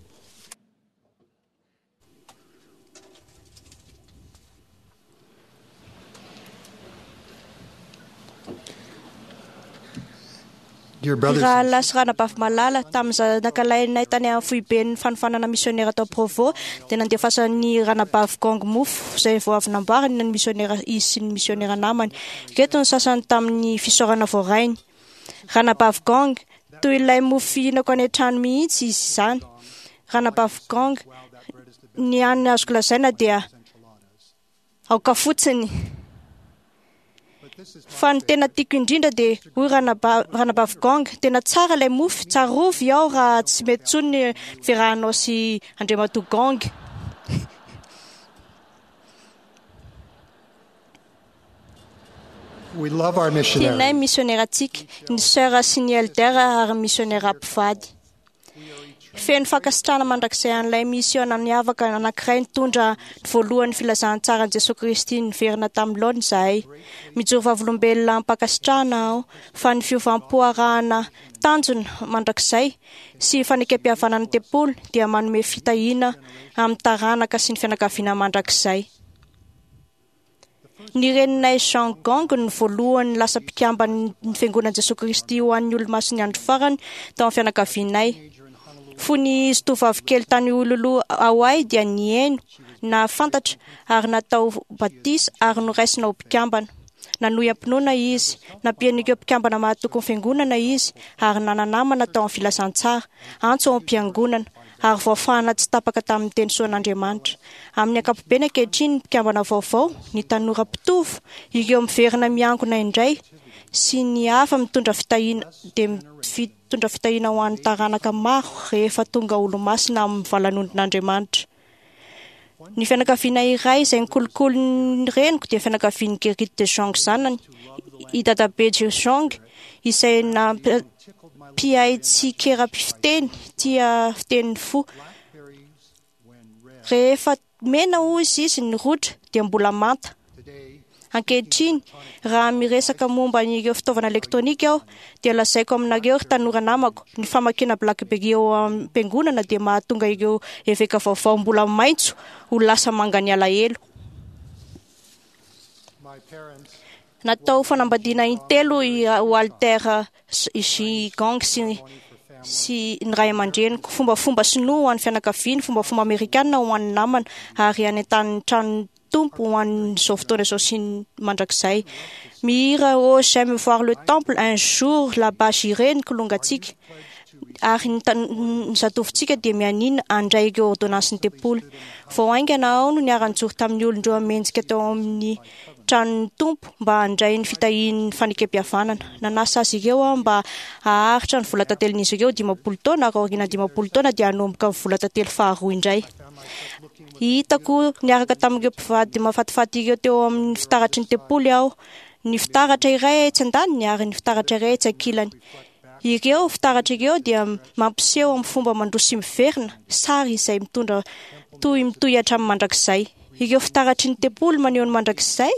Ry rahalahy sy ranabavy malala, tamin'ny zanakalahinay tany amin'ny foiben'ny fanofanana misionera tao Provo, dia nandefasan'ny ranabavy Gong mofo izay vao avy namboariny ny misionera izy sy ny misionera namany. Ireto ny sasany tamin'ny fisaorana voarainy. Ranabavy Gong, toy ilay mofo fihinako any an-trano mihitsy izy izany. Ranabavy Gong, ny hany azoko lazaina dia aoka fotsiny. Fa ny tena tiako indrindra dia hoy ranabavy Gong, tena tsara ilay mofo, tsarovy aho raha tsy mety intsony ny fiarahanao sy Andriamatoa Gong. Tianay ny misionerantsika, ny sœur sy ny elder ary ny misionera mpivady. Feno fankasitrahana mandrakizay an'ilay misiona niavaka anankiray nitondra ny voalohan'ny filazantsaran'i Jesoa Kristy niverina tamin'ny laoniny izahay. Mijoro vavolombelona am-pankasitrahana aho fa ny fiovam-po arahana tanjona mandrakizay sy fanekempihavanana ny tempoly dia manome fitahiana amin'ny taranaka sy ny fianakaviana mandrakizay. Ny reninay Jean Gong no voalohany lasa mpikamban'ny fiangonan'i Jesoa Kristy ho an'ny Olomasin'ny Andro Farany tao amin'ny fianakavianay. Fony izy tovovavy kely tany Honolulu, Hawaii dia nihaino, nahafantatra ary natao batisa ary noraisina ho mpikambana. Nanohy am-pinoana izy, nampian'ireo mpikambana mahatoky ny fiangonana izy ary nana-namana tao amin'ny filazantsara, antso ao am-piangonana, ary voafahana tsy tapaka tamin'ny teny soan'Andriamanitra. Amin'ny ankapobeny ankehitriny ny mpikambana vaovao, ny tanora mpitovo, ireo miverina miangona indray sy ny hafa mitondra fitahiana dia mitondra fitahiana ho an'ny taranaka maro rehefa tonga olomasina amin'ny valanondron'Andriamanitra. Ny fianakaviana iray izay nikolokolo ny reniko dia fianakavian'i Gerrit de Jong zanany, i Dadabe de Jong, izay nampihay tsikera-pifiteny tia fitenin'ny fo. Rehefa mena hoy izy ny rotra dia mbola manta. Ankehitriny, raha miresaka momba ireo fitaovana elektronika aho, dia lazaiko aminareo ry tanora namako, ny famakiana BlackBerry eo am-piangonana dia mahatonga ireo eveka vaovao mbola maitso ho lasa mangany alahelo. Natao fanambadiana intelo i Walter J. Gong sy ny ray aman-dreniko, fombafomba sinoa ho an'ny fianakaviany, fombafomba amerikana ho an'ny namana, ary any an-tanin'ny tranon'ny Tompo ho an'izao fotoana izao sy ny mandrakizay. Mihira "Oh, j'aime voir le temple un jour là-bas j'irai" ny kilongantsika, ary ny zatovontsika dia mianiana handray ireo ordonnansin'ny tempoly. Vao haingana aho no niara-nijoro tamin'ny olon-dreo mendrika tao amin'ny tranon'ny Tompo mba handray ny fitahian'ny fanekempihavanana. Nanasa azy ireo aho mba haharitra ny vola tantelin'izy ireo 50 taona, ary aorian'ny 50 taona dia hanomboka ny vola tantely faharoa indray. Hitako niaraka tamin'ireo mpivady mahafatifaty ireo teo amin'ny fitaratry ny tempoly aho, ny fitaratra iray etsy andaniny ary ny fitaratra iray etsy ankilany. Ireo fitaratra ireo dia mampiseho amin'ny fomba mandroso sy miverina, sary izay mitondra tohy mitohy hatramin'ny mandrakizay. Ireo fitaratry ny tempoly maneho ny mandrakizay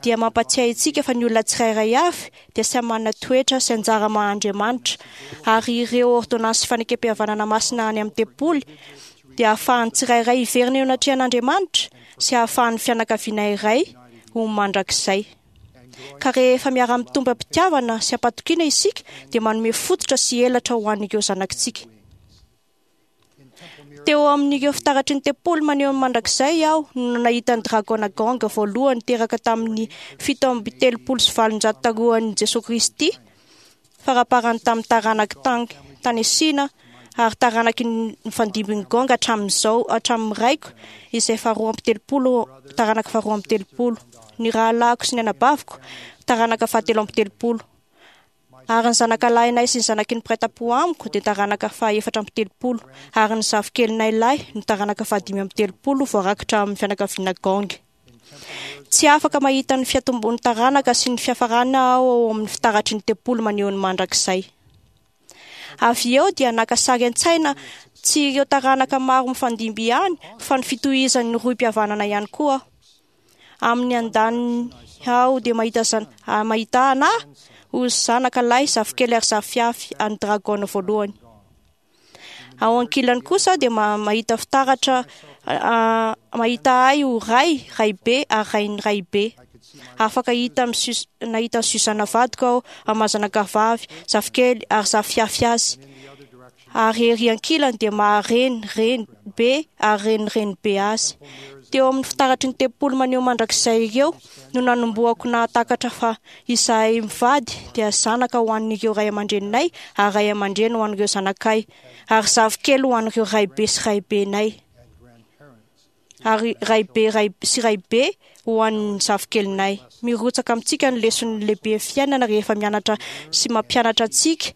dia mampatsiahy antsika fa ny olona tsirairay avy dia samy manana toetra sy anjara maha Andriamanitra, ary ireo ordonnances fanekempihavanana masina any amin'ny tempoly dia ahafahan'ny tsirairay hiverina eo anatrehan'Andriamanitra sy ahafahan'ny fianakaviana iray ho mandrakizay. Ka rehefa miara-mitombo am-pitiavana sy am-patokiana isika dia manome fototra sy elatra ho an'ireo zanakitsika. Teo amin'ireo fitaratry ny tempoly maneho ny mandrakizay aho no nahita ny dragona Gong voalohany teraka tamin'ny 837 talohan'i Jesoa Kristy, faraparany tamin'ny taranaky Tang tany Sina ary taranaky ny nifandimbin'ny Gong hatramin'izao hatramin'ny raiko izay faharoa amby telopolo taranaka faharoa amby telopolo, ny rahalahiko sy ny anabaviko taranaka fahatelo amby telopolo, ary ny zanakalahinay sy ny zanaky ny mpiray tampo amiko dia taranaka faha-34, ary ny zafikelinay lahy no taranaka faha-35 voarakitra amin'ny fianakaviana Gong. Tsy afaka mahita ny fiatombon'ny taranaka sy ny fiafarana aho ao amin'ny fitaratry ny tempoly maneho ny mandrakizay. Avy eo dia naka sary an-tsaina tsy ireo taranaka maro mifandimby ihany fa ny fitohizan'ny rohim-pihavanana ihany koa aho. Amin'ny andaniny aho dia mahita mahita ana ho zanaka lahy, zafikely ary zafiafy an'ny dragona voalohany. Ao ankilany kosa dia mahita fitaratra mahita ahy ho ray, raibe ary rain'ny raibe. Afaka hita amin'ny nahita an'i Suzana vadiko aho amin'ny maha zanaka vavy, zafikely ary zafiafy azy. Ary ery ankilany dia maha-reny, reny be ary reny renibe azy. Teo amin'ny fitaratry ny tempoly maneho mandrakizay ireo no nanombohako nahatakatra fa izahay mivady dia zanaka ho an'ireo ray aman-dreninay ary ray aman-dreny ho an'ireo zanakay ary zafikely ho an'ireo raibe sy raibenay ary raibe ray sy raibe ho an'ny zafikelinay. Mirotsaka amintsika ny leson'ny lehibe fiainana rehefa mianatra sy mampianatra antsika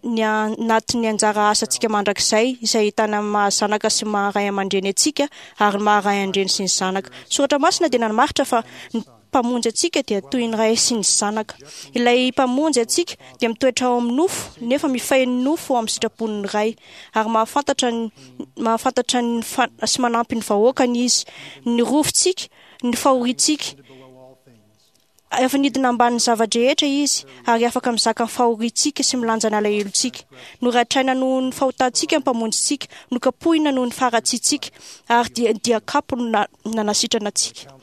ny anatin'ny anjara asantsika mandrakizay izay ahitana ny maha zanaka sy maha ray aman-dreny antsika ary ny maha ray aman-dreny sy ny zanaka. Soratra masina dia namaritra fa ny. Mpamonjy antsika dia toy ny Ray sy ny Zanaka. Ilay Mpamonjy antsika dia mitoetra ao amin'ny nofo, nefa mifehy ny nofo ao amin'ny sitrapon'ny Ray, ary mahafantatra ny mahafantatra ny sy manampy ny vahoakany Izy. Ny rovintsika, ny fahoriantsika. Efa nidina ambanin'ny zava-drehetra Izy, ary afaka mizaka ny fahoriantsika sy milanja ny alahelontsika. Noratraina noho ny fahotantsika ny Mpamonjintsika, nokapohina noho ny faharatsiantsika, ary dia dia kapo no nanasitrana antsika.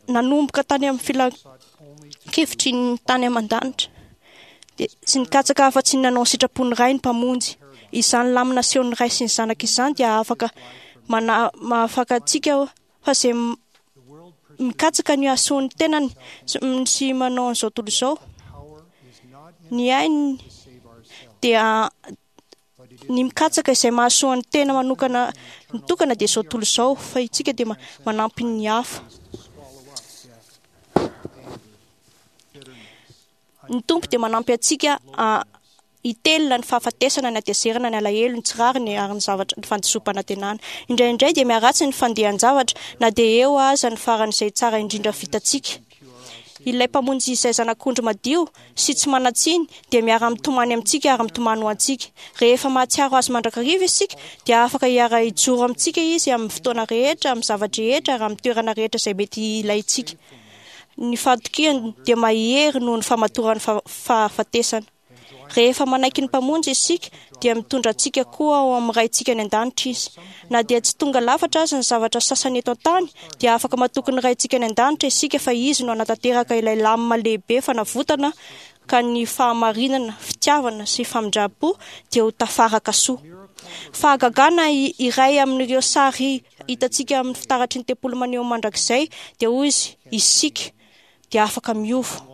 Nanomboka tany amin'ny filan-kevitry ny tany aman-danitra, dia tsy nikatsaka afa-tsy ny nanao ny sitrapon'ny Ray ny Mpamonjy. Izany lamina asehon'ny Ray sy ny Zanaka izany dia afaka mana mahafaka antsika fa izay mikatsaka ny hahasoa ny tenany sy manao an'izao tontolo izao ny ainy dia ny mikatsaka izay mahasoa ny tena manokana mitokana dia izao tontolo izao, fa isika dia manampy ny hafa. Ny Tompo dia manampy antsika hitelina ny fahafatesana, ny hatezerana, ny alahelo, ny tsy rariny ary ny zavatra, ny fandisoam-panantenana. Indraindray dia miharatsy ny fandehan-javatra na dia eo aza ny faran'izay tsara indrindra vitantsika. Ilay Mpamonjy izay Zanak'ondry madio sy tsy manan-tsiny dia miara-mitomany amintsika ary mitomany ho antsika. Rehefa mahatsiaro Azy mandrakariva isika dia afaka hiara-hijoro amintsika Izy amin'ny fotoana rehetra, amin'ny zava-drehetra ary amin'ny toerana rehetra izay mety hilaintsika. Ny fahatokiany dia mahery noho ny famatoran'ny fahafatesana. Rehefa manaiky ny Mpamonjy isika, dia mitondra antsika koa ao amin'ny Raintsika any An-danitra Izy. Na dia tsy tonga lafatra aza ny zavatra sasany eto an-tany, dia afaka matoky ny Raintsika any An-danitra isika fa Izy no hanatanteraka ilay lamina lehibe fanavotana ka ny fahamarinana, fitiavana sy famindram-po dia ho tafaraka soa. Fahagagana iray amin'ireo sary hitantsika amin'ny fitaratry ny tempoly maneho mandrakizay dia hoy izy, isika dia afaka miova.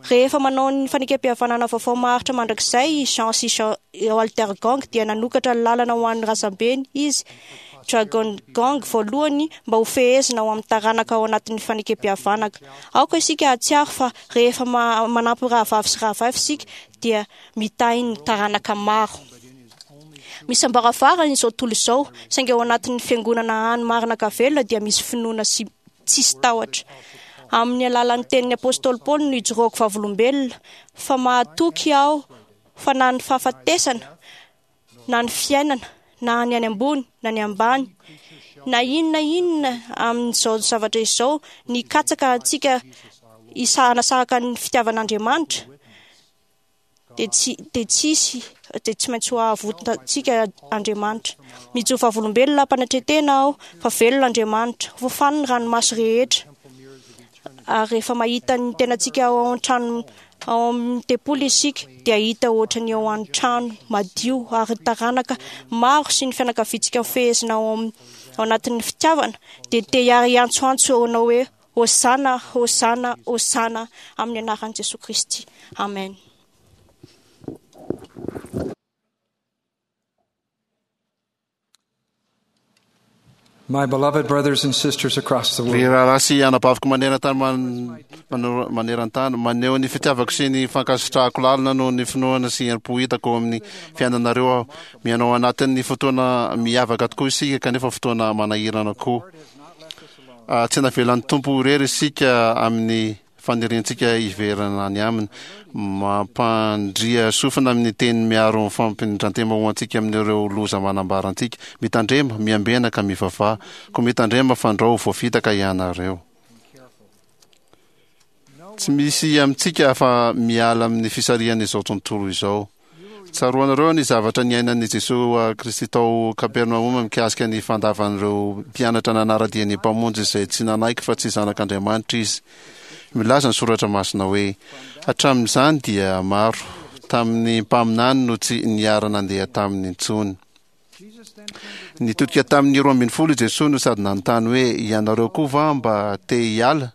Rehefa manao ny fanekempihavanana vaovao maharitra mandrakizay i Jean sy Jean Walter Gong dia nanokatra lalana ho an'ny razambeny izy Dragon Gong voalohany mba ho fehezina ao amin'ny taranaka ao anatin'ny fanekempihavanaka. Aoka isika hahatsiaro fa rehefa manampy rahavavy sy rahavavy isika dia mitahy ny taranaka maro. Misy ambaravarana izao tontolo izao, saingy ao anatin'ny fiangonana hany marina ka velona dia misy finoana sy tsisy tahotra. Amin'ny alalan'ny tenin'ny apostoly Paoly no ijoroako vavolombelona fa mahatoky aho fa na ny fahafatesana na ny fiainana, na ny any ambony, na ny ambany, na inona inona amin'izao zavatra izao, ny hikatsaka antsika hanasaraka ny fitiavan'Andriamanitra, dia tsy dia tsy hisy, dia tsy maintsy ho avotantsika Andriamanitra. Mijoro vavolombelona am-panetren-tena aho fa velona Andriamanitra, hofafany ny ranomaso rehetra. Ary rehefa mahita ny tenantsika ao an-trano ao amin'ny tempoly isika dia hita ohatra ny ao an-trano madio ary ny taranaka maro sy ny fianakaviantsika mifehezina ao amin'ny ao anatin'ny fitiavana dia te hiantsoantso anao hoe Hosana, Hosana, Hosana amin'ny anaran'i Jesoa Kristy. Amen. My beloved brothers and sisters across the Ry world, rahalahy sy anabaviko maneran-tany man- manoro- maneran-tany, maneho ny fitiavako sy ny fankasitrahako lalina noho ny finoana sy herim-po hitako ao amin'ny fiainanareo aho. Miaina ao anatin'ny fotoana miavaka tokoa isika, kanefa fotoana manahirana koa. Ah, tsy navelan'ny Tompo ho irery isika amin'ny faniriantsika hiverina any aminy. Mampandria sofina amin'ny teniny miaro ny fampindran-tena ho antsika amin'ireo loza manambara antsika. Mitandrema, miambena ka mivavaha. Koa mitandrema fandrao ho voafitaka ianareo. Tsy misy amintsika afa-miala amin'ny fisarihan'izao tontolo izao. Tsaroanareo ny zavatra niainan'i Jesoa Kristy tao Kapernaomy mikasika ny fandavan'ireo mpianatra nanara-dia ny Mpamonjy izay tsy nanaiky fa tsy Zanak'Andriamanitra Izy. Milaza ny Soratra Masina hoe, Hatramin'izany dia maro tamin'ny mpaminany no tsy niara-nandeha taminy intsony. Nitodika tamin'ny 12 i Jesoa no sady nanontany hoe, Ianareo koa va mba te hiala?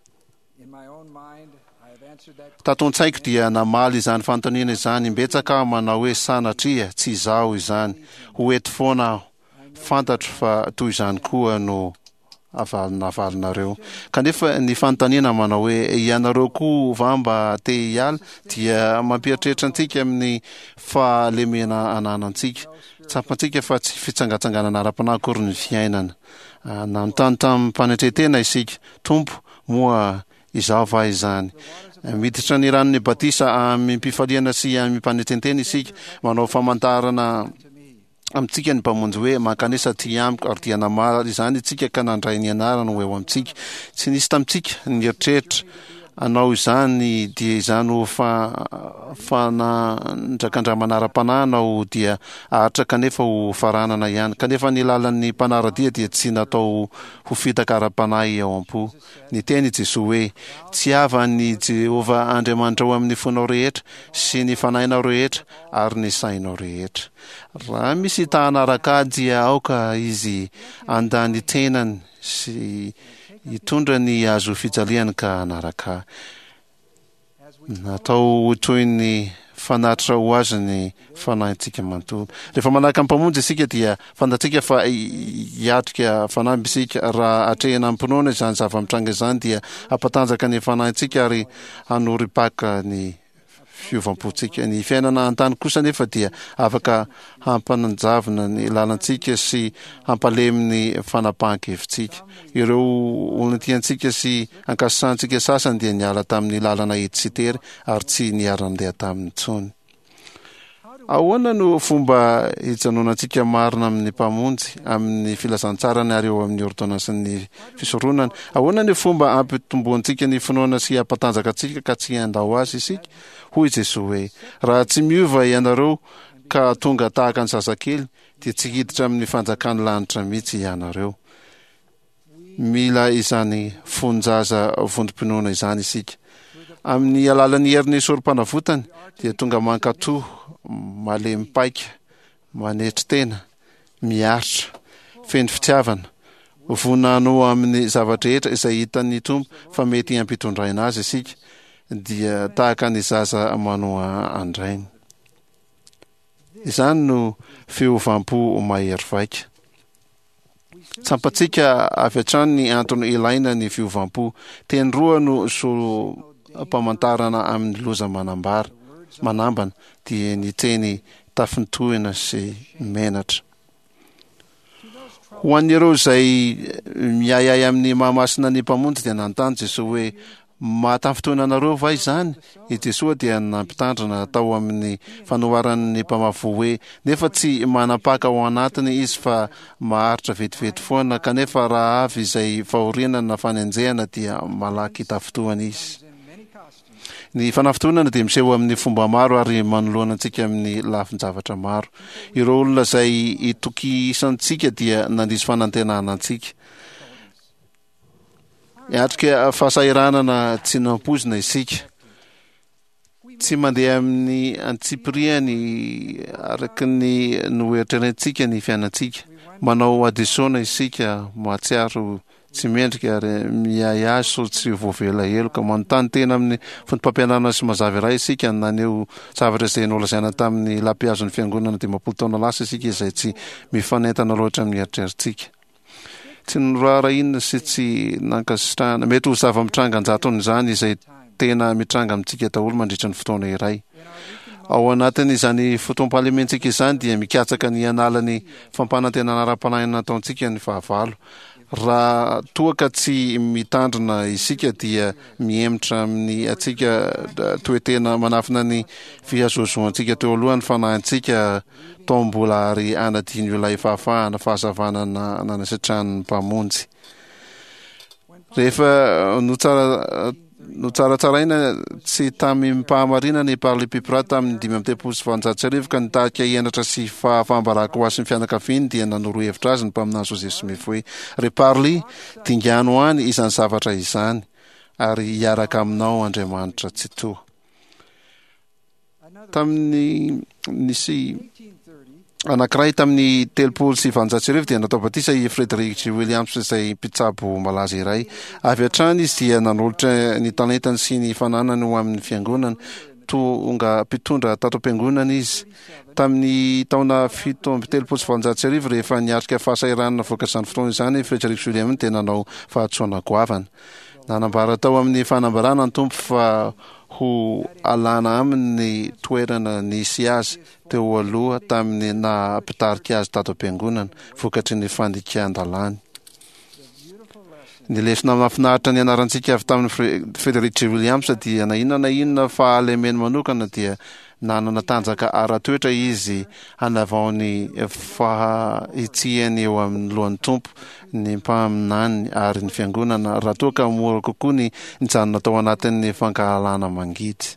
Tato an-tsaiko dia namaly izany fanontaniana izany imbetsaka aho manao hoe sanatria tsy izaho izany, ho eto foana aho. Fantatro fa toy izany koa no avalonareo. Kanefa ny fanontaniana manao hoe ianareo koa va mba te hiala dia mampieritreritra antsika amin'ny fahalemena ananantsika. Tsapantsika fa tsy fitsangatsanganana ara-panahy akory ny fiainana. Nanontany tamim-panetren-tena isika, Tompo, moa. Izaho va izany? Miditra ny ranon'ny batisa amim-pifaliana sy amim-panetren-tena isika, manao famantarana amintsika ny Mpamonjy hoe, Mankanesa aty amiko, ary dia namaly izany isika ka nandray ny anarany ho eo amintsika. Tsy nisy tamintsika nieritreritra hanao izany dia izany ho fanandrakandramana ara-panahy hanao dia haharitra kanefa ho faranana ihany. Kanefa ny lalan'ny mpanara-dia dia tsy natao ho fitaka ara-panahy ao am-po. Niteny i Jesoa hoe, Tiava an'i Jehovah Andriamanitrao amin'ny fonao rehetra sy ny fanahinao rehetra ary ny sainao rehetra. Raha misy ta hanaraka Ahy dia aoka izy handà ny tenany sy hitondra ny hazo fijaliany ka hanaraka Ahy. Natao ho toy ny fanatitra ho azy ny fanahintsika manontolo. Rehefa manaraka ny Mpamonjy isika dia fantatsika fa hiatrika fanamby isika. Raha atrehina amim-pinoana izany zava-mitranga izany dia hampatanjaka ny fanahintsika ary hanorim-paka ny fiovam-pontsika. Ny fiainana an-tany kosa anefa dia afaka hampanjavona ny lalantsika sy hampalemy ny fanapahan-kevitsika. Ireo olona tiantsika sy ankasitrahantsika sasany dia niala tamin'ny lalana hety sy tery ary tsy niara-nandeha taminy intsony. Ahoana no fomba hijanonantsika marina amin'ny Mpamonjy, amin'ny filazantsarany ary eo amin'ny ôrdônansin'ny fisoronana? Ahoana ny fomba hampitomboantsika ny finoana sy hampatanjaka antsika ka tsy handao Azy isika? Hoy i Jesoa hoe, Raha tsy miova ianareo ka tonga tahaka ny zazakely, dia tsy hiditra amin'ny fanjakan'ny lanitra mihitsy ianareo. Mila izany fon-jaza vontom-pinoana izany isika. Amin'ny alalan'ny herin'ny Sorompanavotany, dia tonga mankatò, malemy paika, manetry tena, miaritra, feno fitiavana, vonona hanoa amin'ny zava-drehetra izay hitan'ny Tompo fa mety hampitondraina azy isika, dia tahaka ny zaza manoa an-drainy. Izany no fiovam-po mahery vaika. Tsapantsika avy hatrany ny antony ilaina ny fiovam-po. Teny roa no solom-pamantarana amin'ny loza manambara, manambana, dia ny teny tafintohina sy menatra. Ho an'ireo izay miahiahy amin'ny maha-masina ny Mpamonjy dia nanontany Jesoa hoe, Mahatafintohina anareo va izany? I Jesoa dia nampitandrina tao amin'ny fanoharan'ny mpamafy voa hoe, Nefa tsy manam-paka ao anatiny izy fa maharitra vetivety foana, kanefa raha avy izay fahoriana na fanenjehana dia malaky tafintohina izy. Ny fanafintohinana dia miseho amin'ny fomba maro ary manoloana antsika amin'ny lafin-javatra maro. Ireo olona izay itokisantsika dia nandiso fanantenana antsika. Miatrika fahasahiranana tsy nampoizina isika. Tsy mandeha amin'ny antsipiriany araka ny noeritreretintsika ny fiainantsika. Manao hadisoana isika, mahatsiaro tsy mendrika ary miahiahy sao tsy voavela heloka. Manontany tena amin'ny foto-pampianarana sy mazava iray isika. Naneho zavatra izay nolazaina tamin'ny lampihazon'ny Fiangonana 50 taona lasa isika izay tsy mifanentana loatra amin'ny eritreritsika. Tsy noraharahiana sy tsy nankasitrahana. Mety ho zava-mitranga an-jatony izany izay tena mitranga amintsika daholo mandritra ny fotoana iray. Ao anatin'izany fotoam-pahalementsika izany dia mikatsaka ny hanala ny fampanantenana ara-panahy nataontsika ny fahavalo. Raha toa ka tsy mitandrina isika dia mihemotra amin'ny antsika toe-tena manafina ny fihazohazoantsika teo aloha ny fanahintsika tao mbola ary hanadino ilay fahafahana fahazavana nanasitrahan'ny Mpamonjy. Rehefa notsara Notsaratsaraina tsy tamim-pahamarinana i Parli Pipra tamin'ny 1835 ka nitarika henatra sy fahafaham-baraka ho azy sy ny fianakaviany dia nanoro hevitra azy ny mpaminany Joseph Smith hoe, Ry Parli, dingano any izany zavatra izany, ary hiaraka aminao Andriamanitra Tsitoha. Tamin'ny nisy anankiray tamin'ny 1830 dia natao batisa i Frederick G. Williams izay mpitsabo malaza iray. Avy hatrany izy dia nanolotra ny talentany sy ny fananany ho amin'ny fiangonana. Tonga mpitondra tato am-piangonana izy. Tamin'ny taona 1837 rehefa niatrika fahasahiranana vokatr'izany fotoana izany i Frederick G. Williams dia nanao fahadisoana goavana. Nanambara tao amin'ny fanambarana ny Tompo fa ho alana aminy ny toerana nisy azy teo aloha tamin'ny naha mpitarika azy tato am-piangonana, vokatry ny fandikan-dalàny. Ny lesona mahafinaritra nianarantsika avy tamin'i Frederick G. Williams dia na inona na inona fahalemeny manokana dia nanana tanjaka ara-toetra izy hanavao ny fahitsiany eo amin'ny lohan'ny Tompo, ny mpaminaniny ary ny Fiangonana raha toa ka mora kokoa ny nijanona tao anatin'ny fankahalana mangidy.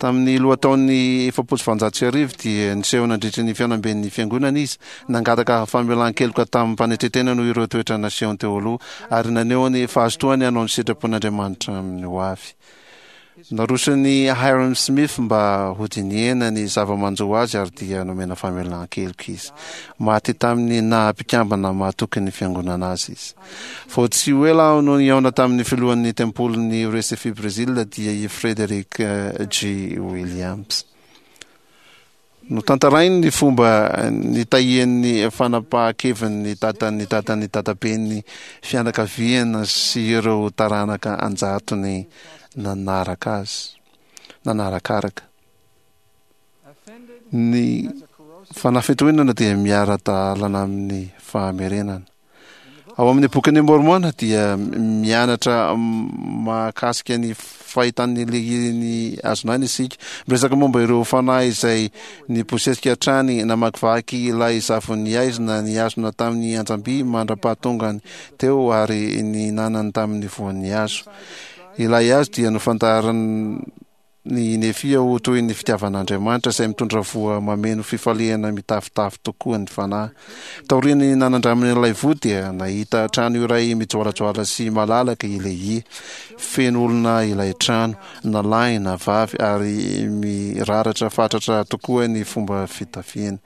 Tamin'ny lohataon'ny 1840 dia niseho nandritry ny fihaonamben'ny Fiangonana izy, nangataka famelan-keloka tamim-panetren-tena noho ireo toetra nasehony teo aloha, ary naneho ny fahazotoany hanao ny sitrapon'Andriamanitra amin'ny hoavy. Naroson'i Hyrum Smith mba hodinihina ny zava-manjo azy ary dia nomena famelan-keloka izy. Maty tamin'ny naha mpikambana mahatoky ny Fiangonana azy izy. Vao tsy ho ela aho no nihaona tamin'ny filohan'ny tempolin'i Recife Brésil dia i Frederick G. Williams. Notantarainy ny fomba nitahian'ny fanapahan-keviny ny dadan'ny dadan'ny dadaben'ny fianakaviana sy ireo taranaka an-jatony nanaraka azy, nanarakaraka. Ny fanafitohinana dia miara-dalana amin'ny fahamerenana. Ao amin'ny Bokin'i Môrmôna dia mianatra mahakasika ny fahitan'ny lehirin'ny hazon'aina isika. Miresaka momba ireo fanahy izay nibosesika hatrany namakivaky ilay zavon'ny haizina nihazona tamin'ny anjam-by mandra-pahatongany teo ary nihinanany tamin'ny voan'ny hazo. Ilay hazo dia nofantarin'ny Ny Nefia ho toy ny fitiavan'Andriamanitra izay mitondra voa mameno fifaliana mitafotafo tokoa ny fanahy. Taorian'ny nanandramany ilay voa dia nahita trano iray mijoalajoala sy malalaka i Lehia. Feno olona ilay trano, na lahy na vavy, ary miraratra fatratra tokoa ny fomba fitafiany.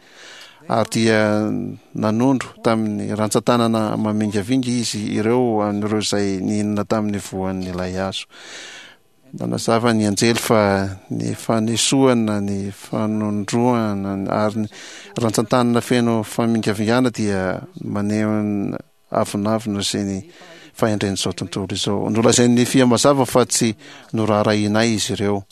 Ary dia nanondro tamin'ny rantsan-tanana mamingavinga izy ireo an'ireo izay nihinana tamin'ny voan'ilay hazo. Nanazava ny anjely fa ny fanesoana, ny fanondroana ary ny rantsantanana feno famingavingana dia maneho ny avonavona sy ny fahendren'izao tontolo izao. Nolazain'i Nefia mazava fa tsy noraharahianay izy ireo.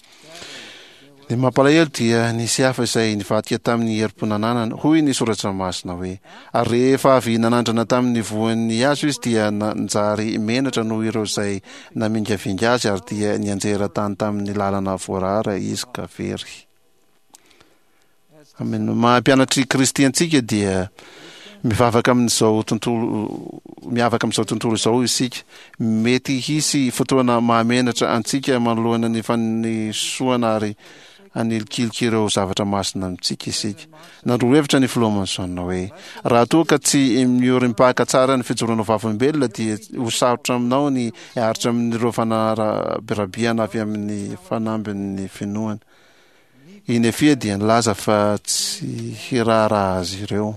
Ny mampalahelo dia nisy hafa izay nivadika tamin'ny herim-po nananany. Hoy ny Soratra Masina hoe, Ary rehefa avy nanandrana tamin'ny voan'ny hazo izy dia nanjary menatra noho ireo izay namingavinga azy ary dia nianjera tany tamin'ny lalana voarara izy ka very. Amin'ny maha mpianatr'i Kristy antsika dia mivavaka amin'izao tontolo miavaka amin'izao tontolo izao isika. Mety hisy fotoana mahamenatra antsika manoloana ny fanesoana ary hanilikilika ireo zavatra masina amintsika isika. Nandroa hevitra ny Filoha Monson hoe, Raha toa ka tsy miorim-paka tsara ny fijoroana ho vavolombelona dia ho sarotra aminao ny hiaritra amin'ireo fanarabirabiana avy amin'ny fanambin'ny finoana. I Nefia dia nilaza fa tsy hiraharaha azy ireo.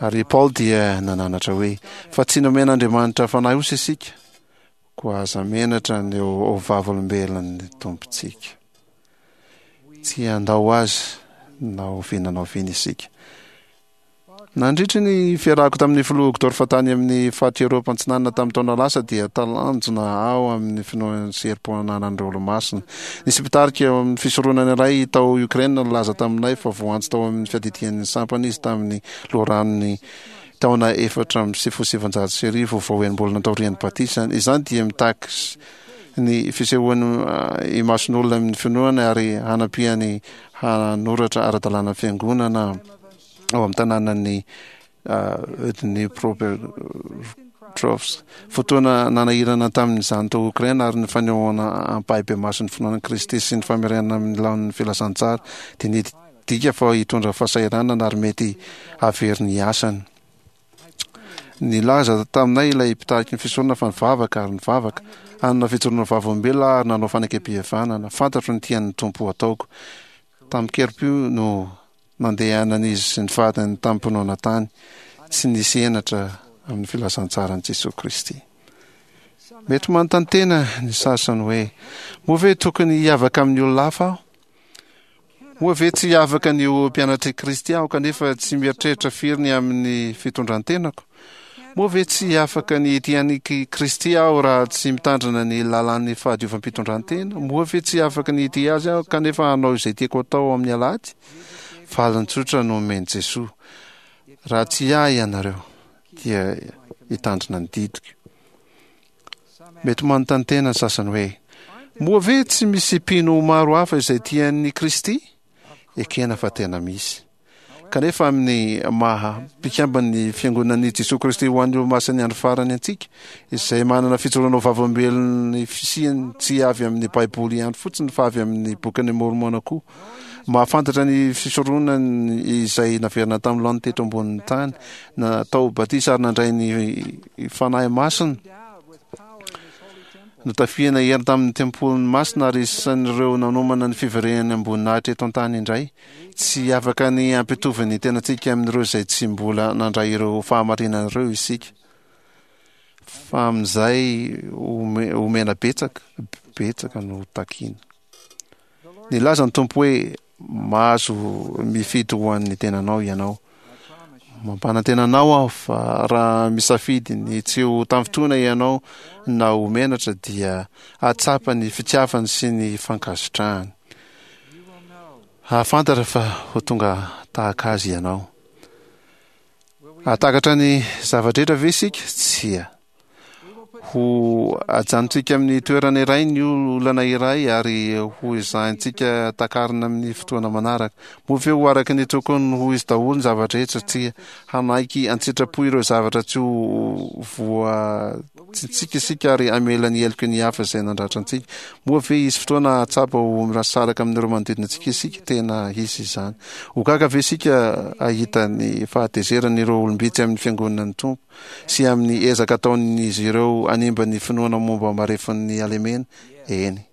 Ary i Paoly dia nananatra hoe, Fa tsy nomen'Andriamanitra fanahy osa isika, koa aza menatra ny ho vavolombelon'ny Tompontsika. Tsy handao azy na oviana na oviana isika. Nandritry ny fiarahako tamin'ny filoha Uchtdorf tany amin'ny faritr'i Eoropa Antsinanana tamin'ny taona lasa dia talanjona aho amin'ny finoana sy herim-po ananan'ireo Olomasina. Nisy mpitarika eo amin'ny fisoronana iray tao Ukraine nilaza taminay fa voantso tao amin'ny fiadidian'ny sampana izy tamin'ny loharanon'ny taona 1994 vao enim-bolana taorian'ny batisany. Izany dia mitaky ny fisehoany imason'olona amin'ny finoana ary hanampiany hanoratra ara-dalàna ny fiangonana. ao amin'ny tanànan'i Dnipropetrovsk. Fotoana nanahirana tamin'izany tao Okraina ary ny fanehoana ampahibemaso ny finoana an'i Kristy sy ny famerenana amin'ny laoniny ny filazantsara dia nidika fa hitondra fahasahiranana ary mety hahavery ny asany. Nilaza taminay ilay mpitariky ny fisoronana fa nivavaka ary nivavaka, hanana fijoroana vavolombelona aho ary nanao fanekempihavanana. Fantatro ny tian'ny Tompo hataoko. Tamin-kerim-po no nandehanan'izy sy ny vadiny tamim-pinoana tany, tsy nisy henatra amin'ny filazantsaran'i Jesoa Kristy. Mety manontany tena ny sasany hoe, Moa ve tokony hiavaka amin'ny olona hafa aho? Moa ve tsy afaka ny ho mpianatr'i Kristy aho kanefa tsy mieritreritra firy ny amin'ny fitondran-tenako? Moa ve tsy afaka ny hitia an'i Kristy aho raha tsy mitandrina ny lalàn'ny fahadiovam-pitondran-tena? Moa ve tsy afaka ny hitia Azy aho kanefa hanao izay tiako atao amin'ny alahady? Valiny tsotra no omen'i Jesoa, Raha tia Ahy ianareo, dia hitandrina ny didiko. Mety manontany tena ny sasany hoe, Moa ve tsy misy mpino maro hafa izay tia an'i Kristy? Ekena fa tena misy. Kanefa amin'ny maha mpikamban'ny Fiangonan'i Jesoa Kristy ho an'ny Olomasin'ny Andro Farany antsika, izay manana fijoroana ho vavolombelon'ny fisiany tsy avy amin'ny Baiboly ihany fotsiny fa avy amin'ny Bokin'i Môrmôna koa, mahafantatra ny fisoronany izay naverina tamin'ny laoniny teto ambonin'ny tany, natao batisa ary nandray ny Fanahy Masina, Notafihana hery tamin'ny tempoliny masina ary isan'ireo nanomana ny fiverenany am-boninahitra eto an-tany indray. Tsy afaka ny hampitovy ny tenantsika amin'ireo izay tsy mbola nandray ireo fahamarinana ireo isika, fa amin'izay omena betsaka, betsaka no takiana. Nilaza ny Tompo hoe, Mahazo mifidy ho an'ny tenanao ianao. Mampanantena anao aho fa raha misafidy ny tsy ho tafintohina ianao na ho menatra dia hahatsapa ny fitiavany sy ny fankasitrahany. Hahafantatra fa ho tonga tahaka azy ianao. Hahatakatra ny zava-drehetra ve isika? Tsia. Ho ajanontsika amin'ny toerana iray ny olana iray ary ho ezahintsika takarina amin'ny fotoana manaraka. Moa ve ho araka ny tokony ho izy daholo ny zava-drehetra? Tsia. Hanaiky an-tsitrapo ireo zavatra tsy ho voatsintsika isika ary hamela ny heloky ny hafa izay nandratra antsika. Moa ve hisy fotoana hahatsapa ho mirasaraka amin'ireo manodidina antsika isika? Tena hisy izany. Ho gaga ve isika hahita ny fahatezeran'ireo olom-bitsy amin'ny fiangonan'ny Tompo? sy amin'ny ezaka ataon'izy ireo hanimba ny finoana momba marefon'ny halemena? Eny.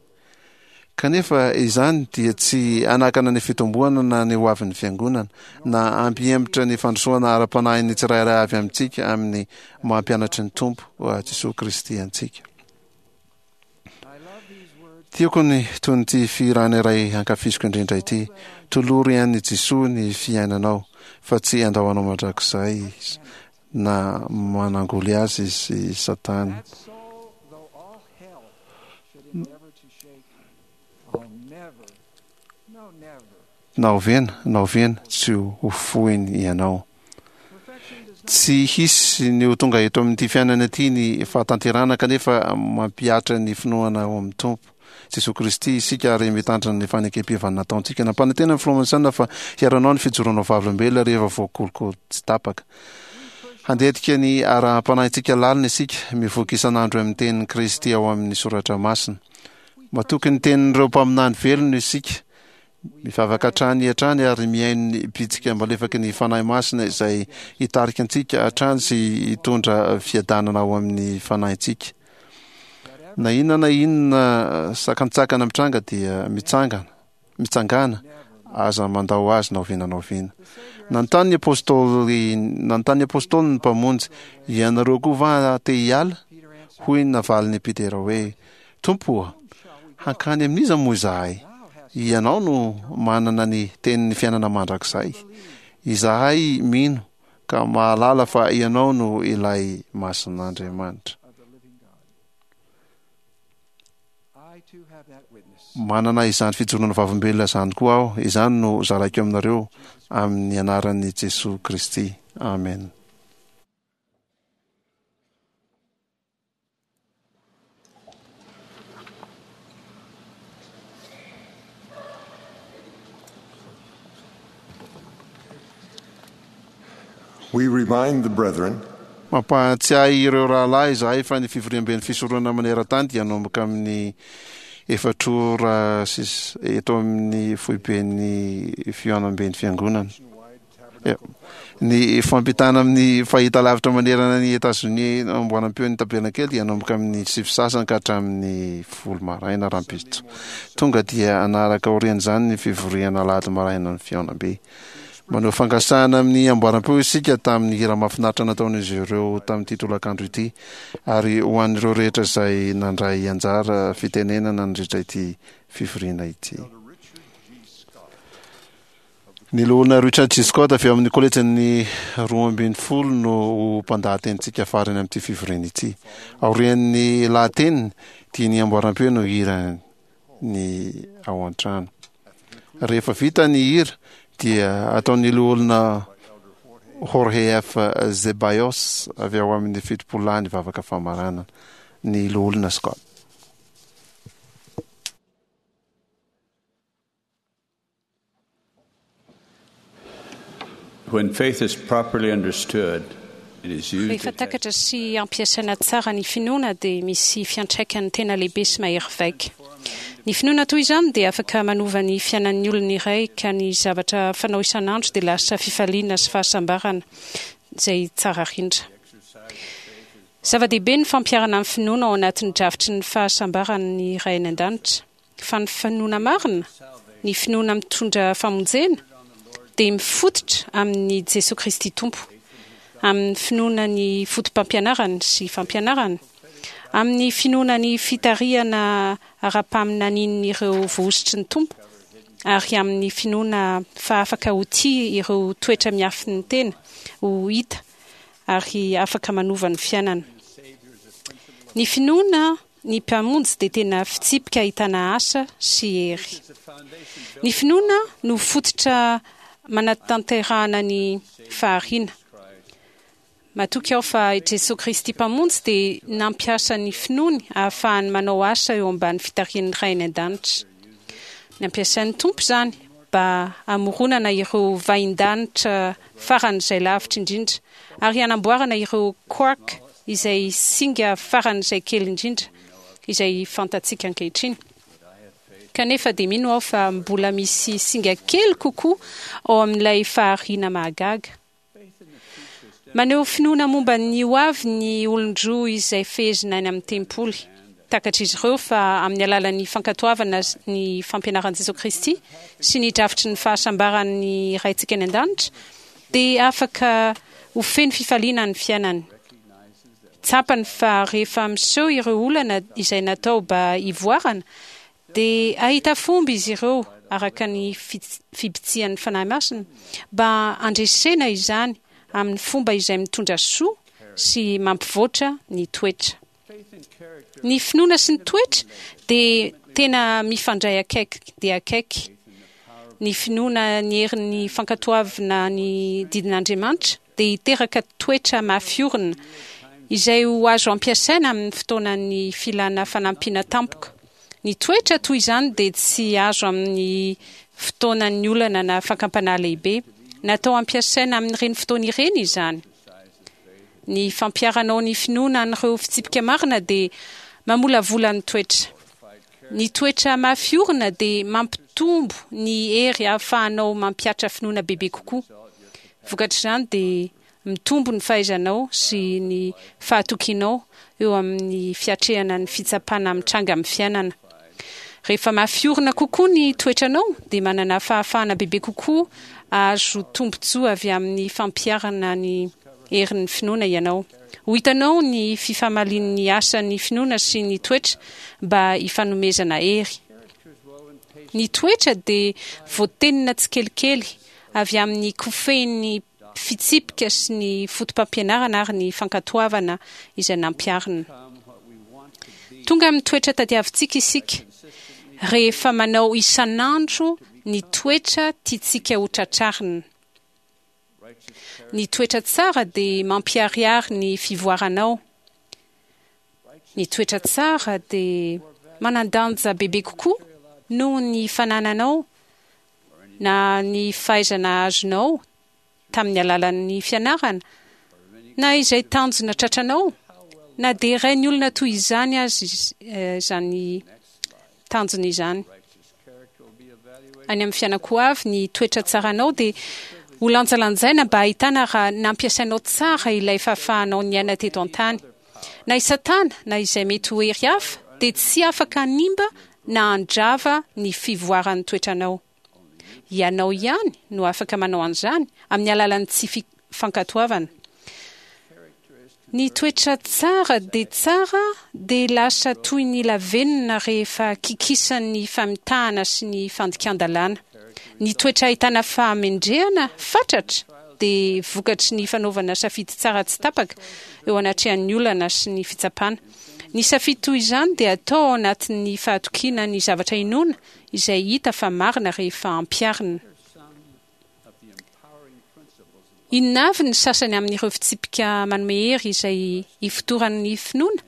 Kanefa izany dia tsy hanakana ny fitomboana na ny hoavin'ny Fiangonana, na hampihemotra ny fandrosoana ara-panahin'ny tsirairay avy amintsika amin'ny maha mpianatry ny Tompo Jesoa Kristy antsika. Tiako ny tonon'ity fihirana iray ankafiziko indrindra ity, Tolory an'i Jesoa ny fiainanao, fa tsy handao anao mandrakizay Izy, na manangoly azy i Satana. Na oviana na oviana tsy ho foiny ianao. Tsy hisy ny ho tonga eto amin'ity fiainana ity ny fahatanterahana kanefa mampihatra ny finoana ao amin'ny Tompo Jesoa Kristy isika ary mitandrina ny fanekem-pihavanana nataontsika. Nampanantena ny Filoha Monson fa hiaro anao ny fijoroanao vavolombelona rehefa voakolokolo tsy tapaka. Handetika ny araham-panahintsika lalina isika, mivoky isan'andro amin'ny tenin'i Kristy ao amin'ny Soratra Masina. Matoky ny tenin'ireo mpaminany velona isika Mivavaka hatrany hatrany ary mihaino ny bitsika malefaky ny Fanahy Masina izay hitarika antsika hatrany sy hitondra fiadanana ao amin'ny fanahintsika. Na inona na inona sakantsakana mitranga dia mitsangana, mitsangàna, aza mandao azy na oviana na oviana. Nanontany ny apostoly, nanontany ny apostoly ny Mpamonjy, Ianareo koa va te hiala? Hoy ny navalin'i Petera hoe, Tompo ô, hankany amin'iza moa izahay? Ianao no manana ny tenin'ny fiainana mandrakizay. Izahay mino ka mahalala fa Ianao no ilay Masin'Andriamanitra. Manana izany fijoroana vavolombelona izany koa aho. Izany no zaraiko aminareo amin'ny anaran'i Jesoa Kristy. Amena. We remind the brethren Mampahatsiahy ireo rahalahy izahay fa ny fivoriamben'ny fisoronana maneran-tany dia hanomboka amin'ny efatr ora sy eto amin'ny foiben'ny fihaonamben'ny fiangonana. Ny fampitana amin'ny fahitalavitra manerana an'i Etazonia amboaram-peon'ny Tabernakely dia hanomboka amin'ny sivy sasany ka hatramin'ny folo maraina rahampitso. Tonga dia hanaraka aorian'izany ny fivoriana alahady maraina ny fihaonambe. Maneho fankasitrahana amin'ny amboaram-peo isika tamin'ny hira mahafinaritra nataon'izy ireo tamin'ity tolakandro ity ary ho an'ireo rehetra izay nandray anjara fitenenana nandritra ity fivoriana ity. Ny Loholona Richard G. Scott avy ao amin'ny Kolejin'ny 12 no ho mpandahatenintsika farany amin'ity fivoriana ity. Aorian'ny lahateniny dia ny amboaram-peo no hira ny ao an-trano. Rehefa vita ny hira dia ataon'ny Loholona Jorge F. Zeballos avy ao amin'ny Fitopololahy ny vavaka famaranana. ny Loholona Scott. When faith is properly understood, it is used Rehefa takatra sy ampiasaina tsara ny finoana dia misy fiantraikany tena lehibe sy mahery vaika. Ny finoana toy izany dia afaka manova ny fiainan'ny olona iray ka ny zavatra fanao isan'andro dia lasa fifaliana sy fahasambarana izay tsara rindra. Zava-dehibe ny fampiharana ny finoana ao anatin'ny drafitry ny fahasambaran'ny Ray any An-danitra. Fa ny finoana marina, ny finoana mitondra famonjena, dia mifototra amin'i Jesoa Kristy Tompo, amin'ny finoana ny fotopampianarany sy fampianarany, amin'ny finoana ny fitarihana ara-paminanian'ireo voahosotry ny Tompo, ary amin'ny finoana fa afaka ho tia ireo toetra miafin'ny tena ho hita ary afaka manova ny fiainana. Ny finoana Ny Mpamonjy dia tena fitsipika ahitana asa sy hery. Ny finoana no fototra manatanterahana ny fahariana. Matoky aho fa i Jesoa Kristy Mpamonjy dia nampiasa ny finoany ahafahany manao asa eo ambany fitarihan'ny Ray any An-danitra. Nampiasain'ny Tompo izany mba hamoronana ireo vahindanitra faran'izay lavitra indrindra ary hanamboarana ireo quark izay singa faran'izay kely indrindra izay fantatsika ankehitriny. Kanefa dia mino aho fa mbola misy singa kely kokoa ao amin'ilay fahariana mahagaga. Maneho finoana momba ny ho avy ny olon-droa izay fehezina any amin'ny tempoly. Takatr'izy ireo fa amin'ny alalan'ny fankatoavana ny fampianaran'i Jesoa Kristy sy ny drafitry ny fahasambaran'ny Raintsika any An-danitra dia afaka ho feno fifaliana ny fiainany. Tsapany fa rehefa miseho ireo olana izay natao ba hivoarana Dia hahita fomba izy ireo, araka ny fibitsihan'ny Fanahy Masina, mba handresena izany amin'ny fomba izay mitondra soa sy mampivoatra ny toetra. Ny finoana sy ny toetra dia tena mifandray akaiky dia akaiky. Ny finoana ny herin'ny fankatoavina ny didin'Andriamanitra dia hiteraka toetra mafy orina, izay ho azo ampiasaina amin'ny fotoanan'ny filana fanampiana tampoka. Ny toetra toy izany dia tsy azo amin'ny fotoanan'ny olana na fakam-panahy lehibe. Natao hampiasaina amin'ireny fotoana ireny izany. Ny fampiharanao ny finoana an'ireo fitsipika marina dia mamolavola ny toetra. Ny toetra mafy orina dia mampitombo ny hery ahafahanao mampihatra finoana bebe kokoa. Vokatr'izany dia mitombo ny fahaizanao sy ny fahatokianao eo amin'ny fiatrehana ny fitsapana mitranga amin'ny fiainana. Rehefa mafy orina kokoa ny toetranao dia manana fahafahana bebe kokoa hahazo tombontsoa avy amin'ny fampiharana ny herin'ny finoana ianao. Ho hitanao ny fifamalian'ny asan'ny finoana sy ny toetra mba hifanomezana hery. Ny toetra dia voatenina tsikelikely avy amin'ny kofehin'ny fitsipika sy ny fotopampianarana ary ny fankatoavana izay nampiharina. Tonga amin'ny toetra tadiavintsika isika rehefa manao isan'andro ny toetra tiantsika hotratrarina. Ny toetra tsara dia mampiharihary ny fivoaranao. Ny toetra tsara dia manan-danja bebe kokoa noho ny fanananao na ny fahaizana azonao tamin'ny alalan'ny fianarana, na izay tanjona tratranao, na dia rain'ny olona toy izany aza izany tanjona izany. Any amin'ny fiainako ho avy, ny toetra tsaranao dia ho lanjalanjaina mba hahitana raha nampiasainao tsara ilay fahafahanao niaina teto an-tany. Na i Satana na izay mety ho hery hafa dia tsy afaka hanimba na handrava ny fivoaran'ny toetranao. Ianao ihany no afaka manao an'izany amin'ny alalan'ny tsy fankatoavana. Ny toetra tsara dia tsara dia lasa toy ny lavenona rehefa kikisan'ny famitahana sy ny fandikan-dalàna. Ny toetra ahitana fahamendrehana fatratra dia vokatry ny fanaovana safidy tsara tsy tapaka eo anatrehan'ny olana sy ny fitsapana. Ny safidy toy izany dia atao ao anatin'ny fahatokiana ny zavatra inoana izay hita fa marina rehefa ampiharina. Inona avy ny sasany amin'ireo fitsipika manome hery izay ifotoran'ny finoana?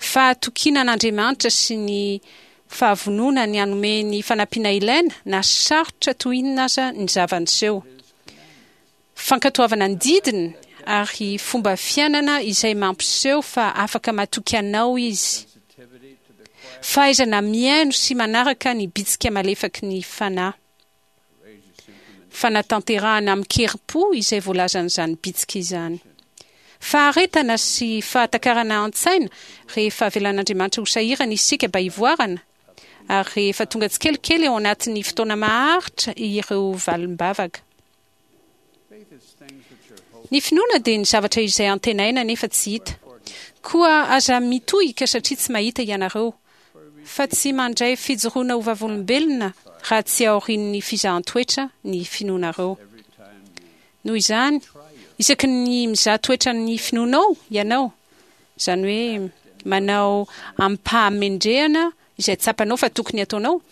Fahatokiana an'Andriamanitra sy ny fahavonona ny hanome ny fanampiana ilaina na sarotra toy inona aza ny zava-niseho. Fankatoavana ny didiny ary fomba fiainana izay mampiseho fa afaka matoky anao izy. Fahaizana mihaino sy manaraka ny bitsika malefaky ny Fanahy. Fanatanterahana amin-kerim-po izay voalazan'izany bitsika izany. Faharetana sy fahatakarana an-tsaina rehefa avelan'Andriamanitra ho sahirana isika mba hivoarana, ary rehefa tonga tsikelikely ao anatin'ny fotoana maharitra ireo valim-bavaka. Ny finoana dia ny zavatra izay antenaina nefa tsy hita. Koa aza mitohika satria tsy mahita ianareo, fa tsy mandray fijoroana ho vavolombelona raha tsy aorian'ny fizahan-toetra ny finoanareo. Noho izany, isaky ny mizaha toetra ny finoanao ianao, izany hoe manao amim-pahamendrehana izay tsapanao fa tokony hataonao,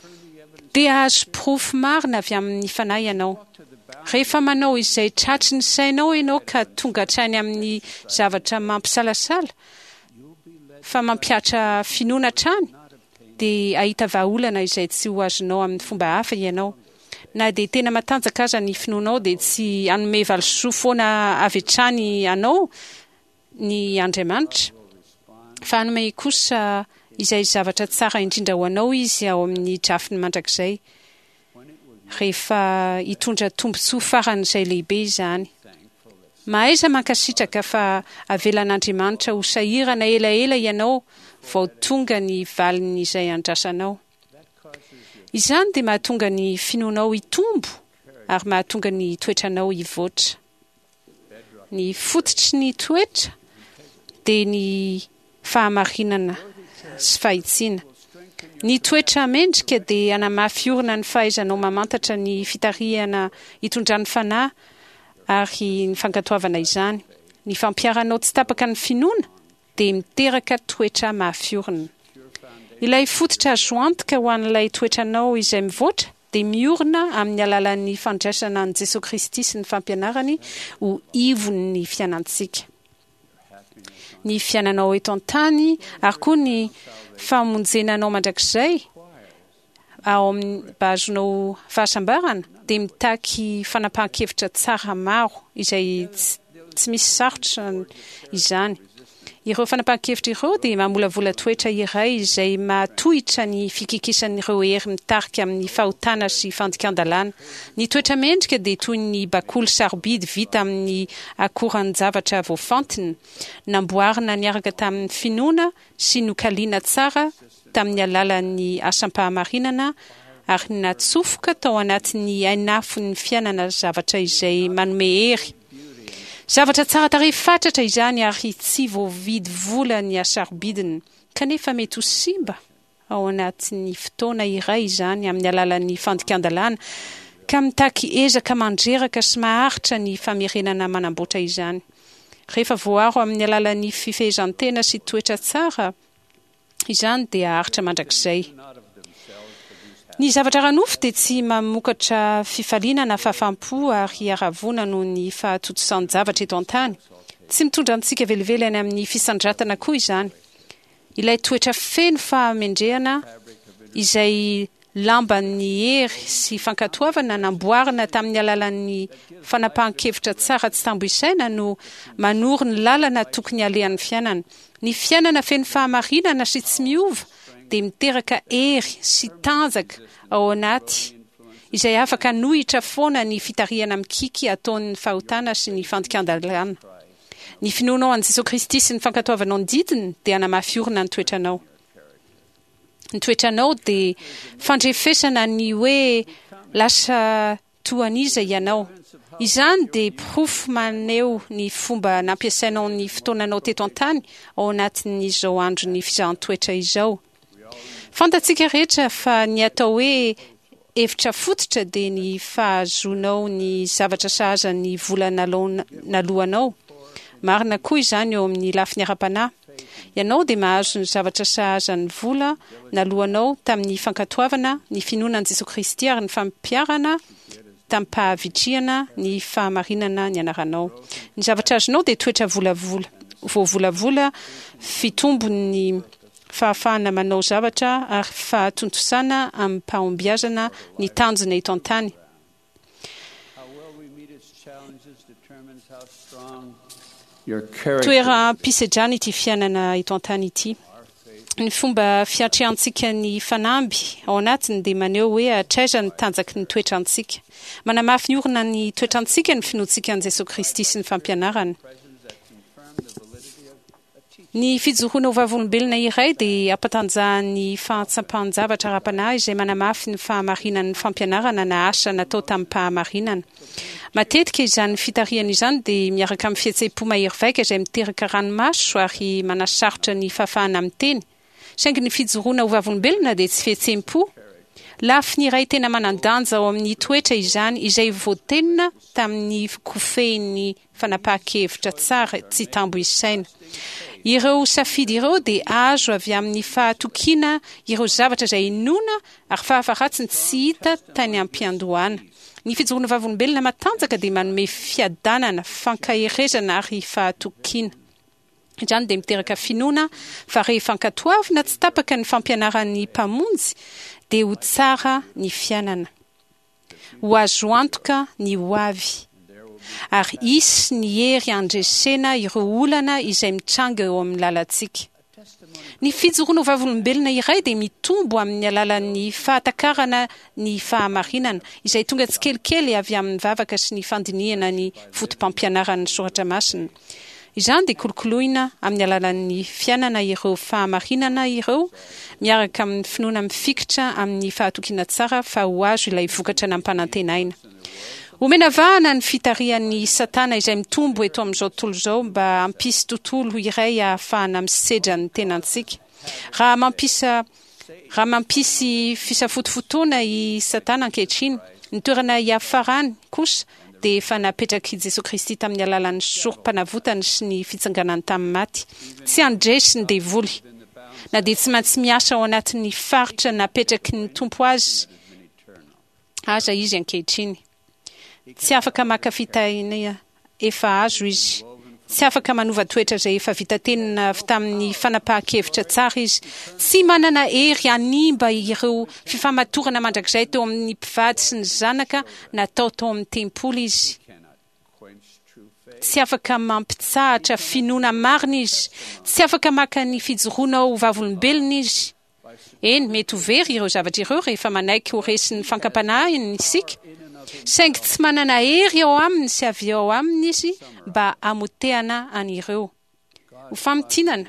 dia hahazo porofo marina avy amin'ny Fanahy ianao. Rehefa manao izay tratry ny sainao ianao ka tonga hatrany amin'ny zavatra mampisalasala fa mampihatra finoana hatrany, dia hahita vahaolana izay tsy ho azonao amin'ny fomba hafa ianao. Na dia tena matanjaka aza ny finoanao dia tsy hanome valisoa foana avy hatrany anao ny Andriamanitra, fa hanome kosa izay zavatra tsara indrindra ho anao Izy ao amin'ny drafiny mandrakizay, rehefa hitondra tombontsoa faran'izay lehibe izany. Mahaiza mankasitraka fa avelan'Andriamanitra ho sahirana elaela ianao vao tonga ny valin'izay andrasanao. Izany dia mahatonga ny finoanao hitombo ary mahatonga ny toetranao hivoatra. Ny fototry ny toetra dia ny fahamarinana sy fahitsiana. Ny toetra mendrika dia hanamafy orina ny fahaizanao mamantatra ny fitarihana itondran'ny Fanahy ary ny fankatoavana izany. Ny fampiharanao tsy tapaka ny finoana dia miteraka toetra mafy orina. Ilay fototra azo antoka ho an'ilay toetranao izay mivoatra dia miorina amin'ny alalan'ny fandraisana an'i Jesoa Kristy sy ny fampianarany ho ivon'ny fiainantsika. Ny fiainanao eto an-tany ary koa ny famonjena anao mandrakizay ao amin'ny mba hahazoanao fahasambarana dia mitaky fanapahan-kevitra tsara maro izay tsy misy sarotra izany. Ireo fanapahan-kevitra ireo dia mamolavola toetra iray izay mahatohitra ny fikikisan'ireo hery mitarika amin'ny fahotana sy fandikan-dalàna. Ny toetra mendrika dia toy ny bakoly sarobidy vita amin'ny akoran-javatra voafantina, namboarina niaraka tamin'ny finoana sy nokaliana tsara tamin'ny alalan'ny asam-pahamarinana ary natsofoka tao anatin'ny hainafon'ny fiainana zavatra izay manome hery. Zavatra tsara tarehy fatratra izany ary tsy voavidy vola ny hasarobidiny, kanefa mety ho simba ao anatin'ny fotoana iray izany amin'ny alalan'ny fandikan-dalàna, ka mitaky ezaka mandreraka sy maharitra ny famerenana manamboatra izany. Rehefa voaro amin'ny alalan'ny fifehezan-tena sy toetra tsara, Izany dia haharitra mandrakizay. Ny zavatra ara-nofo dia tsy mamokatra fifaliana na fahafaham-po ary haravoana noho ny fahatontosan-javatra eto an-tany. Tsy mitondra antsika velively any amin'ny fisandratana koa izany. Ilay toetra feno fahamendrehana izay lamban'ny hery sy fankatoavana namboarina tamin'ny alalan'ny fanapahan-kevitra tsara tsy tambo isaina no manoro ny lalana tokony halehan'ny fiainana. Ny fiainana feno fahamarinana sy tsy miova dia miteraka hery sy tanjaka ao anaty izay afaka hanohitra foana ny fitarihana mikiky ataon'ny fahotana sy ny fandikan-dalàna. Ny finoanao an'i Jesoa Kristy sy ny fankatoavanao ny didiny dia hanamafy orina ny toetranao. Ny toetranao dia fandrefesana ny hoe lasa toa an'iza ianao. Izany dia porofo maneho ny fomba nampiasainao ny fotoananao teto an-tany ao anatin'izao andron'ny fizahan-toetra izao. Fantatsika rehetra fa ny atao hoe hevitra fototra dia ny fahazoanao ny zavatra sahaza ny vola naloanao. Marina koa izany eo amin'ny lafiny ara-panahy. Ianao dia mahazo ny zavatra sahaza ny vola naloanao tamin'ny fankatoavana ny finoana an'i Jesoa Kristy ary ny fampiharana tamim-pahavitrihana ny fahamarinana nianaranao. Ny zavatra azonao dia toetra volavola, voavolavola fitombon'ny. fahafahana manao zavatra ary fahatontosana amim-pahombiazana ny tanjona eto an-tany. Toeram-pisedrana ity fiainana eto an-tany ity. Ny fomba fiatrehantsika ny fanamby ao anatiny dia maneho hoe hatraiza ny tanjaky ny toetrantsika. Manamafy ny orina ny toetrantsika ny finoantsika an'i Jesoa Kristy sy ny fampianarany. Ny fijoroana ho vavolombelona iray dia ampatanjahan'ny fahatsapan-javatra ara-panahy izay manamafy ny fahamarinan'ny fampianarana na asa natao tamim-pahamarinana. Matetika izany fitarihana izany dia miaraka amin'ny fihetseham-po mahery vaika izay miteraka ranomaso ary manasarotra ny fahafahana miteny. Saingy ny fijoroana ho vavolombelona dia tsy fihetseham-po. Lafiny iray tena manan-danja ao amin'ny toetra izany izay voatenina tamin'ny kofehin'ny fanapahan-kevitra tsara tsy tambo isaina. Ireo safidy ireo dia azo avy amin'ny fahatokiana ireo zavatra izay inoana ary fahafaharatsiny tsy hita tany am-piandohana. Ny fijoroana vavolombelona matanjaka dia manome fiadanana, fankaherezana ary fahatokiana. Izany dia miteraka finoana fa rehefa ankatoavina tsy tapaka ny fampianaran'ny Mpamonjy dia ho tsara ny fiainana. Ho azo antoka ny ho avy. Ary hisy ny hery handresena ireo olana izay mitranga eo amin'ny lalantsika. Ny fijoroana ho vavolombelona iray dia mitombo amin'ny alalan'ny fahatakarana ny fahamarinana, izay tonga tsikelikely avy amin'ny vavaka sy ny fandinihana ny fotopampianaran'ny soratra masina. Izany dia kolokoloina amin'ny alalan'ny fiainana ireo fahamarinana ireo miaraka amin'ny finoana mifikitra amin'ny fahatokiana tsara fa ho azo ilay vokatra nampanantenaina. Omena vahana ny fitarihan'i Satana izay mitombo eto amin'izao tontolo izao mba hampisy tontolo iray ahafahana misedra ny tenantsika. Raha mampisa Raha mampisy fisafotofotoana i Satana ankehitriny, ny toerana hiafarany kosa dia efa napetrak'i Jesoa Kristy tamin'ny alalan'ny sorompanavotany sy ny fitsanganany tamin'ny maty. Tsy handresy ny devoly, na dia tsy maintsy miasa ao anatin'ny faritra napetraky ny Tompo azy aza izy ankehitriny. Tsy afaka maka fitahiana efa azo izy. Tsy afaka manova toetra izay efa vita tenona avy tamin'ny fanapahan-kevitra tsara izy. Tsy manana hery hanimba ireo fifamatorana mandrakizay teo amin'ny mpivady sy ny zanaka natao tao amin'ny tempoly izy. Tsy afaka mampitsahatra finoana marina izy. Tsy afaka maka ny fijoroanao ho vavolombelona izy. Eny, mety ho very ireo zavatra ireo rehefa manaiky ho resin'ny fankam-panahiny isika, saingy tsy manana hery ao aminy sy avy ao aminy izy mba hamotehana an'ireo. Ho famintinana,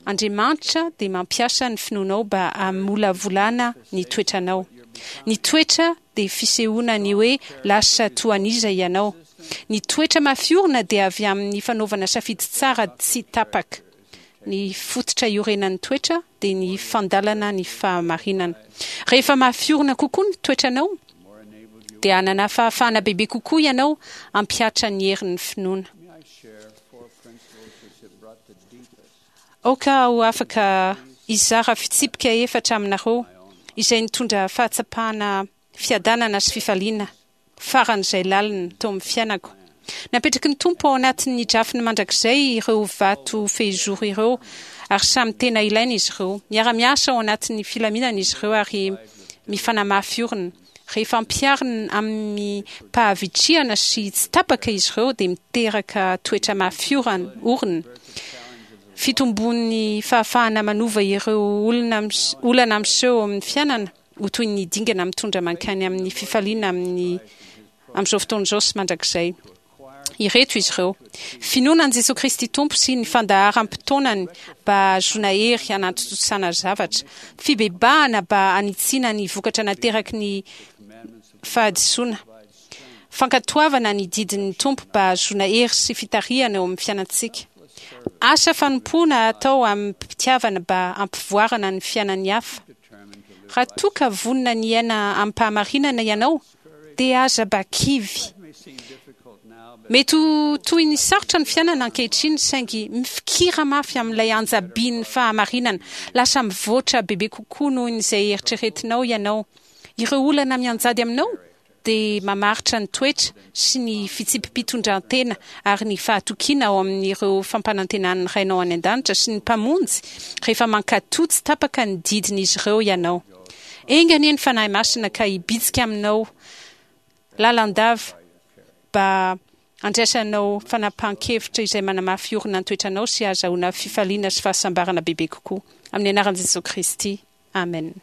Andriamanitra dia mampiasa ny finoanao mba hamolavolana ny toetranao. Ny toetra dia fisehoana ny hoe lasa toa an'iza ianao. Ny toetra mafy orina dia avy amin'ny fanaovana safidy tsara tsy tapaka. Ny fototra iorenan'ny toetra dia ny fandalana ny fahamarinana. Rehefa mafy orina kokoa ny toetranao, dia hanana fahafahana bebe kokoa ianao hampihatra ny herin'ny finoana. Aoka aho afaka hizara fitsipika efatra aminareo izay nitondra fahatsapana fiadanana sy fifaliana faran'izay lalina teo amin'ny fiainako. Napetraky ny Tompo ao anatin'ny drafiny mandrakizay ireo vato fehizoro ireo ary samy tena ilaina izy ireo. Miara-miasa ao anatin'ny filaminana izy ireo ary mifanamafy orina. Rehefa ampiharina amim-pahavitrihana sy tsy tapaka izy ireo dia miteraka toetra mafy orina. Fitombon'ny fahafahana manova ireo olona olana miseho eo amin'ny fiainana. ho toy ny dingana mitondra mankany amin'ny fifaliana amin'ny amin'izao fotoana izao sy mandrakizay. Ireto izy ireo, Finoana an'i Jesoa Kristy Tompo sy ny fandaharam-potoanany mba hahazoana hery hanatontosana zavatra, fibebahana mba hanitsiana ny vokatra nateraky ny fahadisoana, fankatoavana ny didin'ny Tompo mba hahazoana hery sy fitarihana eo amin'ny fiainantsika, asa fanompoana atao amim-pitiavana mba hampivoarana ny fiainan'ny hafa. Raha toa ka vonona ny hiaina amim-pahamarinana ianao, dia aza mba kivy. Mety ho toy ny sarotra ny fiainana ankehitriny, saingy mifikira mafy amin'ilay anja-bin'ny fahamarinana. Lasa mivoatra bebe kokoa noho izay eritreretinao ianao. Ireo olana mianjady aminao? dia mamaritra ny toetra sy ny fitsipi-pitondran-tena ary ny fahatokiana ao amin'ireo fampanantenan'ny Rainao any An-danitra sy ny Mpamonjy rehefa mankatò tsy tapaka ny didin'izy ireo ianao. Enga anie ny Fanahy Masina ka hibitsika aminao lalandava mba handraisanao fanapahan-kevitra izay manamafy orina ny toetranao sy hahazahoana fifaliana sy fahasambarana bebe kokoa. Amin'ny anaran'i Jesoa Kristy, amena.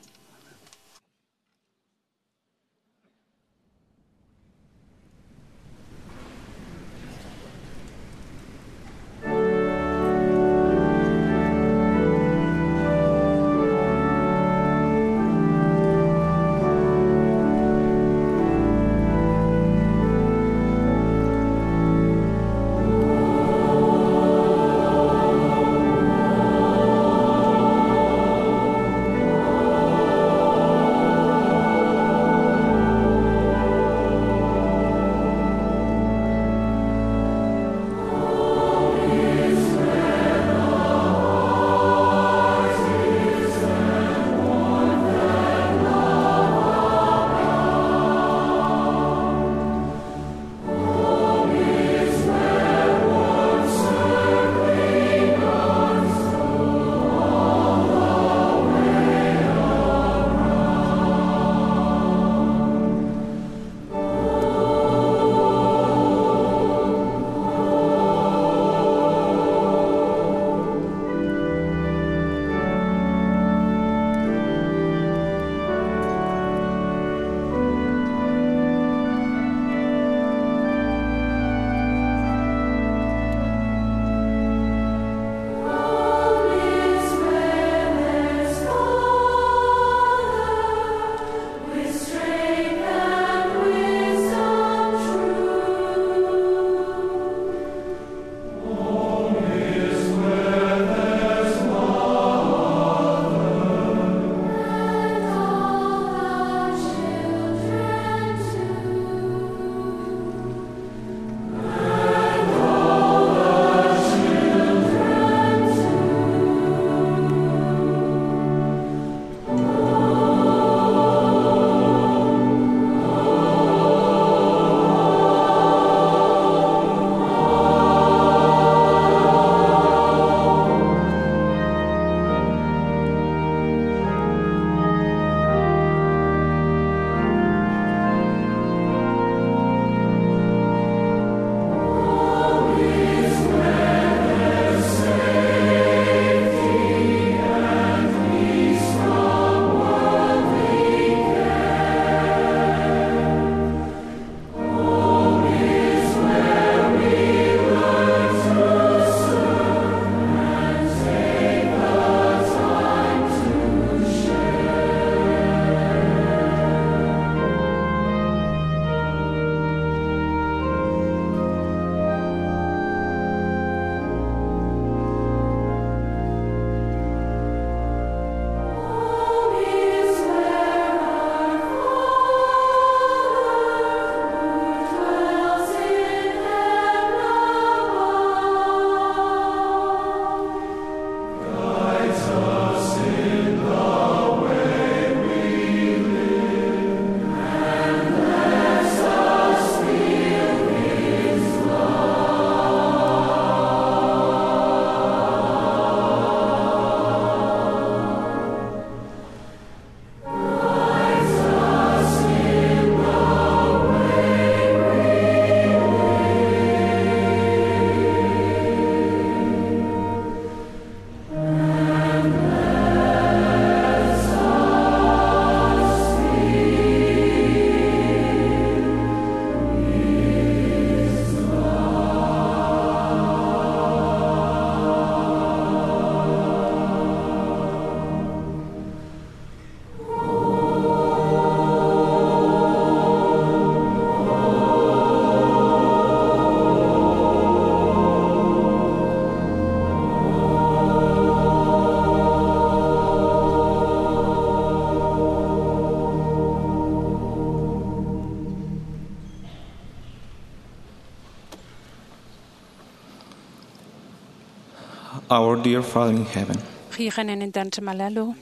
Our dear Father in heaven, Ry Rainay any an-danitra malala ô,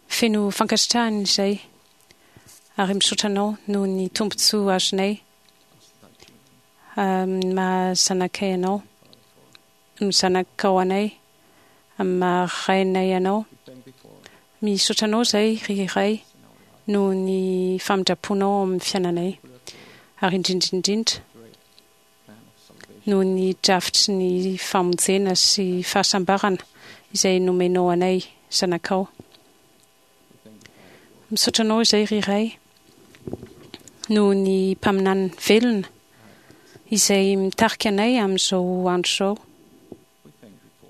feno fankasitrahana izay. Ary misaotra Anao noho ny tombontsoa azonay amin'ny maha zanakay Anao, ny zanakao anay, amin'ny maha rainay Anao. Misaotra Anao izahay, ry Ray, noho ny famindram-ponao ao amin'ny fiainanay, ary indrindra indrindra noho ny drafitry ny famonjena sy fahasambarana izay nomenao anay zanakao. Misaotra Anao izay ry Ray noho ny mpaminany velona izay mitarika anay amin'izao andro izao.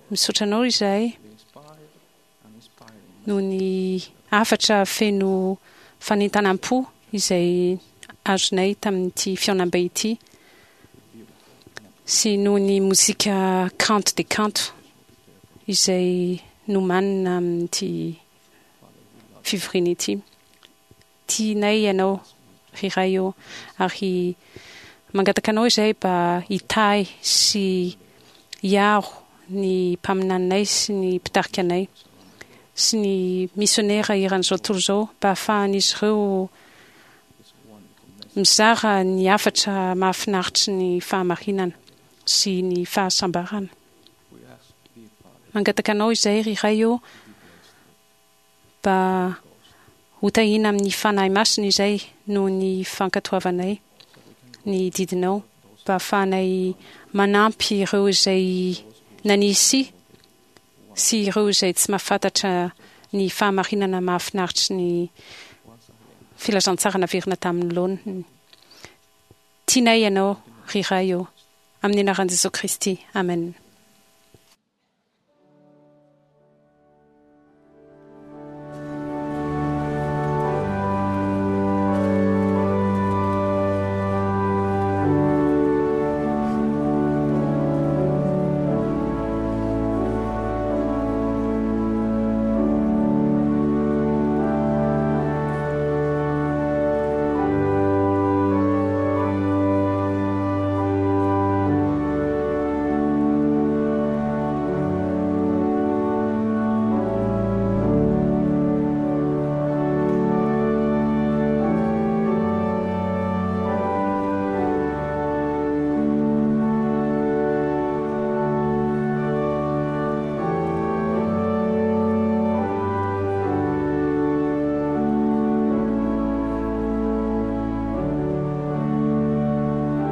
Misaotra Anao izahay noho ny hafatra feno fanentanam-po izay azonay tamin'ity fihaonambe ity sy noho ny mozika kanto dia kanto izay nomanina amin'ity fivoriana ity. Tianay Ianao, ry Ray ô, ary mangataka Anao izahay mba hitahy sy hiaro ny mpaminaninay sy ny mpitarika anay sy ny misionera eran'izao tontolo izao mba hahafahan'izy ireo mizara ny hafatra mahafinaritry ny fahamarinana sy ny fahasambarana. Mangataka Anao izahay, ry Ray ô, Mba hotahiana amin'ny Fanahy Masina izay noho ny fankatoavanay ny didinao, mba hahafahanay manampy ireo izay nanisy sy ireo izay tsy mahafantatra ny fahamarinana mahafinaritry ny filazantsara naverina tamin'ny laoniny. Tianay Ianao, ry Ray ô. Amin'ny anaran'i Jesoa Kristy. Amen.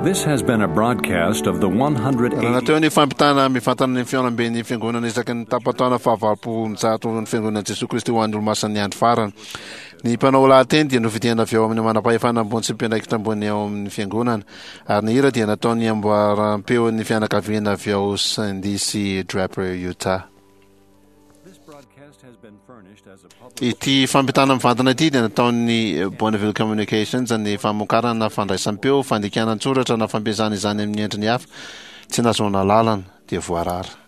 This has been a broadcast of the 180. Raha teo ny fampitana mivantana ny fihaonamben'ny fiangonana isaky ny tapa-taona fahavalopolonjato ny fiangonan'i Jesoa Kristy ho an'ny Olomasin'ny Andro Farany. Ny mpanao lahateny dia nofidiana avy ao amin'ny manam-pahefana ambony sy mpiandraikitra ambony ao amin'ny fiangonana, ary ny hira dia nataon'ny amboaram-peon'ny fianakaviana avy ao Sandy sy Draper, Utah. Ity fampitana mivantana ity dia nataon'ny Bonneville Communications ny famokarana fandraisam-peo, fandikana an-tsoratra na fampiasana izany amin'ny endriny hafa tsy nahazoana alalana dia voarara.